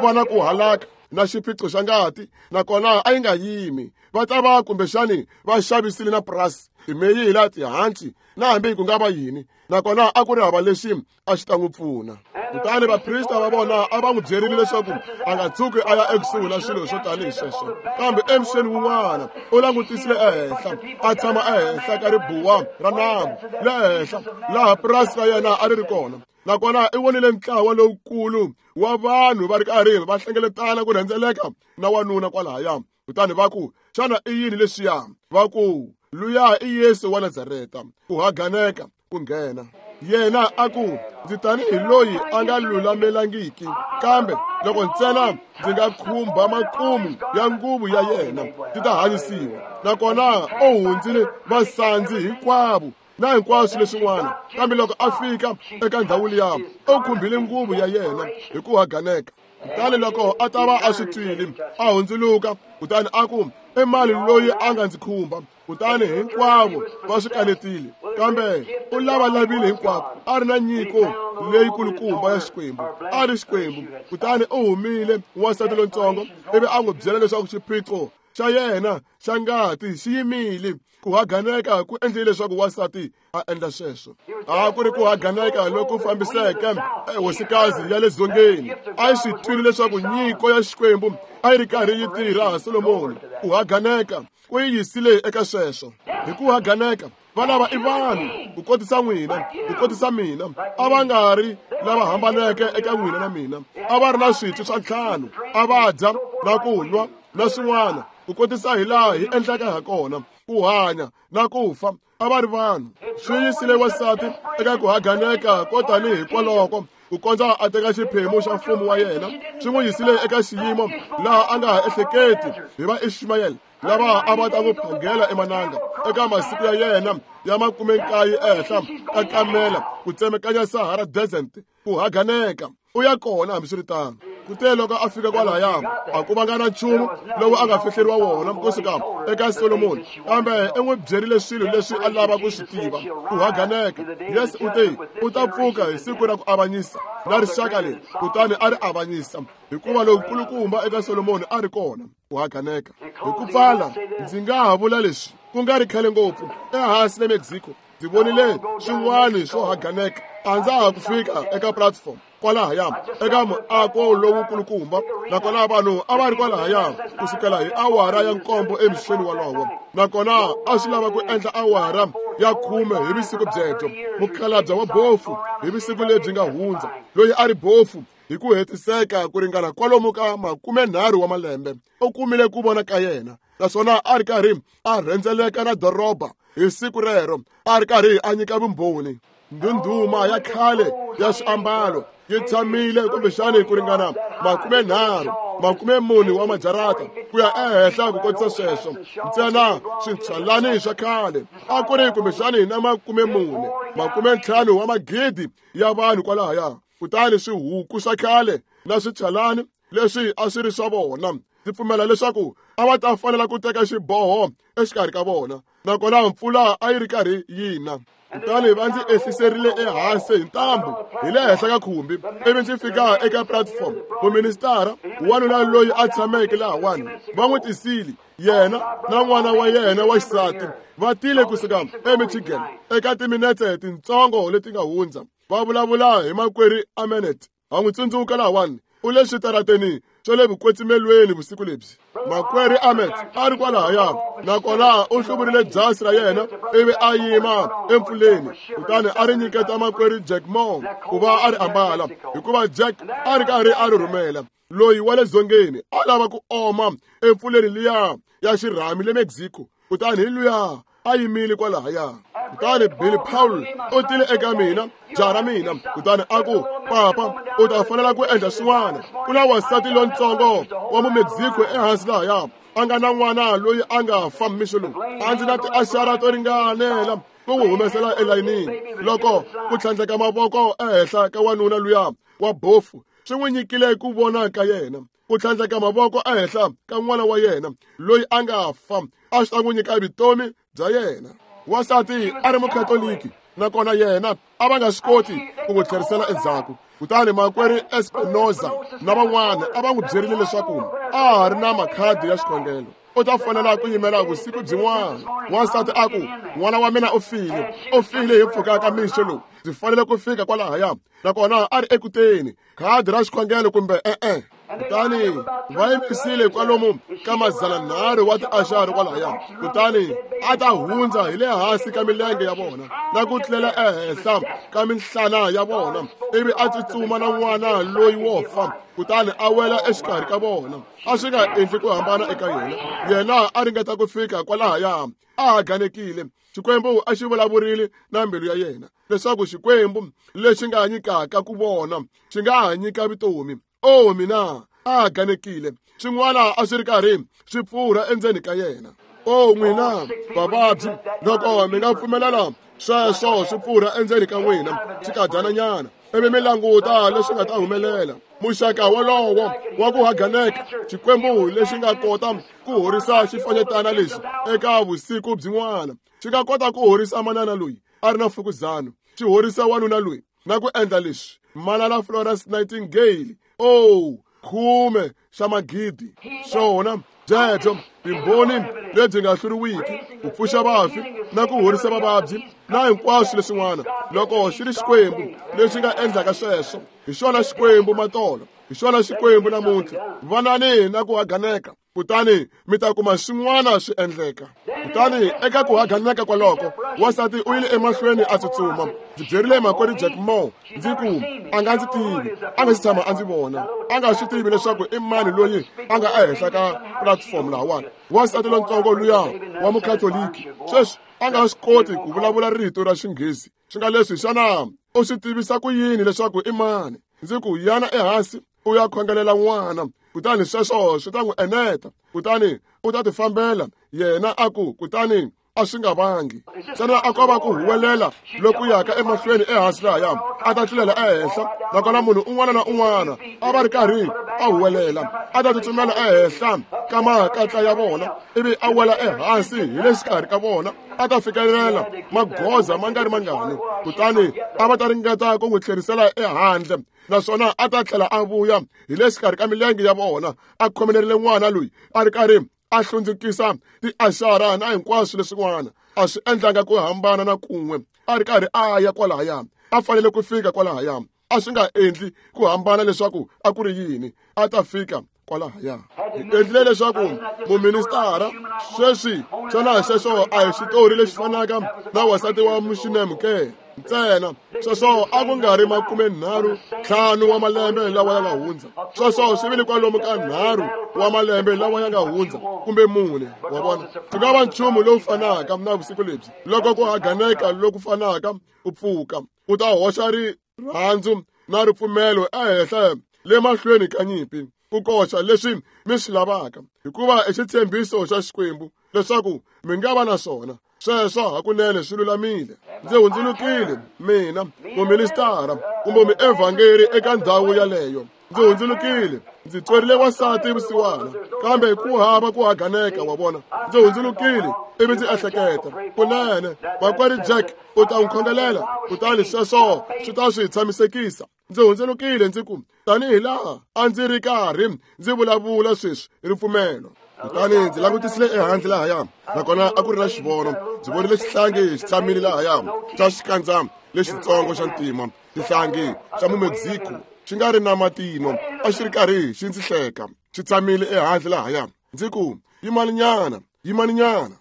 va na ku halaka na xiphiqo xa ngati, nakona a yi nga yimi. Va ta va kumbexani va xavisile na purasi, timeyila, tihanci na hambi ku nga va yini, nakona a ku ri hava lexi a xi ta n'wi pfuna. Kutani vaprista va vona a va n'wi byerile leswaku a nga tshuki a ya ekusuhi na swilo swo tanihi sweswo. Kambe emixeni wun'wana u langutisile ehenhla, a tshama ehenhla ka ribuwa ra nambu le henhla laha purasi ra yena a ri ri kona. Nakona i vonile ntlawa lowukulu wa vanhu va ri karhi va hlengeletana ku rhendzeleka na wanuna kwalahaya. Kutani va ku, xana i yini leswiya? Va ku, luya i Yesu wa Nazareta. Ku haganeka ku nghena. Yena a ku, ndzi tanihi loyi a nga lulamelangiki, kambe loko ntsena ndzi nga khumba makumu ya nguvu ya yena, ndzi ta hanyisiwa. Nakona u hundzile vasandzi hinkwavo na hinkwaswo leswin'wana, kambe loko a fika eka ndhawu liya, u khumbile nguvu ya yena hi ku haganeka. Kutani loko a ta va a swi twile, a hundzuluka, kutani a ku, i mani loyi a nga ndzi khumba? Kutani hinkwavo va swi kanetile, kambe u lavalavile hinkwako, a ri na nyiko leyikulukumba ya Xikwembu, a ri Xikwembu. Kutani u humile wansati lontsongo, ivi a n'wi byela leswaku xiphiqo xa yena xa ngati xi yimile. Ku haganeka ku endlile leswaku wansati a endla sweswo. A ku ri ku haganeka loku fambiseke ehosikazi ya le dzongeni. A yi swi twile leswaku nyiko ya Xikwembu a yi ri karhi yi tirha Solomoni. Ku haganeka ku yi yisile eka sweswo. Hi ku haganeka va lava i vanhu ku kotisa n'wina, ku kotisa mina. A va nga ri lava hambaneke eka n'wina na mina. A va ri na switwi swa ntlhanu, a va dya na ku nwa na swin'wana, ku kotisa hi laha hi endlaka ha kona, ku hanya na ku fa. A va ri vanhu. Swi yisile wansati eka ku haganeka ko tanihi kwaloko ku kondza a teka xiphemu xa mfumo wa yena. Swi n'wi yisile eka xiyimo laha a nga ha ehleketi hi va Ishimayele lava a va ta n'wi phangela emananga eka masiku ya yena ya 19 ehenhla ka kamela ku tsemekanya Sahara Desert. Ku haganeka u ya kona hambiswiritano. Kute loko a fika kwalahaya, a ku vanga na nchumu lowu a nga fihleriwa wona kusuka eka Solomoni, kambe i n'wi byerile swilo leswi a lava ku swi tiva. Ku haganeka. Yesu u te, u ta pfuka hi siku ra ku avanyisa na rixaka leri, kutani a ri avanyisa, hikuva lowukulukumba eka Solomoni a ri kona. Ku haganeka. Hi ku pfala, ndzi nga ha vula leswi, ku nga ri khale ngopfu ehansi le Mexico, ndzi vonile swin'wana swo haganeka. A ndza ha ku fika eka platform kwalahaya eka muako lowukulukumba, nakona vanhu a va ri kwalahaya ku sukela hi awara ya 7 emixeni wolowo, nakona a swi lava ku endla awara ya 10 hi vusiku byebyo. Mukhalabye wa bofu hi vusiku lebyi nga hundza, loyi a ri bofu hi ku hetiseka ku ringana kwalomu ka 30 wa malembe, u kumile ku vona ka yena, naswona a ri karhi a rhendzeleka na doroba hi siku rero, a ri karhi a nyika vumbhoni. Ndhundhuma ya khale ya swiambalo yi tshamile kumbexani ku ringana 30, 40 wa majarata ku ya ehenhla ku kotisa sweswo. Ntsena switshalani swa khale a ku ri kumbexani na 40, 50 wa magidi ya vanhu kwalahaya. Kutani swihuku swa khale na switshalani leswi a swi ri swa vona, ndzi pfumela leswaku a va ta fanela ku teka xiboho exikarhi ka vona, nakona mpfula a yi ri karhi yi na. Kutani va ndzi ehliserile ehansi hi ntambu hi le henhla ka khumbi, ivi ndzi fika eka platform. Muministara wanuna loyi a tshameke lahawani va n'wi tisile, yena na n'wana wa yena wa xisati va tile kusuka eMichigan eka timinetse tintsongo leti nga hundza, va vulavula hi makwerhu Amenet. Ha n'wi tsundzuka lahawani, u le switarateni swa le vukwetsimelweni vusiku lebyi. Makwerhu Ahmed a ri kwalahaya, nakona u hluvurile jasi ra yena ivi a yima empfuleni, kutani a ri nyiketa makwerhu Jack Moore ku va a ri ambala, hikuva Jack a ri karhi a ri rhumela. Loyi wa le dzongeni a lava ku oma empfuleni liya ya xirhami le Mexico, kutani hi luya a yimile kwalahaya. Kutani Billy Paul u tile eka mina, jaha ra mina, kutani a ku, papa, u ta fanela ku endla swin'wana. Ku na wansati lontsongo wa mumexico ehansi lahaya a nga na n'wana loyi a nga fa mixo lowu. A ndzi na tiaxara to ringanela ku n'wi humesela elayinini. Loko ku tlhandleka mavoko ehenhla ka wanuna luya wa bofu swi n'wi nyikile ku vona ka yena. Ku tlhandleka mavoko ehenhla ka n'wana wa yena loyi a nga fa a swi ta n'wi nyika vutomi bya yena. Wansati a ri mukhatoliki, nakona yena a va nga swi koti ku n'wi tlherisela endzhaku. Kutani makwerhu Espinoza na van'wana a va n'wi byerile leswaku a ha ri na makhadi ya xikhongelo, u ta fanela ku yimela vusiku byin'wana. Wansati a ku, n'wana wa mina u file, u file hi mpfhuka ka mixo lowu, ndzi fanele ku fika kwalahaya. Nakona a ri ekuteni, khadi ra xikhongelo kumbe e-e. Kutani va yimisile kwalomu ka 300 wa tiaxara kwalahaya. Kutani a ta hundza hi le hansi ka milenge ya vona na ku tlulela ehenhla ka minhlana ya vona, ivi a tsutsuma na n'wana loyi wo fa, kutani a wela exikarhi ka vona. A swi nga endli ku hambana eka yena. Yena a ringeta ku fika kwalahaya, a haganekile. Xikwembu a xi vulavurile na mbilu ya yena leswaku Xikwembu lexi nga nyikaka ku vona xi nga ha nyika vutomi. O mina, a haganekile. Swin'wana a swi ri karhi swi pfurha endzeni ka yena. O n'wina vavabyi, loko mi nga pfumelela sweswo swi pfurha endzeni ka n'wina xikadyananyana, ivi mi languta leswi nga ta humelela. Muxaka wolowo wa ku haganeka, Xikwembu lexi nga kota ku horisa xifanyetana lexi eka vusiku byin'wana, xi nga kota ku horisa manana loyi a ri na mfukuzana, xi horisa wanuna loyi na ku endla leswi. Manana Florence Nightingale, o 10 xa magidi, swona byebyo timbhoni lebyi nga hluriwiki, ku pfuxa vafi na ku horisa vavabyi na hinkwaswo leswin'wana. Loko xi ri Xikwembu lexi nga endlaka sweswo, hi xona Xikwembu matolo, hi xona Xikwembu namuntlha. Vanani na ku haganeka, kutani mi ta kuma swin'wana swi endleka. Kutani eka ku haganeka kwaloko, wansati u yile emahlweni a tsutsuma. Ndzi byerile makwerhu Jack Moore, ndzi ku, a nga ndzi tivi, a nga si tshama a ndzi vona, a nga swi tivi leswaku i mani loyi a nga ehenhla ka platform lahawani. Wansati lontsongo luya wa mukhatoliki sweswi a nga swi koti ku vulavula rito ra Xinghezi. Swi nga leswi, xana u swi tivisa ku yini leswaku i mani? Ndzi ku, yana ehansi u ya khongelela n'wana, kutani sweswo swi ta n'wi eneta, kutani u ta tifambela. Yena a ku, kutani a swi nga vangi ntsena a ko va ku huwelela loku yaka emahlweni ehansi lahaya, a ta tlulela ehenhla. Nakona munhu un'wana na un'wana a va ri karhi a huwelela, a ta tsutsumela ehenhla ka makatla ya vona, ivi a wela ehansi hi le xikarhi ka vona, a ta fikelela magoza ma nga ri mangani, kutani a va ta ringeta ku n'wi tlherisela ehandle, naswona a ta tlhela a vuya hi le xikarhi ka milenge ya vona, a khomelerile n'wana loyi a ri karhi a hlundzukisa tiaxara na hinkwaswo leswin'wana. A swi endlanga ku hambana na kun'we, a ri karhi a ya kwalahaya, a fanele ku fika kwalahaya. A swi nga endli ku hambana leswaku a ku ri yini, a ta fika kwalahaya. Hi endlile leswaku muministara sweswi, xana xexo a hi xitori lexi fanaka na wansati wa Muxinemu ke? Ntsena sweswo a ku nga ri 35 wa malembe lawa ya nga hundza, sweswo swi vile kwalomu ka 3 wa malembe lawa ya nga hundza kumbe 4. Wa vona, swi nga va nchumu lowu fanaka na vusiku lebyi. Loko ku haganeka loku fanaka ku pfuka, u ta hoxa rirhandzu na ripfumelo ehenhla le mahlweni ka nyimpi, ku koxa leswi mi swi lavaka, hikuva i xitshembiso xa Xikwembu leswaku mi nga va na swona. Sweswo hakunene swi lulamile. Ndzi hundzulukile mina muministara kumbe muevhangeri eka ndhawu yaleyo. Ndzi hundzulukile, ndzi twerile wansati vusiwana, kambe ku hava ku haganeka, wa vona. Ndzi hundzulukile ivi ndzi ehleketa, kunene makwerhu Jack u ta n'wi khongelela, kutani sweswo swi ta swi tshamisekisa. Ndzi hundzulukile ndzi ku, tanihi laha a ndzi ri karhi ndzi vulavula sweswi ripfumelo. Kutani ndzi langutisile ehandle lahaya, nakona a ku ri na xivono. Ndzi vonile xihlangi xi tshamile lahaya xa xikandza lexitsongo xa ntima, xihlangi xa Mumexico xi nga ri na matino, a xi ri karhi xi ndzi hleka, xi tshamile ehandle lahaya. Ndzi ku, yimaninyana, yimaninyana.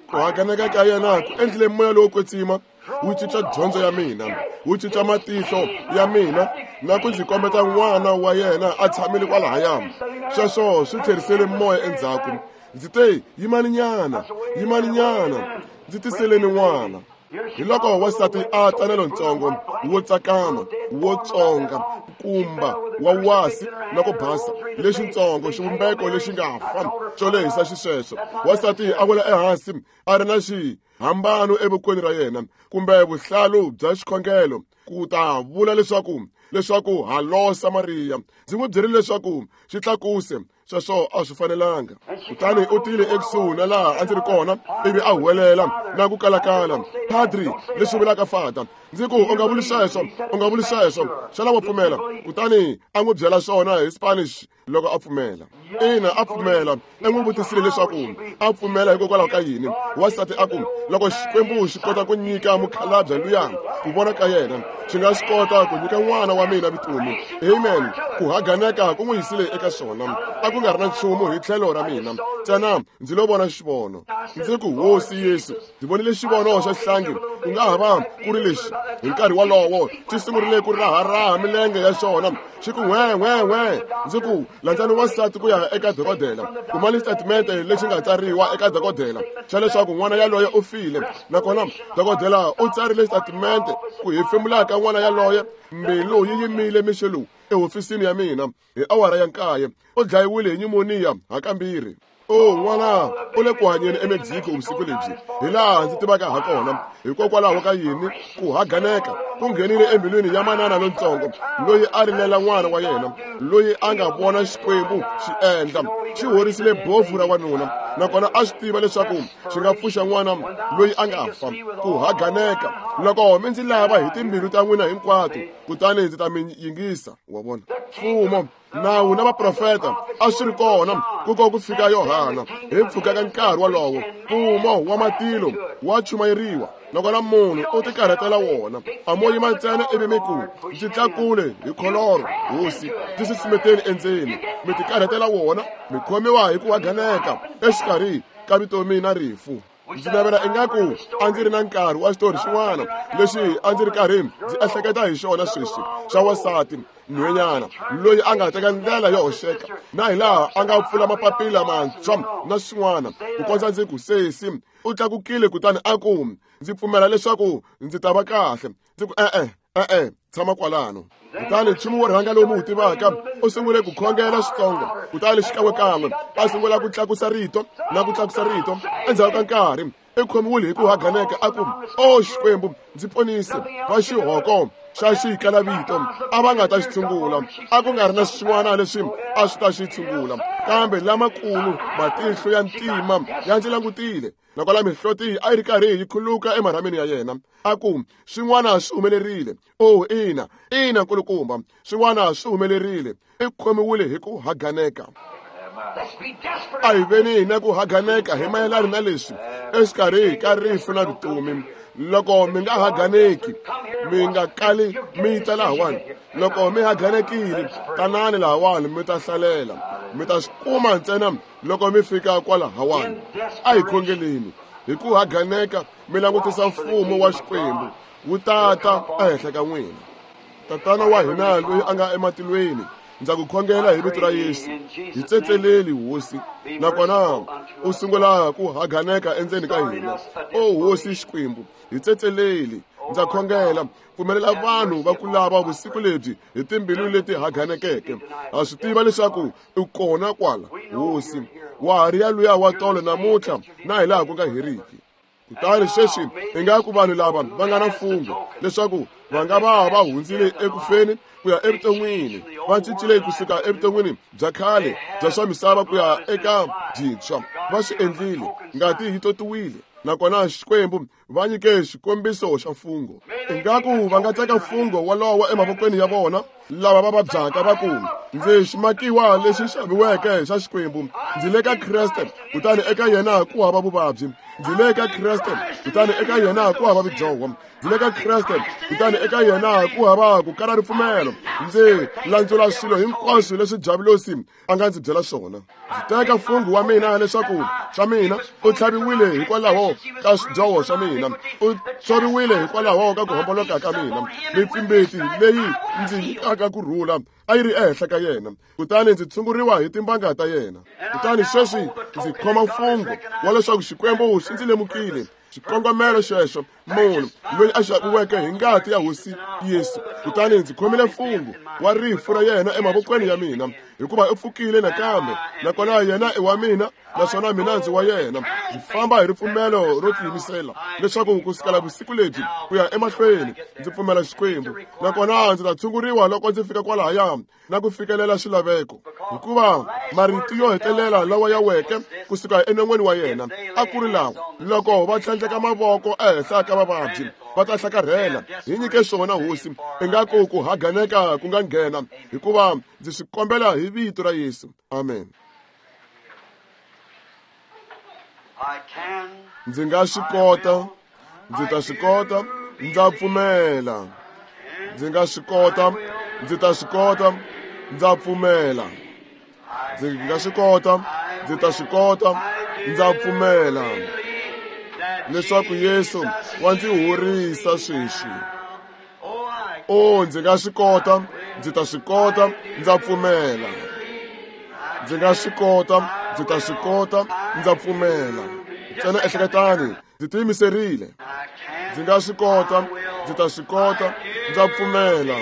Ku hakaneka ka yena ku endlile moya lowo kwetsima wu cinca dyondzo ya mina, wu cinca matihlo ya mina na ku ndzi kombeta n'wana wa yena a tshamile kwalahaya. Sweswo swi tlherisele moya endzhaku. Ndzi te, yimaninyana, yimaninyana, ndzi tiseleni n'wana. Hi loko wansati a tana lontsongo wo tsakama wo tsonga nkumba wa wasi na ku basa lexintsongo xivumbeko lexi nga fa xo lehisa xisweswo. Wansati a wela ehansi a ri na xihambano evokweni ra yena kumbe vuhlalu bya xikhongelo ku ta vula leswaku halo Samariya. Ndzi n'wi byerile leswaku xi tlakuse, sweswo a swi fanelanga. Kutani u tile ekusuhi na laha a ndzi ri kona ivi a huwelela na ku kalakala, padri, leswi vulaka fata. Ndzi ku, u nga vuli sweswo, u nga vuli sweswo, xana wa pfumela? Kutani a n'wi byela swona hi Spanish loko a pfumela. Ina, a pfumela. I n'wi vutisile leswaku a pfumela hikokwalaho ka yini. Wansati a ku, loko Xikwembu xi kota ku nyika mukhalabye luya ku vona ka yena, xi nga swi kota ku nyika n'wana wa mina vutomi. Amen. Ku haganeka ku n'wi yisile eka swona. A ku nga ri na nchumu hi tlhelo ra mina, ntsena ndzi lo vona xivono. Ndzi ku, Hosi Yesu, ndzi vonile xivono xa xihlangi, ku nga ha va ku ri lexi. Hi nkarhi wolowo xi sungurile ku raharaha milenge ya xona, xi ku n'we n'we n'we. Ndzi ku, landzani wansati ku ya eka dokodela. Kumani xitatimende lexi nga tsariwa eka dokodela xa leswaku n'wana yaloye u file. Nakona dokodela u tsarile xitatimende ku hefemula ka n'wana yaloye, mbilu yi yimile mixo lowu ehofisini ya mina hi awara ya 9. U dlayiwile hi nyumoniya hakambirhi. O n'wana u le ku hanyeni eMexico vusiku lebyi, hi laha ndzi tivaka ha kona. Hikokwalaho ka yini ku haganeka ku nghenile embilwini ya manana lontsongo loyi a rilela n'wana wa yena, loyi a nga vona Xikwembu xi endla, xi horisile bofu ra wanuna, nakona a swi tiva leswaku xi nga pfuxa n'wana loyi a nga fa. Ku haganeka, loko mi ndzi lava hi timbilu ta n'wina hinkwato, kutani ndzi ta mi yingisa. Wa vona, mfumo, nawu na vaprofeta a swi ri kona ku ko ku fika Yohana. Hi mpfhuka ka nkarhi wolowo, mfumo wa matilo wa chumayeriwa, nakona munhu u tikarhatela wona. A mo yima ntsena ivi mi ku, ndzi tlakule hi kholoro, Hosi, ndzi susumeteni endzeni. Mi tikarhatela wona, mi khomiwa hi ku haganeka exikarhi ka vutomi na rifu. Ndzi navela ingaku a ndzi ri na nkarhi wa xitori xin'wana lexi a ndzi ri karhi ndzi ehleketa hi xona sweswi, xa wansati nhwenyana loyi a nga teka ndlela yo hoxeka, na hi laha a nga pfula mapapila mantshwa na swin'wana, ku kondza ndzi ku, sesi u tlakukile kutani a ku, ndzi pfumela leswaku ndzi ta va kahle. Ndzi ku, e-e, e-e, tshama kwalano. Kutani nchumu wo rhanga lowu mi wu tivaka, u sungule ku khongela switsongo, kutani xikan'wekan'we a sungula ku tlakusa rito na ku tlakusa rito. Endzhaku ka nkarhi i khomiwile hi ku haganeka, a ku, o Xikwembu, ndzi ponise. Va xihoko xa xikalavito a va nga ta xi tshungula, a ku nga ri na swin'wana leswi a swi ta xi tshungula, kambe lamakulu matihlo ya ntima ya ndzi langutile, nakona mihloti a yi ri karhi yi khuluka emarhameni ya yena. A ku, swin'wana swi humelerile. O ina, ina nkulukumba, swin'wana swi humelerile. I khomiwile hi ku haganeka. A hi veni na ku haganeka hi mayelana na leswi exikarhi ka rifu na vutomi. Loko mi nga haganeki, mi nga kali mi ta lahawani. Loko mi haganekile, tanani lahawani mi ta hlalela. Mi ta swi kuma ntsena loko mi fika kwalahawani. A hi khongeleni hi ku haganeka, mi langutisa mfumo wa Xikwembu wu tata ehenhla ka n'wina. Tatana wa hina loyi a nga ematilweni, ndza ku khongela hi vito ra Yesu, hi tsetseleli Hosi, nakona u sungula ku haganeka endzeni ka hina. O Hosi Xikwembu, hi tsetseleli. Ndza khongela, pfumelela vanhu va ku lava vusiku lebyi hi timbilu leti haganekeke. Ha swi tiva leswaku u kona kwala, Hosi, wa ha ri ya luya wa tolo namuntlha na hi laha ku nga heriki. Kutani sweswi ingaku vanhu lava va nga na mfungho leswaku va nga va va hundzile ekufeni ku ya evuton'wini, va cincile kusuka evuton'wini bya khale bya swa misava ku ya eka byintshwa. Va swi endlile, ngati yi totiwile, nakona Xikwembu va nyike xikombiso xa mfungho. Ingaku va nga teka mfungho wolowo emavokweni ya vona lava va vabyaka, va ku, ndzi ximakiwa lexi xaviweke xa Xikwembu, ndzi le ka Kreste, kutani eka yena ku hava vuvabyi. Ndzi le ka Kreste, kutani eka yena ku hava vudyoho. Ndzi le ka Kreste, kutani eka yena ku hava ku kala ripfumelo. Ndzi landzula swilo hinkwaswo leswi Diabulosi a nga ndzi byela swona. Ndzi teka mfungho wa mina leswaku swa mina u tlhaviwile hikwalaho ka swidyoho swa mina, u tsoriwile hikwalaho ka ku homboloka ka mina. Mipfimbiti leyi ndzi nyikaka ku rhula a yi ri ehenhla ka yena, kutani ndzi tshunguriwa hi timbanga ta yena. Kutani sweswi ndzi khoma mfungho wa leswaku Xikwembu xi ndzi lemukile. Xikongomelo xexo Munhu loyi a xaviweke hi ngati ya Hosi Yesu. Kutani ndzi khomile mfungho wa rifu ra yena emavokweni ya mina, hikuva u pfukile nakambe, nakona yena i wa mina, naswona mina ndzi wa yena. Ndzi famba hi ripfumelo ro tiyimisela leswaku ku sukela vusiku lebyi ku ya emahlweni ndzi pfumela Xikwembu, nakona ndzi ta tshunguriwa loko ndzi fika kwalahaya na ku fikelela xilaveko, hikuva marito yo hetelela lawa ya weke kusuka enon'weni wa yena a ku ri lawa: loko va tlhandleka mavoko ehenhla ka vavabyi va ta hlakarhela. Hi nyike swona, Hosi, ingaku ku haganeka ku nga nghena, hikuva ndzi swi kombela hi vito ra Yesu. Amen. Ndzi nga swi kota, ndzi ta swi kota, ndza pfumela. Ndzi nga swi kota, ndzi ta swi kota, ndza pfumela. Ndzi nga swi kota, ndzi ta swi kota, ndza pfumela leswaku Yesu wa ndzi horisa sweswi. O, ndzi nga swi kota, ndzi ta swi kota, ndza pfumela. Ndzi nga swi kota, ndzi ta swi kota, ndza pfumela. Ntsena ehleketani, ndzi tiyimiserile. Ndzi nga swi kota, ndzi ta swi kota, ndza pfumela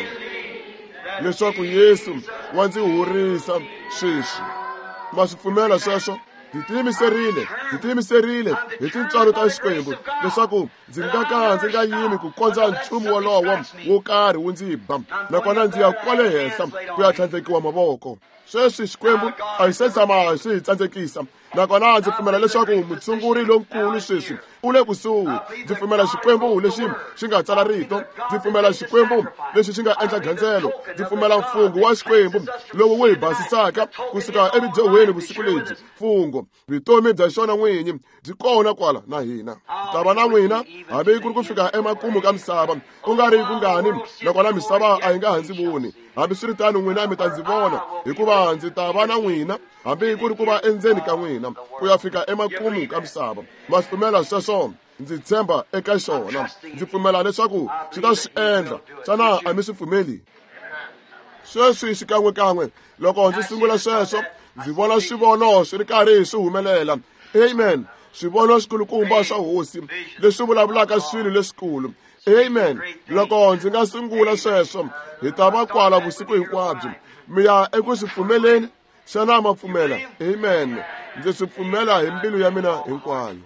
leswaku Yesu wa ndzi horisa sweswi. Ma swi pfumela sweswo? Ndzi tiyimiserile, ndzi tiyimiserile hi tintswalo ta Xikwembu leswaku ndzi nga ka ndzi nga yimi ku kondza nchumu wolowo wo karhi wu ndzi ba, nakona ndzi ya kwale henhla ku ya tlhandlekiwa mavoko. Sweswi Xikwembu a xi se tshama xi hi tsandzekisa, nakona ndzi pfumela leswaku mutshunguri lonkulu sweswi u le kusuhi. Ndzi pfumela Xikwembu lexi xi nga tsala rito, ndzi pfumela Xikwembu lexi xi nga endla gandzelo, ndzi pfumela mfungho wa Xikwembu lowu wu hi basisaka kusuka evidyohweni vusiku lebyi. Mfungho, vutomi bya xona n'winyi byi kona kwala na hina. Ta va na n'wina hambi ku ri ku fika emakumu ka misava, ku nga ri kungani, nakona misava a yi nga ha ndzi voni. Hambiswiritano n'wina mi ta ndzi vona, hikuva ndzi ta va na n'wina hambi ku ri ku va endzeni ka n'wina ku ya fika emakumu ka misava. Ma swi pfumela sweswo? Ndzi tshemba eka xona, ndzi pfumela leswaku xi ta swi endla. Xana a mi swi pfumeli? Sweswi xikan'wekan'we loko ndzi sungula sweswo, ndzi vona swivono swi ri karhi swi humelela. Amen. Swivono swikulukumba swa Hosi leswi vulavulaka swilo leswikulu. Amen. Loko ndzi nga sungula sweswo, hi ta va kwala vusiku hinkwabyo. Mi ya eku swi pfumeleni? Xana ma pfumela? Amen. Ndzi swi pfumela hi mbilu ya mina hinkwayo.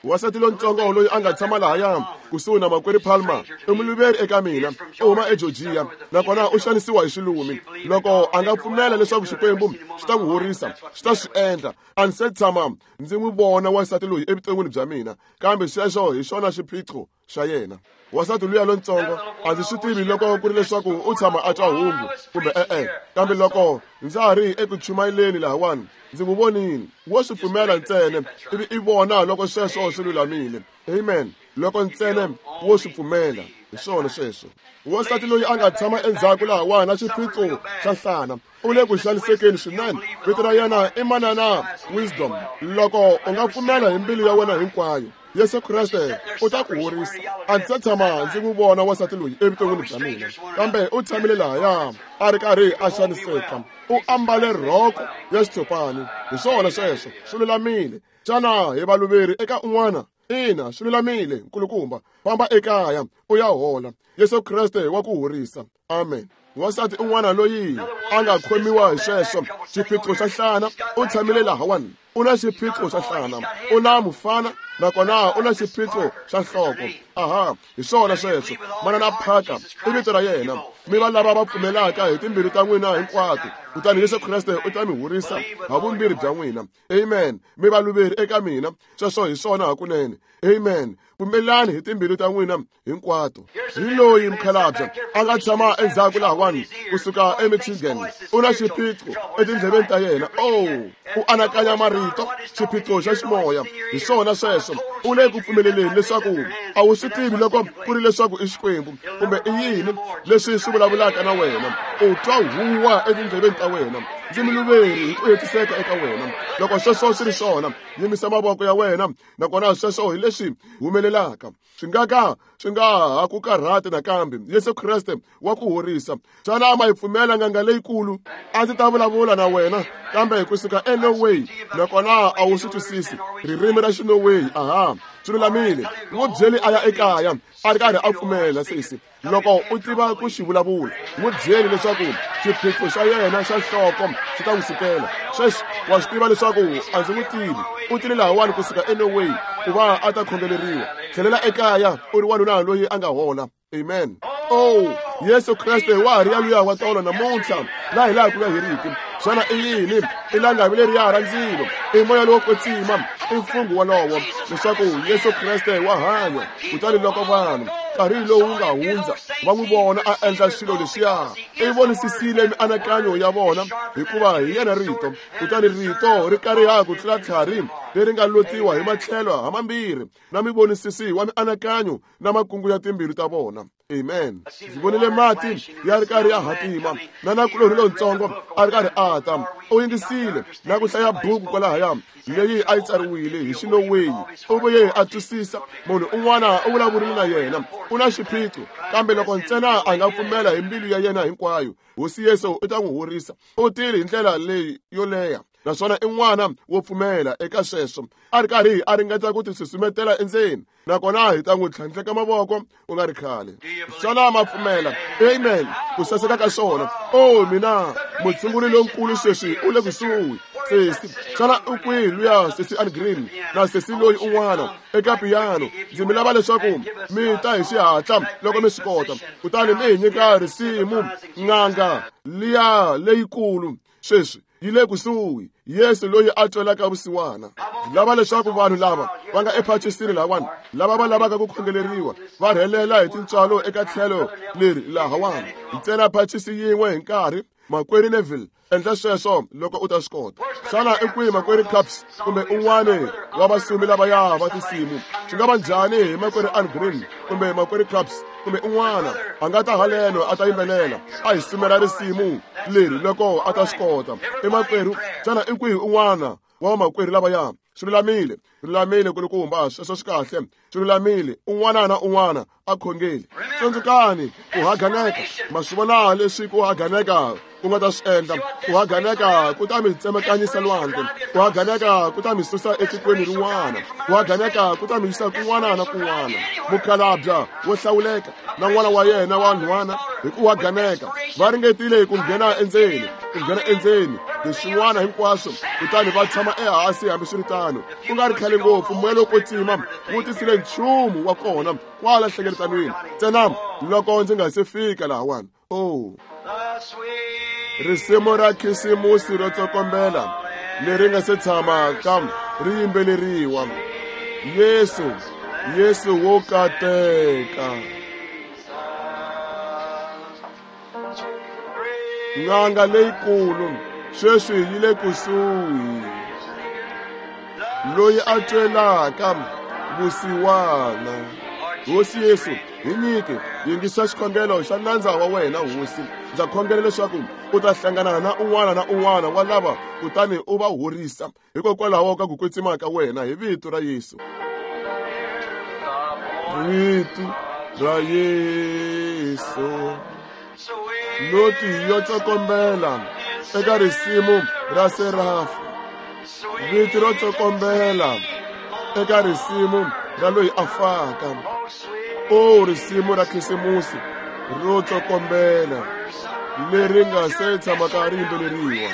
Wansati lontsongo loyi a nga tshama lahaya kusuhi na makwerhu Palmer i muluveri eka mina, u huma eGeorgia, nakona u xanisiwa hi xilumi. Loko a nga pfumela leswaku Xikwembu xi ta n'wi horisa, xi ta swi endla. A ndzi se tshama ndzi n'wi vona wansati loyi evuton'wini bya mina, kambe xexo hi xona xiphiqo xa yena. Wansati luya lontsongo a ndzi swi tivi loko ku ri leswaku u tshama a twa hungu kumbe e-e, kambe loko ndza ha ri eku chumayeleni lahawani ndzi n'wi vonile. Wo swi pfumela ntsena ivi i vona loko sweswo swi lulamile. Amen. Loko ntsena wo swi pfumela, hi swona sweswo. Wansati loyi a nga tshama endzhaku lahawani na xiphiqo xa nhlana u le ku xanisekeni swinene. Vito ra yena i Manana Wisdom. Loko u nga pfumela hi mbilu ya wena hinkwayo, Yesu Kreste u ta ku horisa. A ndzi se tshama ndzi n'wi vona wansati loyi evuton'wini bya mina, kambe u tshamile lahaya a ri karhi a xaniseka. U ambale rhoko ya xitshopani. Hi swona sweswo, swi lulamile. Xana hi valuveri eka un'wana? Ina, swi lulamile, nkulukumba. Famba ekaya u ya hola. Yesu Kreste wa ku horisa. Amen. Wansati un'wana loyi a nga khomiwa hi sweswo xiphiqo xa nhlana u tshamile lahawani. U na xiphiqo xa nhlana, u na mufana, nakona u na xiphiqo xa nhloko. Aha, hi swona sweswo. Manana Parker i vito ra yena. Mi va lava va pfumelaka hi timbilu ta n'wina hinkwato, kutani Yesu Kreste u ta mi horisa ha vumbirhi bya n'wina. Amen. Mi valuveri eka mina, sweswo hi swona hakunene. Amen. Pfumelani hi timbilu ta n'wina hinkwato. Hi loyi mukhalabye a nga tshama endzhaku lahawani kusuka eMichigan, u na xiphiqo etindleveni ta yena. Oh, u anakanya marito, xiphiqo xa ximoya. Hi swona sweswo. U le ku pfumeleleni leswaku a wu swi tivi loko ku ri leswaku i Xikwembu kumbe i yini leswi swi vulavulaka na wena. U twa huwa etindleveni ta wena. Ndzi muluveri hi ku hetiseka eka wena. Loko sweswo swi ri swona, yimisa mavoko ya wena, nakona sweswo hi leswi humelelaka. Swi nga ka swi nga ha ku karhati nakambe. Yesu Kreste wa ku horisa. Xana ma yi pfumela nganga leyikulu? A ndzi ta vulavula na wena kambe kusuka eNorway, nakona a wu swi twisisi ririmi ra Xinorway. Aha, Swi lulamile, n'wi byeli a ya ekaya a ri karhi a pfumela. Sesi, loko u tiva ku xi vulavula, n'wi byeli leswaku xiphiqo xa yena xa nhloko xi ta n'wi sukela. Sweswi wa swi tiva leswaku a ndzi n'wi tivi. U tile lahawani kusuka eNorway ku va a ta khongeleriwa. Tlhelela ekaya u ri wanuna loyi a nga hola. Amen. Oh, Yesu Kreste wa ha ri yaluya wa tolo namuntlha na hi laha ku nga heriki. Xana i yini? I langavi leriya ra ndzilo, i moya lowo kwetsima, i mfungho wolowo leswaku Yesu Kreste wa hanya. Kutani loko vanhu nkarhi lowu nga hundza va n'wi vona a endla swilo leswiya, i vonisisile mianakanyo ya vona, hikuva hi yena Rito. Kutani Rito ri kariha ku tlula tlhari leri nga lotiwa hi matlhelo hamambirhi, na mivonisisi wa mianakanyo na makungu ya timbilu ta vona. Amen. Ndzi vonile mati ya ri karhi ya hatima, na nakulorhi lontsongo a ri karhi a ta. U yingisile na ku hlaya buku kwalahaya leyi a yi tsariwile hi xinoweyi. U vuye a twisisa. Munhu un'wana u vulavurile na yena, u na xiphiqo, kambe loko ntsena a nga pfumela hi mbilu ya yena hinkwayo, Hosi Yesu u ta n'wi horisa. U tile hi ndlela leyi yo leha, naswona i n'wana wo pfumela eka sweswo, a ri karhi a ringeta ku tisusumetela endzeni, nakona hi ta n'wi tlhandleka mavoko ku nga ri khale. Xana ma pfumela? Amen. Ku saseka ka swona. O mina, mutshunguri lonkulu sweswi u le kusuhi. Sesi, xana u kwihi luya sesi Ann Green na sesi loyi un'wana eka piyano? Ndzi mi lava leswaku mi ta hi xihatla loko mi swi kota, kutani mi hi nyika risimu n'anga liya leyikulu. Sweswi yi le kusuhi, Yesu loyi a twelaka vusiwana. Ndzi lava leswaku vanhu lava va nga ephacisini lahawani, lava va lavaka ku khongeleriwa, va rhelela hi tintswalo eka tlhelo leri lahawani, ntsena phacisi yin'we hi nkarhi. Makwerhu Neville, endla sweswo loko u ta swi kota. Xana i kwihi makwerhu Capps kumbe un'wana wa vasumi lavaya va tinsimu? Swi nga va njhani hi makwerhu Ann Green kumbe makwerhu Capps kumbe un'wana a nga ta haleno a ta yimbelela, a hi sumela risimu leri loko a ta swi kota? I makwerhu, xana i kwihi un'wana wa vamakwerhu lavaya? Swi lulamile, lulamile kulukumba, sweswo swi kahle, swi lulamile. Un'wana na un'wana a khongeli. Tsundzukani ku haganeka, ma swi vona leswi ku haganeka ku nga ta swi endla. Ku haganeka ku ta mi tsemakanyisa lwandle, ku haganeka ku ta mi susa etikweni rin'wana, ku haganeka ku ta mi yisa kun'wana na kun'wana. Mukhalabya wo hlawuleka na n'wana wa yena wa nhwana hi ku haganeka va ringetile ku nghena endzeni, ku nghena endzeni hi swin'wana hinkwaswo, kutani va tshama ehansi. Hambiswiritano, ku nga ri khale ngopfu, moya lowo kwetsima wu tisile nchumu wa kona kwala nhlengeletanweni, ntsena loko ndzi nga se fika lahawani. Oh, risimu ra khisimusi ro tsokombela leri nga se tshamaka ri yimbeleriwa, Yesu, Yesu wo kateka, n'anga leyikulu sweswi yi le kusuhi, loyi a twelaka vusiwana. Hosi Yesu, hi nyike, yingisa xikhongelo xa nandza wa wena. Hosi, ndza khongela leswaku u ta hlangana na un'wana na un'wana wa lava, kutani u va horisa hikokwalaho ka ku kwetsima ka wena, hi vito ra Yesu. Vito ra Yesu, noti yo tsokombela eka risimu ra serafu, vito ro tsokombela eka risimu ra loyi a faka. O risimu ra khisimusi ro tsokombela leri nga se tshamaka ri yimbeleriwa.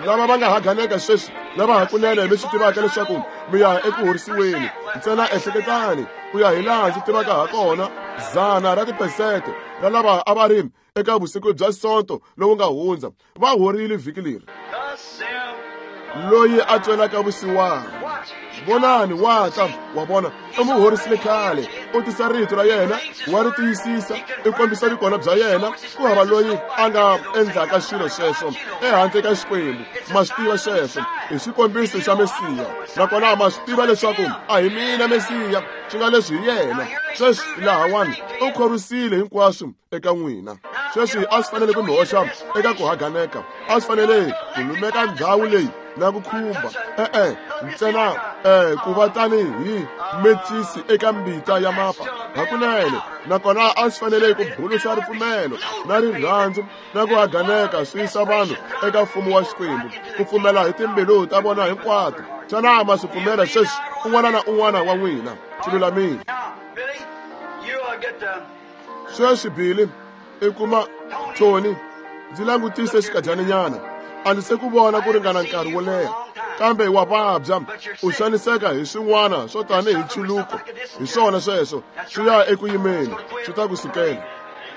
Lava va nga haganeka sweswi, lava hakunene mi swi tivaka leswaku mi ya eku horisiweni, ntsena ehleketani ku ya hi laha ndzi tivaka ha kona, 100 ra tiphesente ra lava a va ri eka vusiku bya Sonto lowu nga hundza va horile vhiki leri. Loyi a twelaka vusiwana, vonani wa ta. Wa vona, u n'wi horisile khale. U tisa rito ra yena, wa ri tiyisisa, i kombisa vukona bya yena. Ku hava loyi a nga endlaka swilo sweswo ehandle ka Xikwembu. Ma swi tiva sweswo hi xikombiso xa Mesiya, nakona ma swi tiva leswaku a hi mina Mesiya, swi nga leswi hi yena. Sweswi lahawani u khorwisile hinkwaswo eka n'wina. Sweswi a swi fanele ku mi hoxa eka ku haganeka, a swi fanele ku lumeka ndhawu leyi na ku khumba, e-e, ntsena ku va tanihi mecisi eka mbita ya mapa hakunene. Nakona a swi fanele ku bulusa ripfumelo na rirhandzu na ku haganeka, swi yisa vanhu eka mfumo wa Xikwembu, ku pfumela hi timbilu ta vona hinkwato. Xana ma swi pfumela sweswi, un'wana na un'wana wa n'wina? Swi lulamile. Sweswi Billy i kuma Tony, ndzi langutise xikadyaninyana. A ndzi se ku vona ku ringana nkarhi wo leha, kambe wa vabya, u xaniseka hi swin'wana swo tanihi nchuluko. Hi swona sweswo, swi ya eku yimeni, swi ta ku sukela.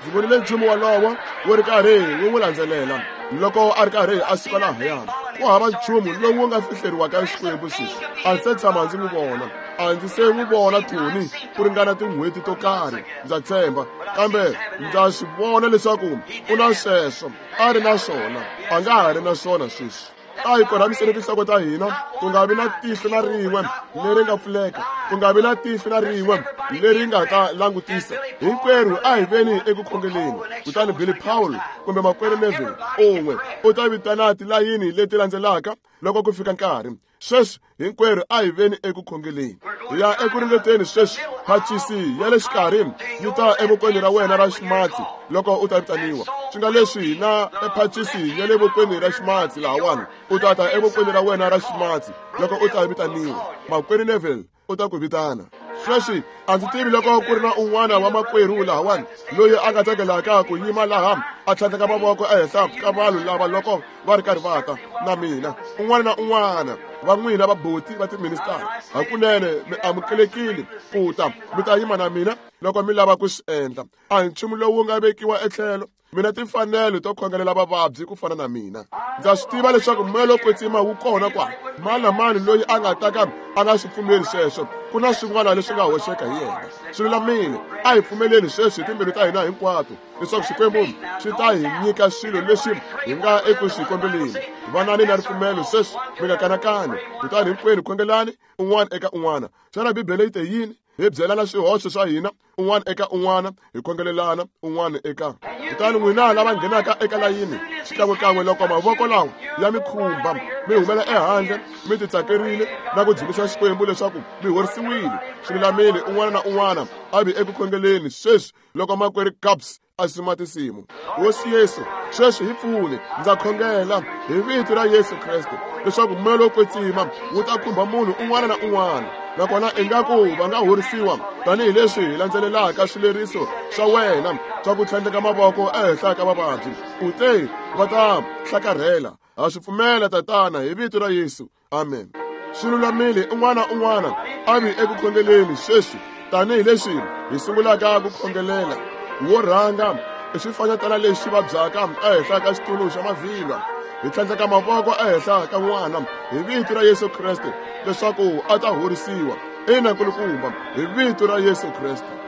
Ndzi vonile nchumu wolowo wu ri karhi wu n'wi landzelela loko a ri karhi a suka lahayana. Ku hava nchumu lowu wu nga fihleriwaka Xikwembu sweswi. A ndzi se tshama ndzi n'wi vona, a ndzi se n'wi vona Tony ku ringana tin'hweti to karhi, ndza tshemba, kambe ndza swi vona leswaku u na sweswo, a ri na swona, a nga ha ri na swona sweswi. A hi korhamiseni tinhloko ta hina, ku nga vi na tihlo na rin'we leri nga pfuleka, ku nga vi na tihlo na rin'we leri nga ta langutisa. Hinkwerhu a hi veni eku khongeleni. Kutani Billy Paul kumbe makwerhu Neville un'we u ta vitana tilayini leti landzelaka loko ku fika nkarhi. Sweswi hinkwerhu a hi veni eku khongeleni. Hi ya eku ringeteni sweswi. Phacisi ya le xikarhi yi ta evokweni ra wena ra ximatsi loko u ta vitaniwa. Swi nga leswi na ephacisi ya le vokweni ra ximatsi lahawani, u ta ta evokweni ra wena ra ximatsi loko u ta vitaniwa. Makwerhu Neville u ta ku vitana. Sweswi a ndzi tivi loko ku ri na un'wana wa makwerhu lahawani loyi a nga tsakelaka ku yima laha a tlhandleka mavoko ehenhla ka vanhu lava loko va ri karhi va ta na mina. Un'wana na un'wana va n'wina vaboti va tiministara, hakunene mi amukelekile ku ta mi ta yima na mina loko mi lava ku swi endla. A hi nchumu lowu nga vekiwa etlhelo. Mina timfanelo to khongelela vavabyi ku fana na mina. Ndza swi tiva leswaku moya lowo kwetsima wu kona kwala. Mani na mani loyi a nga ta ka a nga swi pfumeli sweswo, ku na swin'wana leswi nga hoxeka hi yena. Swi lulamile, a hi pfumeleni sweswi hi timbilu ta hina hinkwato leswaku Xikwembu xi ta hi nyika swilo leswi hi nga eku swi kombeleni. Vanani na ripfumelo sweswi, mi nga kanakani. Kutani hinkwenu khongelani un'wana eka un'wana. Xana Bibele yi te yini? Hi byelana swihoxo swa hina un'wana eka un'wana, hi khongelelana un'wana eka. Kutani n'wina lava nghenaka eka layini xikan'wekan'we loko mavoko lawa ya mi khumba, mi humela ehandle mi titsakerile na ku dzunisa Xikwembu leswaku mi horisiwile. Swi lulamile, un'wana na un'wana a vi eku khongeleni sweswi loko makwerhu Capps a sima tinsimu. Hosi Yesu, sweswi hi pfune, ndza khongela hi vito ra Yesu Kreste leswaku moya lowo kwetsima wu ta khumba munhu un'wana na un'wana, nakona ingaku va nga horisiwa tanihileswi hi landzelelaka swileriso swa wena swa ku tlhandleka mavoko ehenhla ka vavabyi. U te va ta hlakarhela. Ha swi pfumela, Tatana, hi vito ra Yesu. Amen. Swi lulamile, un'wana na un'wana a vi eku khongeleni sweswi tanihileswi hi sungulaka ku khongelela. Wo rhanga i xifanyetana lexi vabyaka ehenhla ka xitulu xa mavhilwa. Hi tlhandleka mavoko ehenhla ka n'wana hi vito ra Yesu Kreste leswaku a ta horisiwa. Ina, nkulukumba, hi vito ra Yesu Kreste.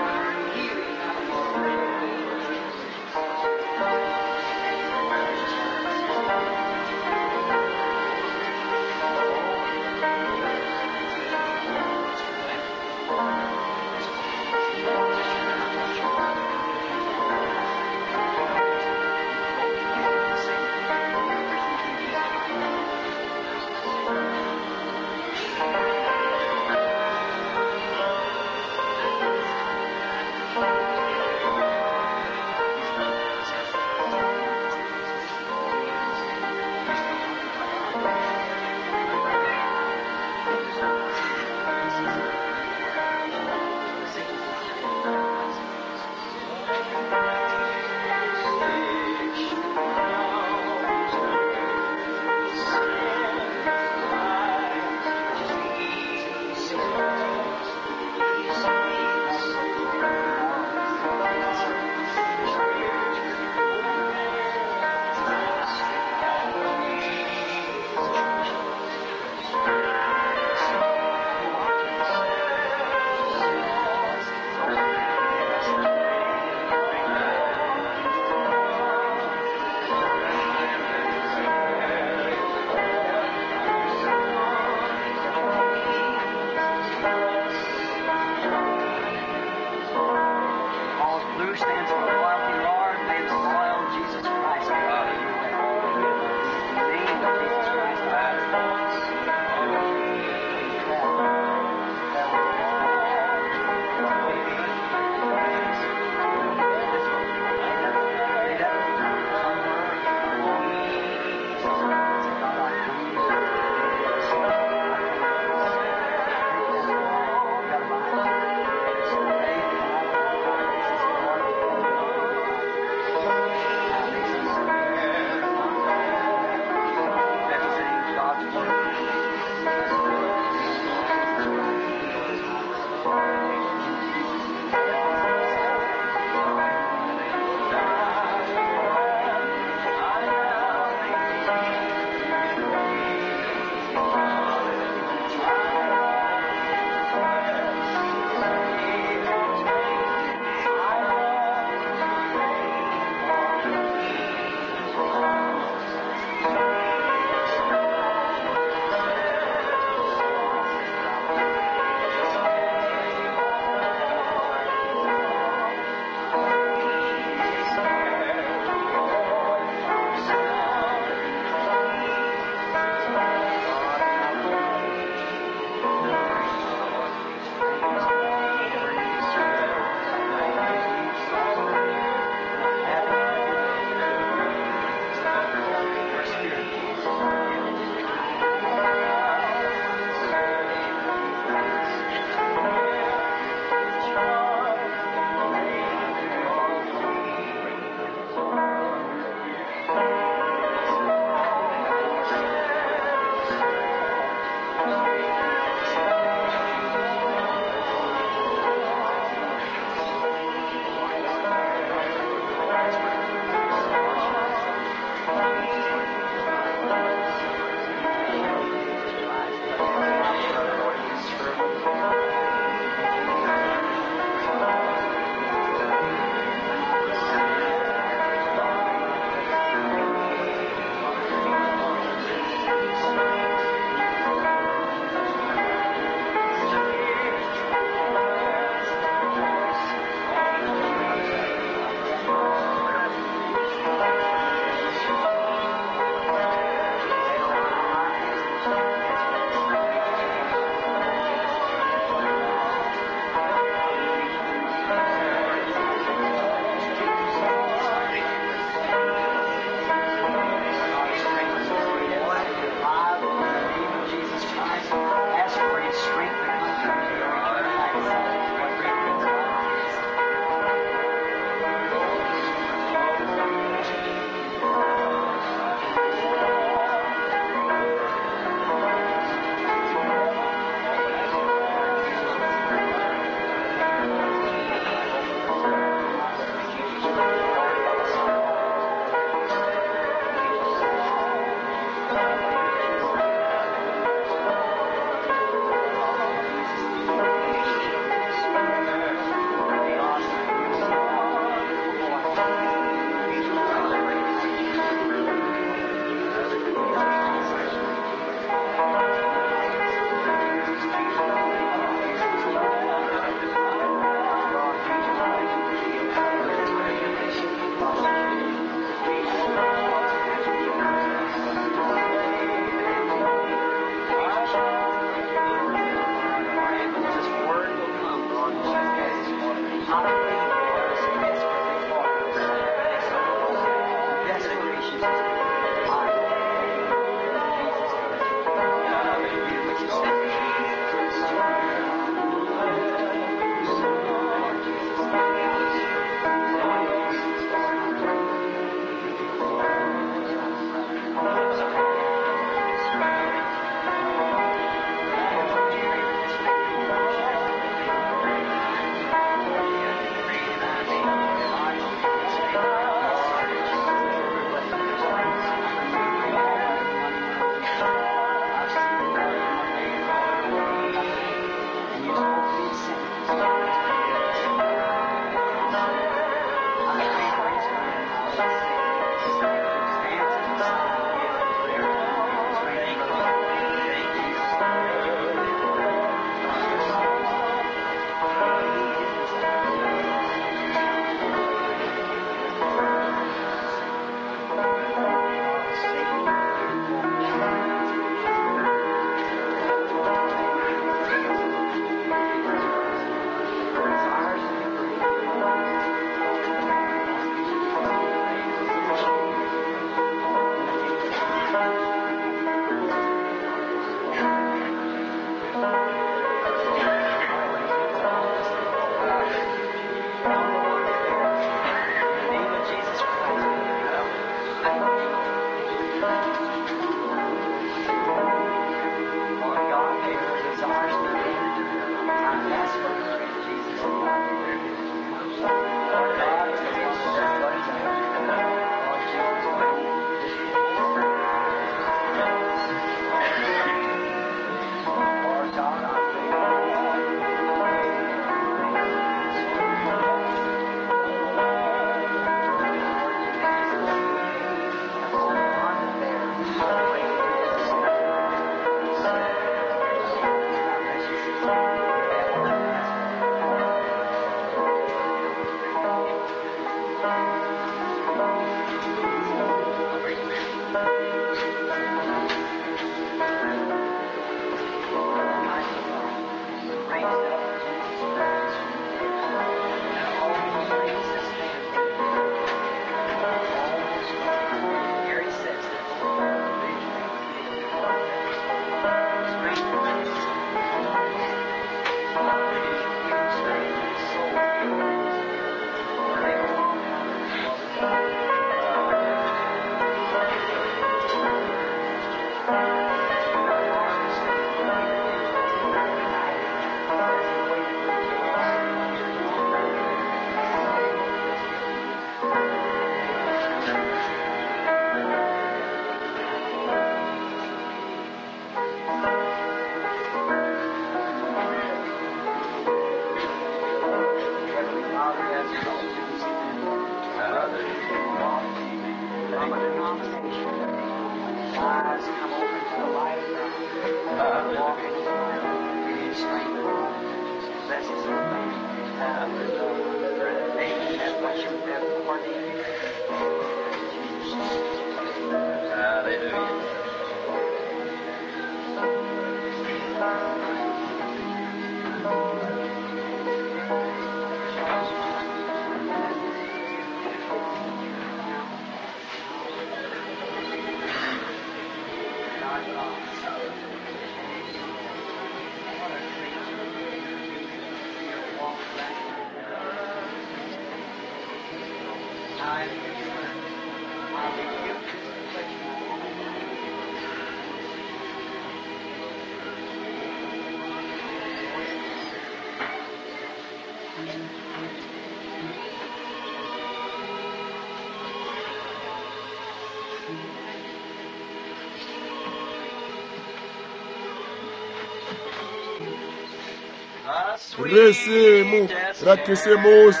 Risimu ra Khisimusi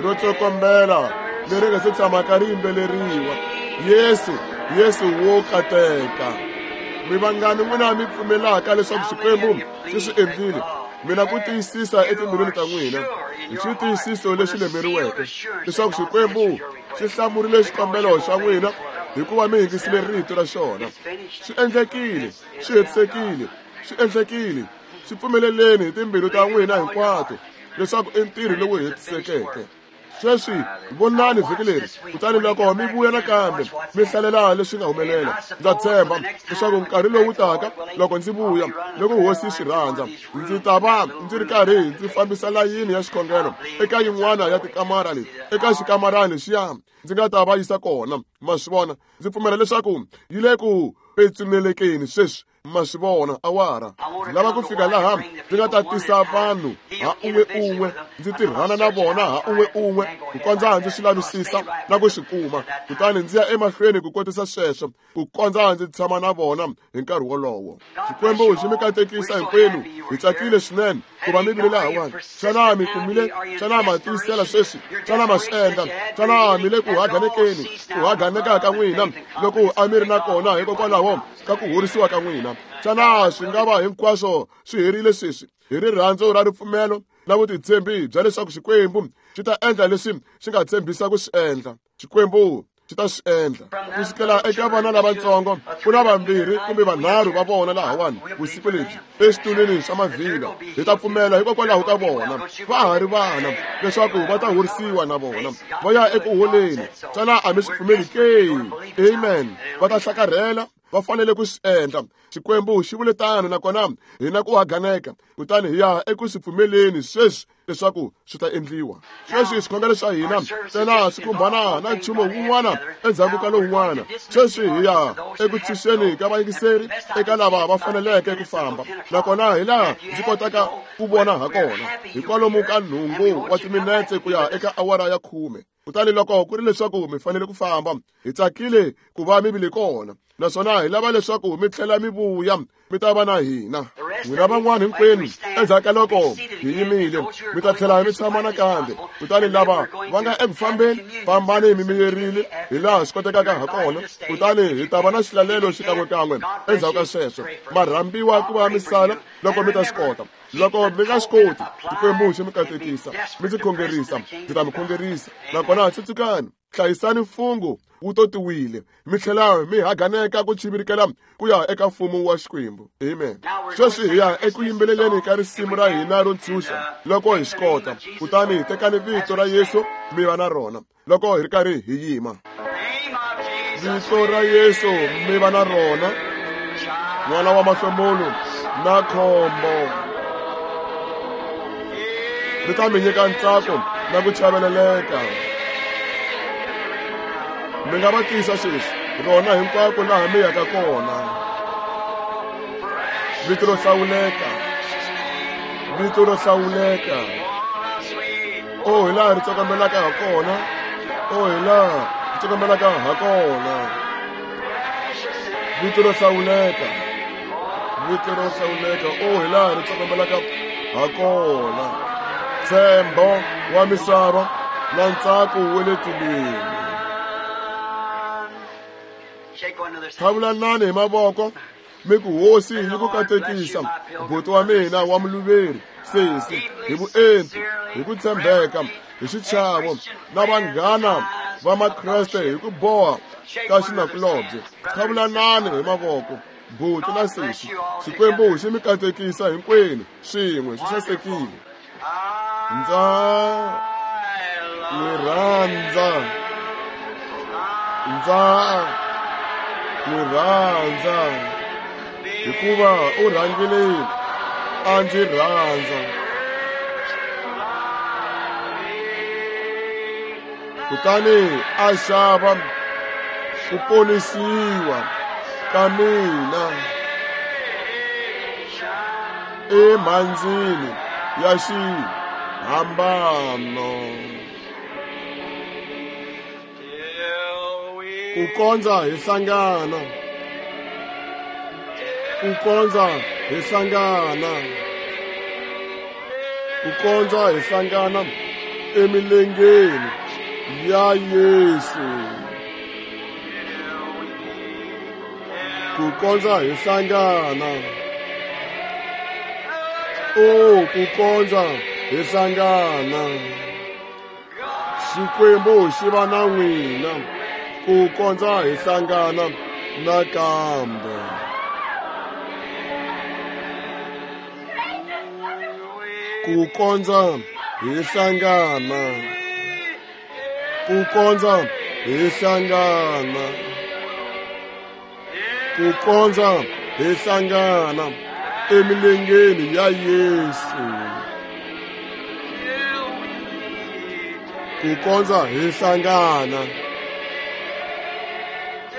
ro tsokombela leri nga se tshamaka ri yimbeleriwa. Yesu, Yesu wo kateka. Mi vangani n'wina mi pfumelaka leswaku Xikwembu xi swi endlile, mina ku tiyisisa etimbilwini ta n'wina hi xitiyisiso lexi lemeriweke leswaku Xikwembu xi hlamurile xikombelo xa n'wina hikuva mi yingisile rito ra xona. Swi endlekile, swi hetisekile, swi endlekile. Swi pfumeleleni hi timbilu ta n'wina hinkwato leswaku i ntirho lowu hetisekeke. Sweswi vonani vhiki leri, kutani loko mi vuya nakambe mi hlalela leswi nga humelela. Ndza tshemba leswaku nkarhi lowu taka loko ndzi vuya, loko hosi yi swi rhandza, ndzi ta va ndzi ri karhi ndzi fambisa layini ya xikhongelo eka yin'wana ya tikamara leti, eka xikamarani lexiya ndzi nga ta va yisa kona. Ma swi vona, ndzi pfumela leswaku yi le ku petsunelekeni sweswi. Ma swi vona awara. Ndzi lava ku fika laha ndzi nga ta tisa vanhu ha un'we un'we, ndzi tirhana na vona ha un'we un'we ku kondza ndzi swi lavisisa na ku swi kuma, kutani ndzi ya emahlweni ku kotisa sweswo ku kondza ndzi tshama na vona hi nkarhi wolowo. Xikwembu xi mi katekisa hinkwenu. Hi tsakile swinene ku va mi vile lahawani. Xana mi kumile? Xana ma tiyisela sweswi? Xana ma swi endla? Xana mi le ku haganekeni? Ku haganeka ka n'wina loko a mi ri na kona hikokwalaho ka ku horisiwa ka n'wina. Xana swi nga va hinkwaswo swi herile sweswi hi rirhandzu ra ripfumelo na vutitshembi bya leswaku Xikwembu xi ta endla leswi xi nga tshembisa ku swi endla? Xikwembu xi ta swi endla. Ku sukela eka vana lavatsongo ku na vambirhi kumbe vanharhu va vona lahawani vusiku lebyi eswitulwini swa mavhilwa. Hi ta pfumela hikokwalaho ka vona, va ha ri vana, leswaku va ta horisiwa na vona va ya eku holeni. Xana a mi swi pfumeli ke? Amen. Va ta hlakarhela, va fanele ku swi endla. Xikwembu xi vule tano, nakona hina ku haganeka, kutani hi ya eku swi pfumeleni sweswi leswaku swi ta endliwa. Sweswi swikhongelo swa hina ntsena swi khumbana na nchumu wun'wana endzhaku ka lowun'wana. Sweswi hi ya eku tshunxeni ka vayingiseri eka lava va faneleke ku famba, nakona hi laha ndzi kotaka ku vona ha kona hi kwalomu ka 8 wa timinetse ku ya eka awara ya 10. Kutani loko ku ri leswaku mi fanele ku famba, hi tsakile ku va mi vile kona, naswona hi lava leswaku mi tlhela mi vuya mi ta va na hina. N'wina van'wana hinkwenu, endzhaku ka loko hi yimile, mi ta tlhela mi tshama nakambe. Kutani lava va nga eku fambeni, fambani mi miyerile hi laha swi kotekaka ha kona, kutani hi ta va na xilalelo xikan'wekan'we endzhaku ka sweswo. Ma rhambiwa ku va mi sala loko mi ta swi kota. Loko mi nga swi koti, Xikwembu xi mi katekisa, mi ndzi khongerisa, ndzi ta mi khongerisa. Nakona tsutsukani, hlayisani mfungho wu totiwile, mi tlhela mi haganeka ku chivirikela ku ya eka mfumo wa Xikwembu. Amen. Sweswi hi ya eku yimbeleleni ka risimu ra hina ro ntshunxa loko hi swi kota. Kutani tekani vito ra Yesu mi va na rona loko hi ri karhi hi yima. Vito ra Yesu mi va na rona, n'wana wa mahlomulo na khombo, ri ta mi nyika ntsako na ku chaveleleka. Mi nga va tisa sweswi rona hinkwako laha mi yaka kona. Vito ro hlawuleka, vito ro hlawuleka. O hi laha ri tsokombelaka ha kona, o hi laha ri tsokombelaka ha kona. Vito ro hlawuleka, vito ro hlawuleka. O hi laha ri tsokombelaka ha kona. Ntshembo wa misava na ntsako wa le tilweni. Thavulanani hi mavoko mi ku Hosi yi ku katekisa, buti wa mina wa muluveri, sesi, hi vuenti, hi ku tshembeka, hi xichavo, na vanghana va Makreste hi ku boha ka xinakulobye. Thavulanani hi mavoko, buti na sesi. Xikwembu xi mi katekisa hinkwenu swin'we, swi sasekile. Ndza n'wi rhandza, ndza n'wi rhandza, hikuva u rhangile a ndzi rhandza. Kutani a xava ku ponisiwa ka mina emhandzini ya xihambano. Ku kondza hi hlangana, ku kondza hi hlangana, ku kondza hi hlangana emilengeni ya Yesu. Ku kondza hi hlangana, o ku kondza hi hlangana. Xikwembu xi va na n'wina ku kondza hi hlangana nakambe. Ku kondza hi hlangana, ku kondza hi hlangana, ku kondza hi hlangana emilengeni ya Yesu. Ku kondza hi hlangana,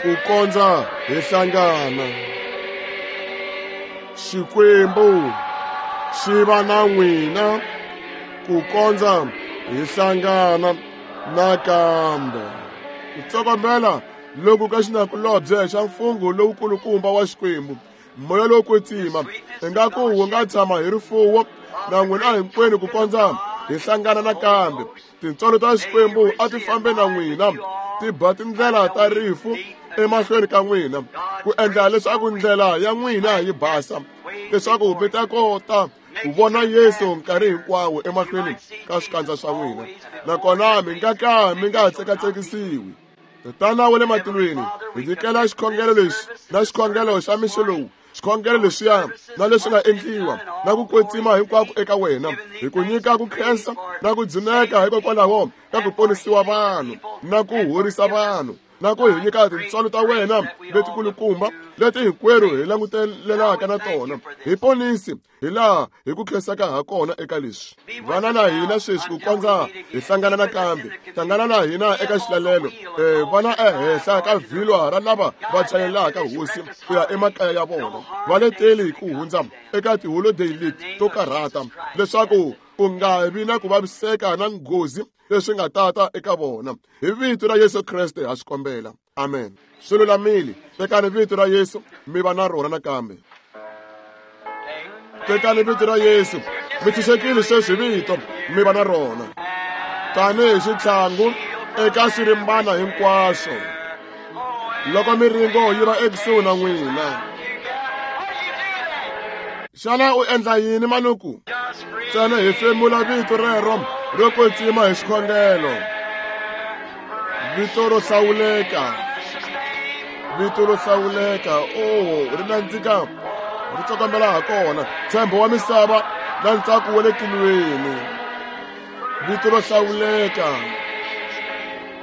ku kondza hi hlangana, Xikwembu xi va na n'wina ku kondza hi hlangana nakambe. Ku tsokombela loku ka xinakulobye xa mfungho lowukulukumba wa Xikwembu, moya lowo kwetsima, ingaku wu nga tshama hi rifuwo na n'wina hinkwenu ku kondza hi hlangana nakambe. Tintswalo ta Xikwembu a ti fambe na n'wina, ti ba tindlela ta rifu emahlweni ka n'wina, ku endla leswaku ndlela ya n'wina yi basa, leswaku mi ta kota ku vona Yesu nkarhi hinkwawo emahlweni ka swikandza swa n'wina, nakona mi nga ka mi nga tsekatsekisiwi. Tatana wa le matilweni, hi nyikela xikhongelo lexi na xikhongelo xa mixo lowu, xikhongelo lexiya na leswi nga endliwa na ku kwetsima hinkwako eka wena, hi ku nyika ku khensa na ku dzuneka hikokwalaho ka ku ponisiwa vanhu na ku horisa vanhu, na ku hi nyika tintswalo ta wena letikulukumba leti hinkwerhu hi langutelelaka na tona. Hi ponisi hi laha hi ku khensaka ha kona eka leswi. Vana na hina sweswi ku kondza hi hlangana nakambe. Hlangana na hina eka xilalelo. Vana ehenhla ka vhilwa ra lava va chayelaka Hosi ku ya emakaya ya vona. Va leteli ku hundza eka tiholodeyi leti to karhata, leswaku ku nga vi na ku vaviseka na nghozi leswi nga tata eka vona. Hi vito ra Yesu Kreste ha swi kombela. Amen. Swi lulamile. Tekani vito ra Yesu mi va na rona nakambe. Tekani vito ra Yesu mi tshunxekile sweswi vito mi va na rona tanihi xitlhangu eka swirimbana hinkwaswo loko miringo yi va ekusuhi na n'wina. Xana u endla yini manuku? Ntsena hi femula vito rero ro kwetsima hi xikhongelo. Vito ro hlawuleka, vito ro hlawuleka, oh, ri nandzika, ri tsokombela ha kona. Ntshembo wa misava na ntsako wa le tilweni. Vito ro hlawuleka,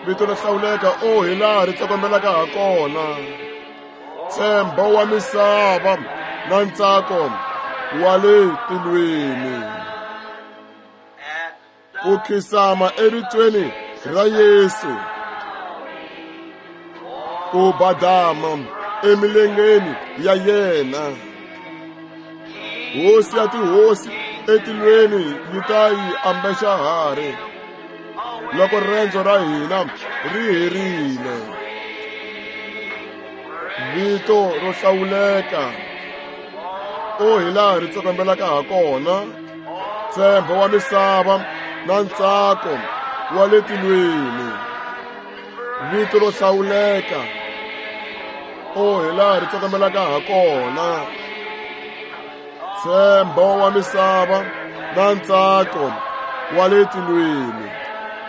vito ro hlawuleka, oh, hi laha ri tsokombelaka ha kona. Ntshembo wa misava na ntsako wa le tilweni. Ku khisama evitweni ra Yesu, ku badama emilengeni ya yena. Hosi ya tihosi etilweni yi ta yi ambexa harhi loko rendzo ra hina ri herile. Vito ro hlawuleka, o hi laha ri tsokombelaka ha kona. Ntshembo wa misava na ntsako wa le tilweni. Vito ro hlawuleka, o hi laha ri tsokombelaka ha kona. Ntshembo wa misava na ntsako wa le tilweni.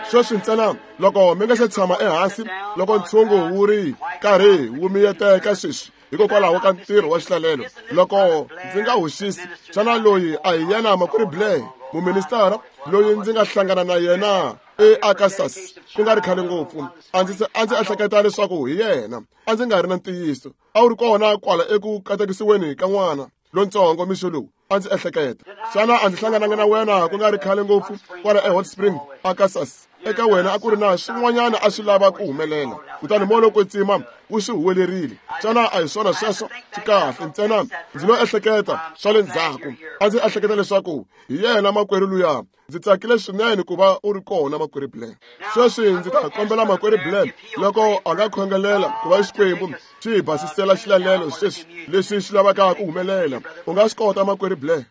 Sweswi ntsena loko mi nga se tshama ehansi, loko ntshungu wu ri karhi wu miyeteka sweswi hikokwalaho ka ntirho wa xilalelo, loko ndzi nga hoxisi, xana loyi a hi yena Makwerhu Blair, muministara loyi ndzi nga hlangana na yena eArkansas ku nga ri khale ngopfu? A ndzi ehleketa leswaku hi yena, a ndzi nga ri na ntiyiso. A wu ri kona kwala eku katekisiweni ka n'wana lontsongo mixo lowu, a ndzi ehleketa. Xana a ndzi hlangananga na wena ku nga ri khale ngopfu kwala eHot Spring, Arkansas? Eka wena a ku ri na swin'wanyana a swi lava ku humelela, kutani moya lowo kwetsima wu swi huwelerile. Xana a hi swona sweswo? Swi kahle ntsena ndzi lo ehleketa swa le ndzhaku. A ndzi ehleketa leswaku hi yena makwerhu luya. Ndzi tsakile swinene ku va u ri kona, Makwerhu Blair. Sweswi ndzi ta kombela Makwerhu Blair loko a nga khongelela ku va Xikwembu xi hi basisela xilalelo sweswi leswi xi lavaka ku humelela. U nga swi kota, Makwerhu Blair?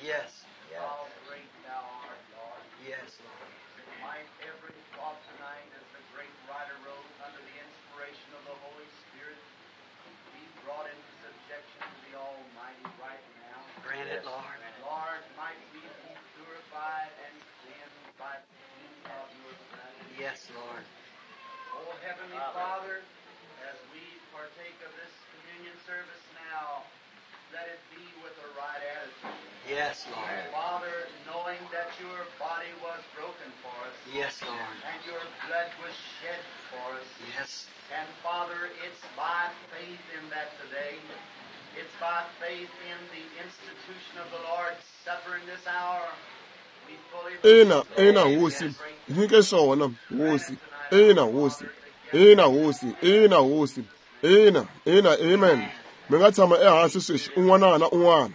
Yes. How great thou art, Lord. Yes, Lord. Might every thought tonight, as the great writer wrote, under the inspiration of the Holy Spirit, be brought into subjection to the Almighty right now. Grant it, Lord. Lord, might we be purified and cleansed by the shedding of your blood. Yes, Lord. O Heavenly Father, as we partake of this communion service now, let it be with the right attitude. Yes, Lord. Father, knowing that your body was broken for us. Yes, Lord. And your blood was shed for us. Yes. And Father, it's by faith in that today. It's by faith in the institution of the Lord's Supper in this hour. We fully Ina, ina Hosi, Nyike swona, Hosi. Ina, Hosi. Ina, Hosi. Ina, Hosi. Ina, ina, amen. Mi nga tshama ehansi sweswi un'wana na un'wana.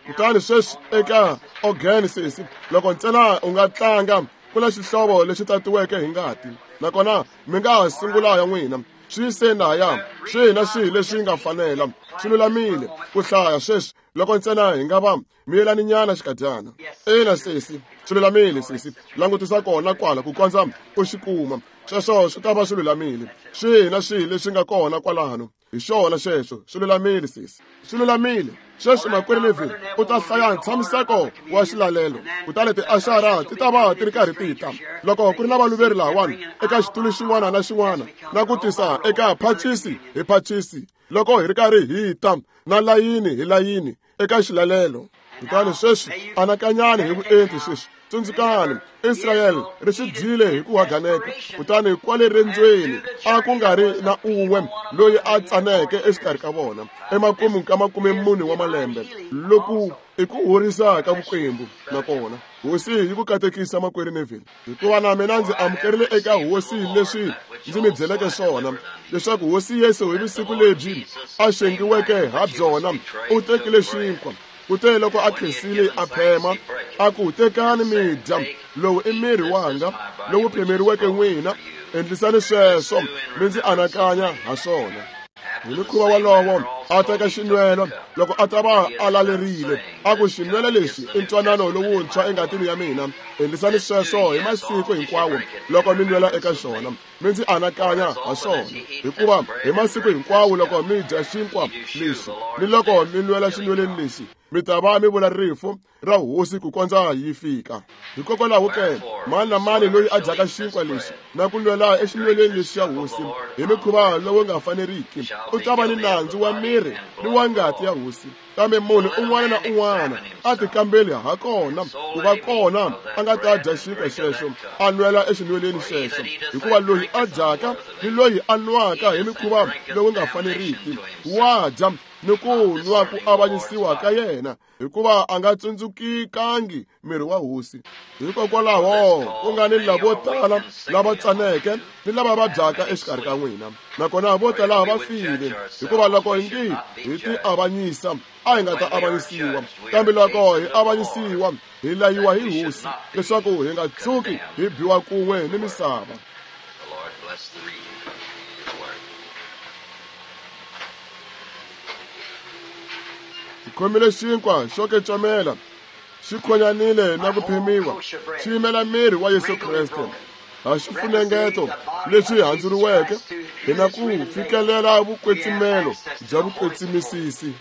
Kutani sweswi eka organ sesi, loko ntsena u nga tlanga ku na xihlovo lexi tatiweke hi ngati, nakona mi nga ha sungula ya n'wina. Swi yiseni lahaya, swihi na swihi leswi nga fanela, swi lulamile ku hlaya sweswi loko ntsena hi nga va miyelaninyana xikadyana. Ina sesi, swi lulamile sesi, langutisa kona kwala ku kondza u xi kuma. Sweswo swi ta va swi lulamile. Swihi na swihi leswi nga kona kwalano, hi xona xexo, swi lulamile sesi, swi lulamile. Sweswi makwerhu Neville u ta hlaya ntshamiseko wa xilalelo, kutani tiaxara ti ta va ti ri karhi ti ta. Loko ku ri na valuveri lahawani eka xitulu xin'wana na xin'wana, na ku tisa eka phachisi hi phachisi, loko hi ri karhi hi ta na layini hi layini eka xilalelo. Kutani sweswi anakanyani hi vuenti sweswi. Tsundzukani, Israyele ri swi dyile hi ku haganeka, kutani kwale rendzweni a ku nga ri na un'we loyi a tsaneke exikarhi ka vona emakumu ka 40 wa malembe. Loku i ku horisa ka Vukwembu. Nakona Hosi yi ku katekisa makwerhu Neville, hikuva na mina ndzi amukerile eka Hosi leswi ndzi mi byeleke swona, leswaku Hosi Yesu hi vusiku lebyi a xengiweke ha byona u tekile xinkwa. Kute loko a khensile a phema, a ku, tekani mi dya, lowu i miri wanga lowu phemeriweke n'wina, endlisani sweswo mi ndzi anakanya ha swona. Hi mukhuva wolowo a teka xinwelo loko a ta va a lalerile, a ku, xinwelo lexi i ntwanano lowuntshwa engatini ya mina, endlisani sweswo hi masiku hinkwawo loko mi nwela eka xona, mi ndzi anakanya ha swona. Hikuva hi masiku hinkwawo loko mi dya xinkwa lexi ni loko mi nwela xinweleni lexi, mi ta va mi vula rifu ra Hosi ku kondza yi fika. Hikokwalaho ke, mani na mani loyi a dyaka xinkwa lexi na ku nwela exinweleni lexi xa Hosi hi mikhuva lowu nga faneriki, u ta va ni nandzu wa miri ni wa ngati ya Hosi. Kambe munhu un'wana na un'wana a tikambeli ha kona ku va kona a nga ta dya xinkwa xexo a nwela exinweleni xexo, hikuva loyi a dyaka ni loyi a nwaka hi mikhuva lowu nga faneriki wa dya ni ku nwa ku avanyisiwa ka yena, hikuva a nga tsundzukikangi miri wa Hosi. Hikokwalaho ku nga ni lavo tala lava tsaneke ni lava vabyaka exikarhi ka n'wina, nakona vo tala va file. Hikuva loko hi ngi hi ti avanyisa, a hi nga ta avanyisiwa, kambe loko hi avanyisiwa, hi layiwa hi Hosi, leswaku hi nga tshuki hi biwa kun'we ni misava. Hi khomile xinkwa xo kecomela, xi khonyanile na ku phemiwa, xi yimela miri wa Yesu Kreste. Ha xifunengeto leswi handzuriweke, hi na ku fikelela vukwetsimelo bya vukwetsimisisi.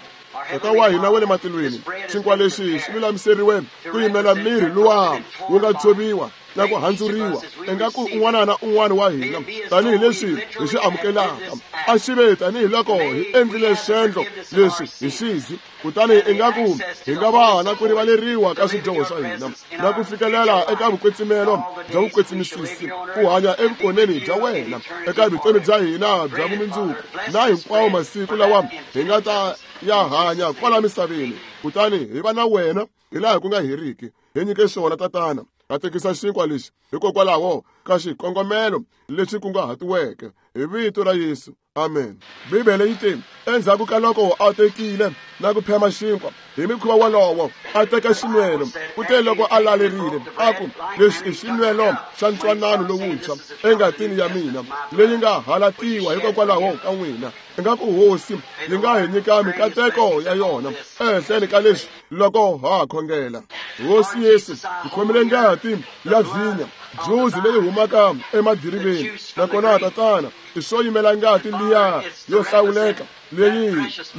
Tata wa hina wa le matilweni, xinkwa lexi xi lulamiseriwe ku yimela miri luwa wu nga tshoviwa na ku handzuriwa ingaku un'wana na un'wana wa hina tanihileswi hi swi amukelaka, a xi ve tanihiloko hi endlile swendlo leswi hi xizi, kutani ingaku hi nga va na ku rivaleriwa ka swidyoho swa hina na ku fikelela eka vukwetsimelo bya vukwetsimisisi, ku hanya evukoneni bya wena eka vutomi bya hina bya vumundzuku na hinkwawo masiku lawa hi nga ta ya hanya kwala misaveni, kutani hi va na wena hi laha ku nga heriki. Hi nyike xona, Tatana. Katekisa xinkwa lexi hikokwalaho ka xikongomelo lexi kunguhatiweke, hi vito ra Yesu, amen. Bibele yi te, endzhaku ka loko a tekile na ku phema xinkwa hi mikhuva wolowo, a teka xinwelo, kute loko a lalerile, a ku, lexi i xinwelo xa ntwanano lowuntshwa engatini ya mina, leyi nga halatiwa hikokwalaho ka n'wina. Ingaku Hosi yi nga hi nyika mikateko ya yona ehenhleni ka leswi loko ha khongela. Hosi Yesu, hi khomile ngati ya vhinya, juzi leyi humaka emadiriveni, nakona Tatana, i swo yimela ngati liya yo hlawuleka leyi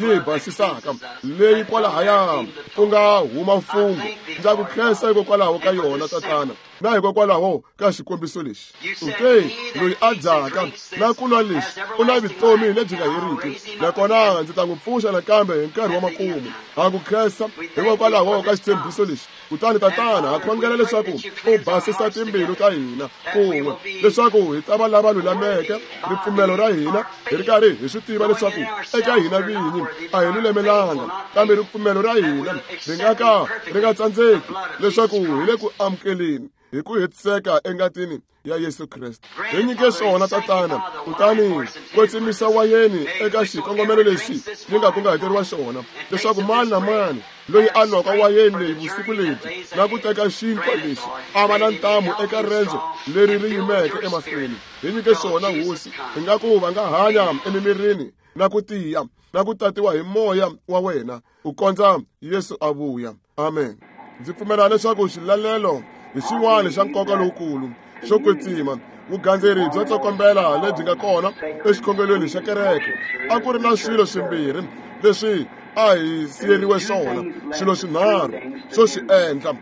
yi hi basisaka, leyi kwalahaya ku nga huma mfungho. Ndza ku khensa hikokwalaho ka yona, Tatana, na hikokwalaho ka xikombiso lexi. U te, loyi a dyaka na ku nwa lexi u na vutomi lebyi nga heriki, nakona ndzi ta n'wi pfuxa nakambe hi nkarhi wa makumu. Ha ku khensa hikokwalaho ka xitshembiso lexi. Kutani Tatana, ha khongela leswaku u basisa timbilu ta hina kun'we, leswaku hi ta va lava lulameke ripfumelo ra hina, hi ri karhi hi swi tiva leswaku eka hina vinyi a hi lulamelanga, kambe ripfumelo ra hina ri nga ka ri nga tsandzeki, leswaku hi le ku amukeleni hi ku hetiseka engatini ya Yesu Kreste. Hi nyike swona Tatana, kutani kwetsimisa wayeni eka xikongomelo lexi yi nga kunguhateriwa xona, leswaku mani na mani loyi a nwaka wayeni leyi vusiku lebyi na ku teka xinkwa lexi a va na ntamu eka rendzo leri ri yimeke emahlweni. Hi nyike swona Hosi, hi nga ku va nga hanya emimirini na ku tiya na ku tatiwa hi moya wa wena ku kondza Yesu a vuya. Amen. Ndzi pfumela leswaku xilalelo hi xin'wana xa nkoka lowukulu xo kwetsima, vugandzeri byo tsokombela lebyi nga kona exikhongelweni xa kereke. A ku ri na swilo swimbirhi leswi a hi siyeriwe swona, swilo swinharhu swo swi endla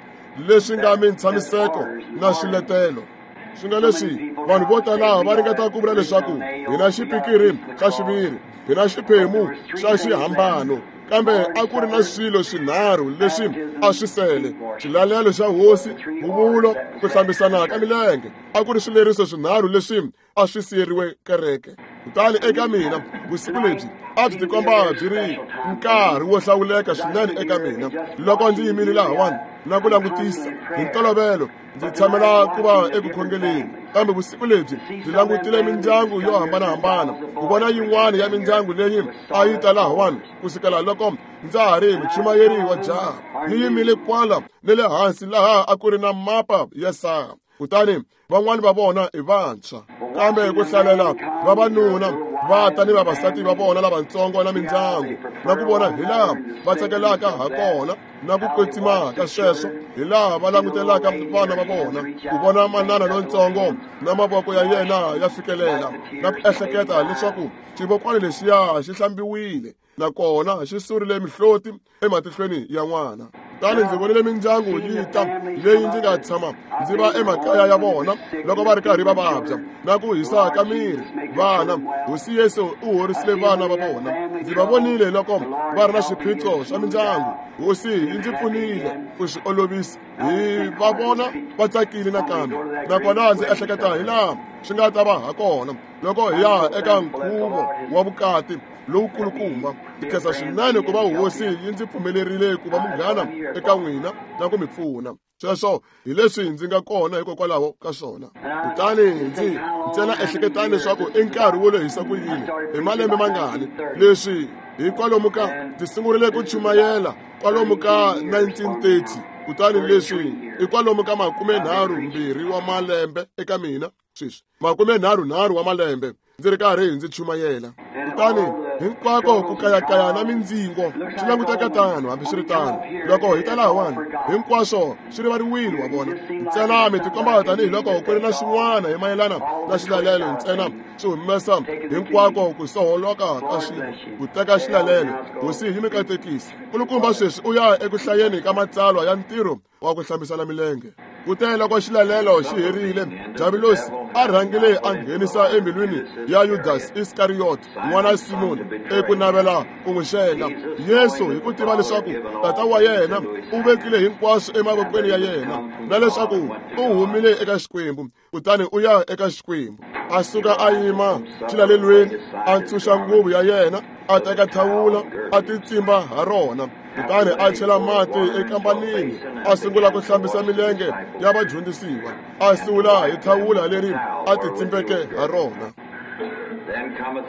leswi nga mintshamiseko na swiletelo. Swi nga leswi vanhu vo tala va ringeta ku vula leswaku hi na xipikiri xa xiviri, hi na xiphemu xa xihambano, kambe a ku ri na swilo swinharhu leswi a swi sele: xilalelo xa Hosi, huvulo, ku hlambisana ka milenge. A ku ri swileriso swinharhu leswi a swi siyeriwe kereke. Kutani eka mina vusiku lebyi a byi tikomba byi ri nkarhi wo hlawuleka swinene eka mina loko ndzi yimile lahawani na ku langutisa. Hi ntolovelo ndzi tshamela ku va eku khongeleni, kambe vusiku lebyi ndzi langutile mindyangu yo hambanahambana ku vona yin'wana ya mindyangu leyi a yi ta lahawani kusukela loko ndza ha ri muchumayeri wa jaha. Yi yimile kwala ni le hansi laha a ku ri na mapa ya saha, kutani van'wani va vona i vantshwa, kambe ku hlalela vavanuna va ta ni vavasati va vona lavatsongo na mindyangu, na ku vona hi laha va tsakelaka ha kona na ku kwetsima ka sweswo, hi laha va langutelaka vana va vona, ku vona manana lontsongo na mavoko ya yena ya fikelela, na ku ehleketa leswaku xivokwana lexiya xi hlambiwile nakona xi surile mihloti ematihlweni ya n'wana. Kutani ndzi vonile mindyangu yi ta leyi ndzi nga tshama ndzi va emakaya ya vona loko va ri karhi va vabya na ku hisa ka miri. Vana, Hosi Yesu u horisile vana va vona. Ndzi va vonile loko va ri na swiphiqo swa mindyangu. Hosi yi ndzi pfunile ku swi olovisa. Hi va vona va tsakile nakambe, nakona ndzi ehleketa hi laha swi nga ta va ha kona loko hi ya eka nkhuvo wa vukati lowukulukumba. Ndzi khensa swinene ku va Hosi yi ndzi pfumelerile ku va munghana eka n'wina na ku mi pfuna. Sweswo hi leswi ndzi nga kona hikokwalaho ka swona. Kutani ndzi ntsena ehleketani leswaku i nkarhi wo lehisa ku yini, hi malembe mangani leswi hi kwalomu ka ndzi sungurile ku chumayela kwalomu ka 1930, kutani leswi i kwalomu ka 32 wa malembe eka mina sweswi, 33 wa malembe ndzi ri karhi ndzi chumayela. Kutani hinkwako ku kayakaya na mindzingo swi languteka tano. Hambiswiritano, loko hi ta lahawani hinkwaswo swi rivariwile, wa vona. Ntsena mi tikomba tanihiloko ku ri na swin'wana hi mayelana na xilalelo, ntsena swi humesa hinkwako ku soholoka ka swilo ku teka xilalelo. Hosi yi mi katekisa. Nkulukumba sweswi u ya eku hlayeni ka matsalwa ya ntirho wa ku hlambisana milenge. Kute loko xilalelo xi herile, Diabulosi a rhangile a nghenisa embilwini ya Yudasi Iskariyoti n'wana Simoni eku navela ku n'wi xenga. Yesu hi ku tiva leswaku tata wa yena u vekile hinkwaswo emavokweni ya yena, na leswaku u humile eka Xikwembu kutani u ya eka Xikwembu, a suka a yima xilalelweni, a ntshunxa nguvu ya yena, a teka thawula a titsimba ha rona, kutani a chela mati ekambanini, a sungula ku hlambisa milenge ya vadyondzisiwa, a sula hi thawula leri a titsimbeke ha rona.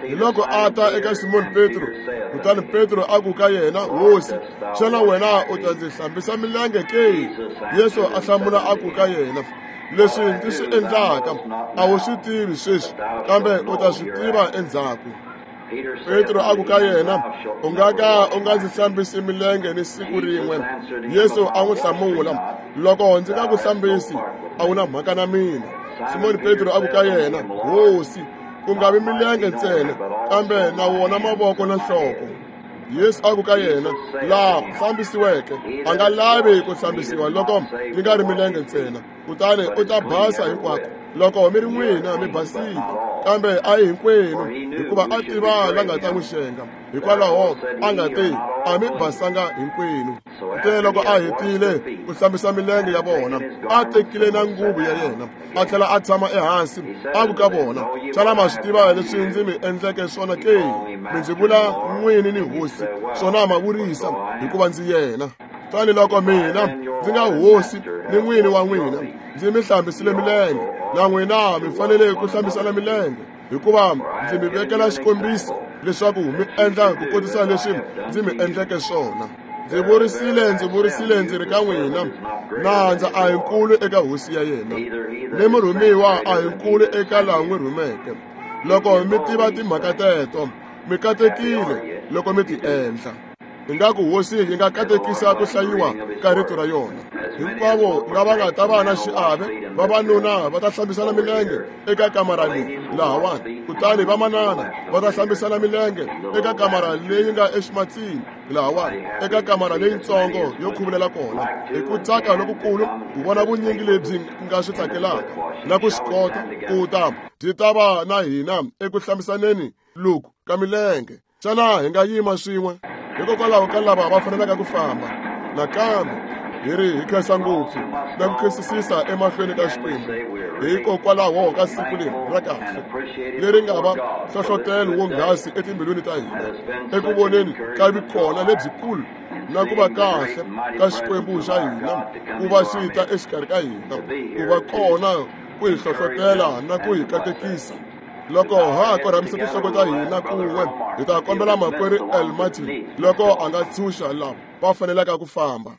Hi loko a ta eka Simoni Petro, kutani Petro a ku ka yena, Hosi, xana wena u ta ndzi hlambisa milenge ke? Yesu a hlamula a ku ka yena, leswi ndzi swi endlaka a wu swi tivi sweswi, kambe u ta swi tiva endzhaku. Petro a ku ka yena, u nga ka u nga ndzi hlambisi milenge ni siku rin'we. Yesu a n'wi hlamula, loko ndzi nga ku hlambisi a wu na mhaka na mina. Simoni Petro a ku ka yena, Hosi, ku nga vi milenge ntsena, kambe na wona mavoko na nhloko. Yesu a ku ka yena, laha hlambisiweke a nga lavi ku hlambisiwa loko yi nga ri milenge ntsena, kutani u ta basa hinkwako. Loko mi ri n'wina mi basile, kambe a hi hinkwenu, hikuva a tiva la nga ta n'wi xenga. Hikwalaho a nga te a mi basanga hinkwenu. Kute loko a hetile ku hlambisa milenge ya vona, a tekile na nguvu ya yena, a tlhela a tshama ehansi, a ku ka vona, xana ma swi tiva leswi ndzi mi endleke swona ke? Mi ndzi vula n'wini ni Hosi, swona ma vurisa, hikuva ndzi yena. Kutani loko mina ndzi nga hosi ni n'wini wa n'wina, ndzi mi hlambisile milenge, na n'wina mi fanele ku hlambisana milenge, hikuva ndzi mi vekela xikombiso leswaku mi endla ku kotisa leswi ndzi mi endleke swona. Ndzi vurisile ndzi ri ka n'wina, nandza a hi nkulu eka hosi ya yena, ni murhumiwa a hi nkulu eka laha n'wi rhumeke. Loko mi tiva timhaka teto, mi katekile loko mi ti endla. Ingaku hosi yi nga katekisa ku hlayiwa ka rito ra yona. Hinkwavo lava nga ta va na xiave, vavanuna va ta hlambisana milenge eka kamara leyi lahawani, kutani vamanana va ta hlambisana milenge eka kamara leyi nga eximatsini lahawani, eka kamara leyitsongo yo khuvulela kona. Hi ku tsaka lokukulu ku vona vunyingi lebyi nga swi tsakelaka na ku swi kota ku ta byi ta va na hina eku hlambisaneni loku ka milenge. Xana hi nga yima swin'we? Hikokwalaho ka lava va fanelaka ku famba. Nakambe hi ri hi khensa ngopfu na ku khensisisa emahlweni ka Xikwembu hikokwalaho ka siku leri ra kahle leri nga va hlohlotelo wonghasi etimbilwini ta hina eku voneni ka vikona lebyikulu na ku va kahle ka Xikwembu xa hina ku va xi ta exikarhi ka hina, ku va kona ku hi hlohlotela na ku hi katekisa. Loko ha korhamisa tinhloko ta hina kun'we, hi ta kombela makwerhu El Martin loko a nga tshunxa lava va fanelaka ku famba.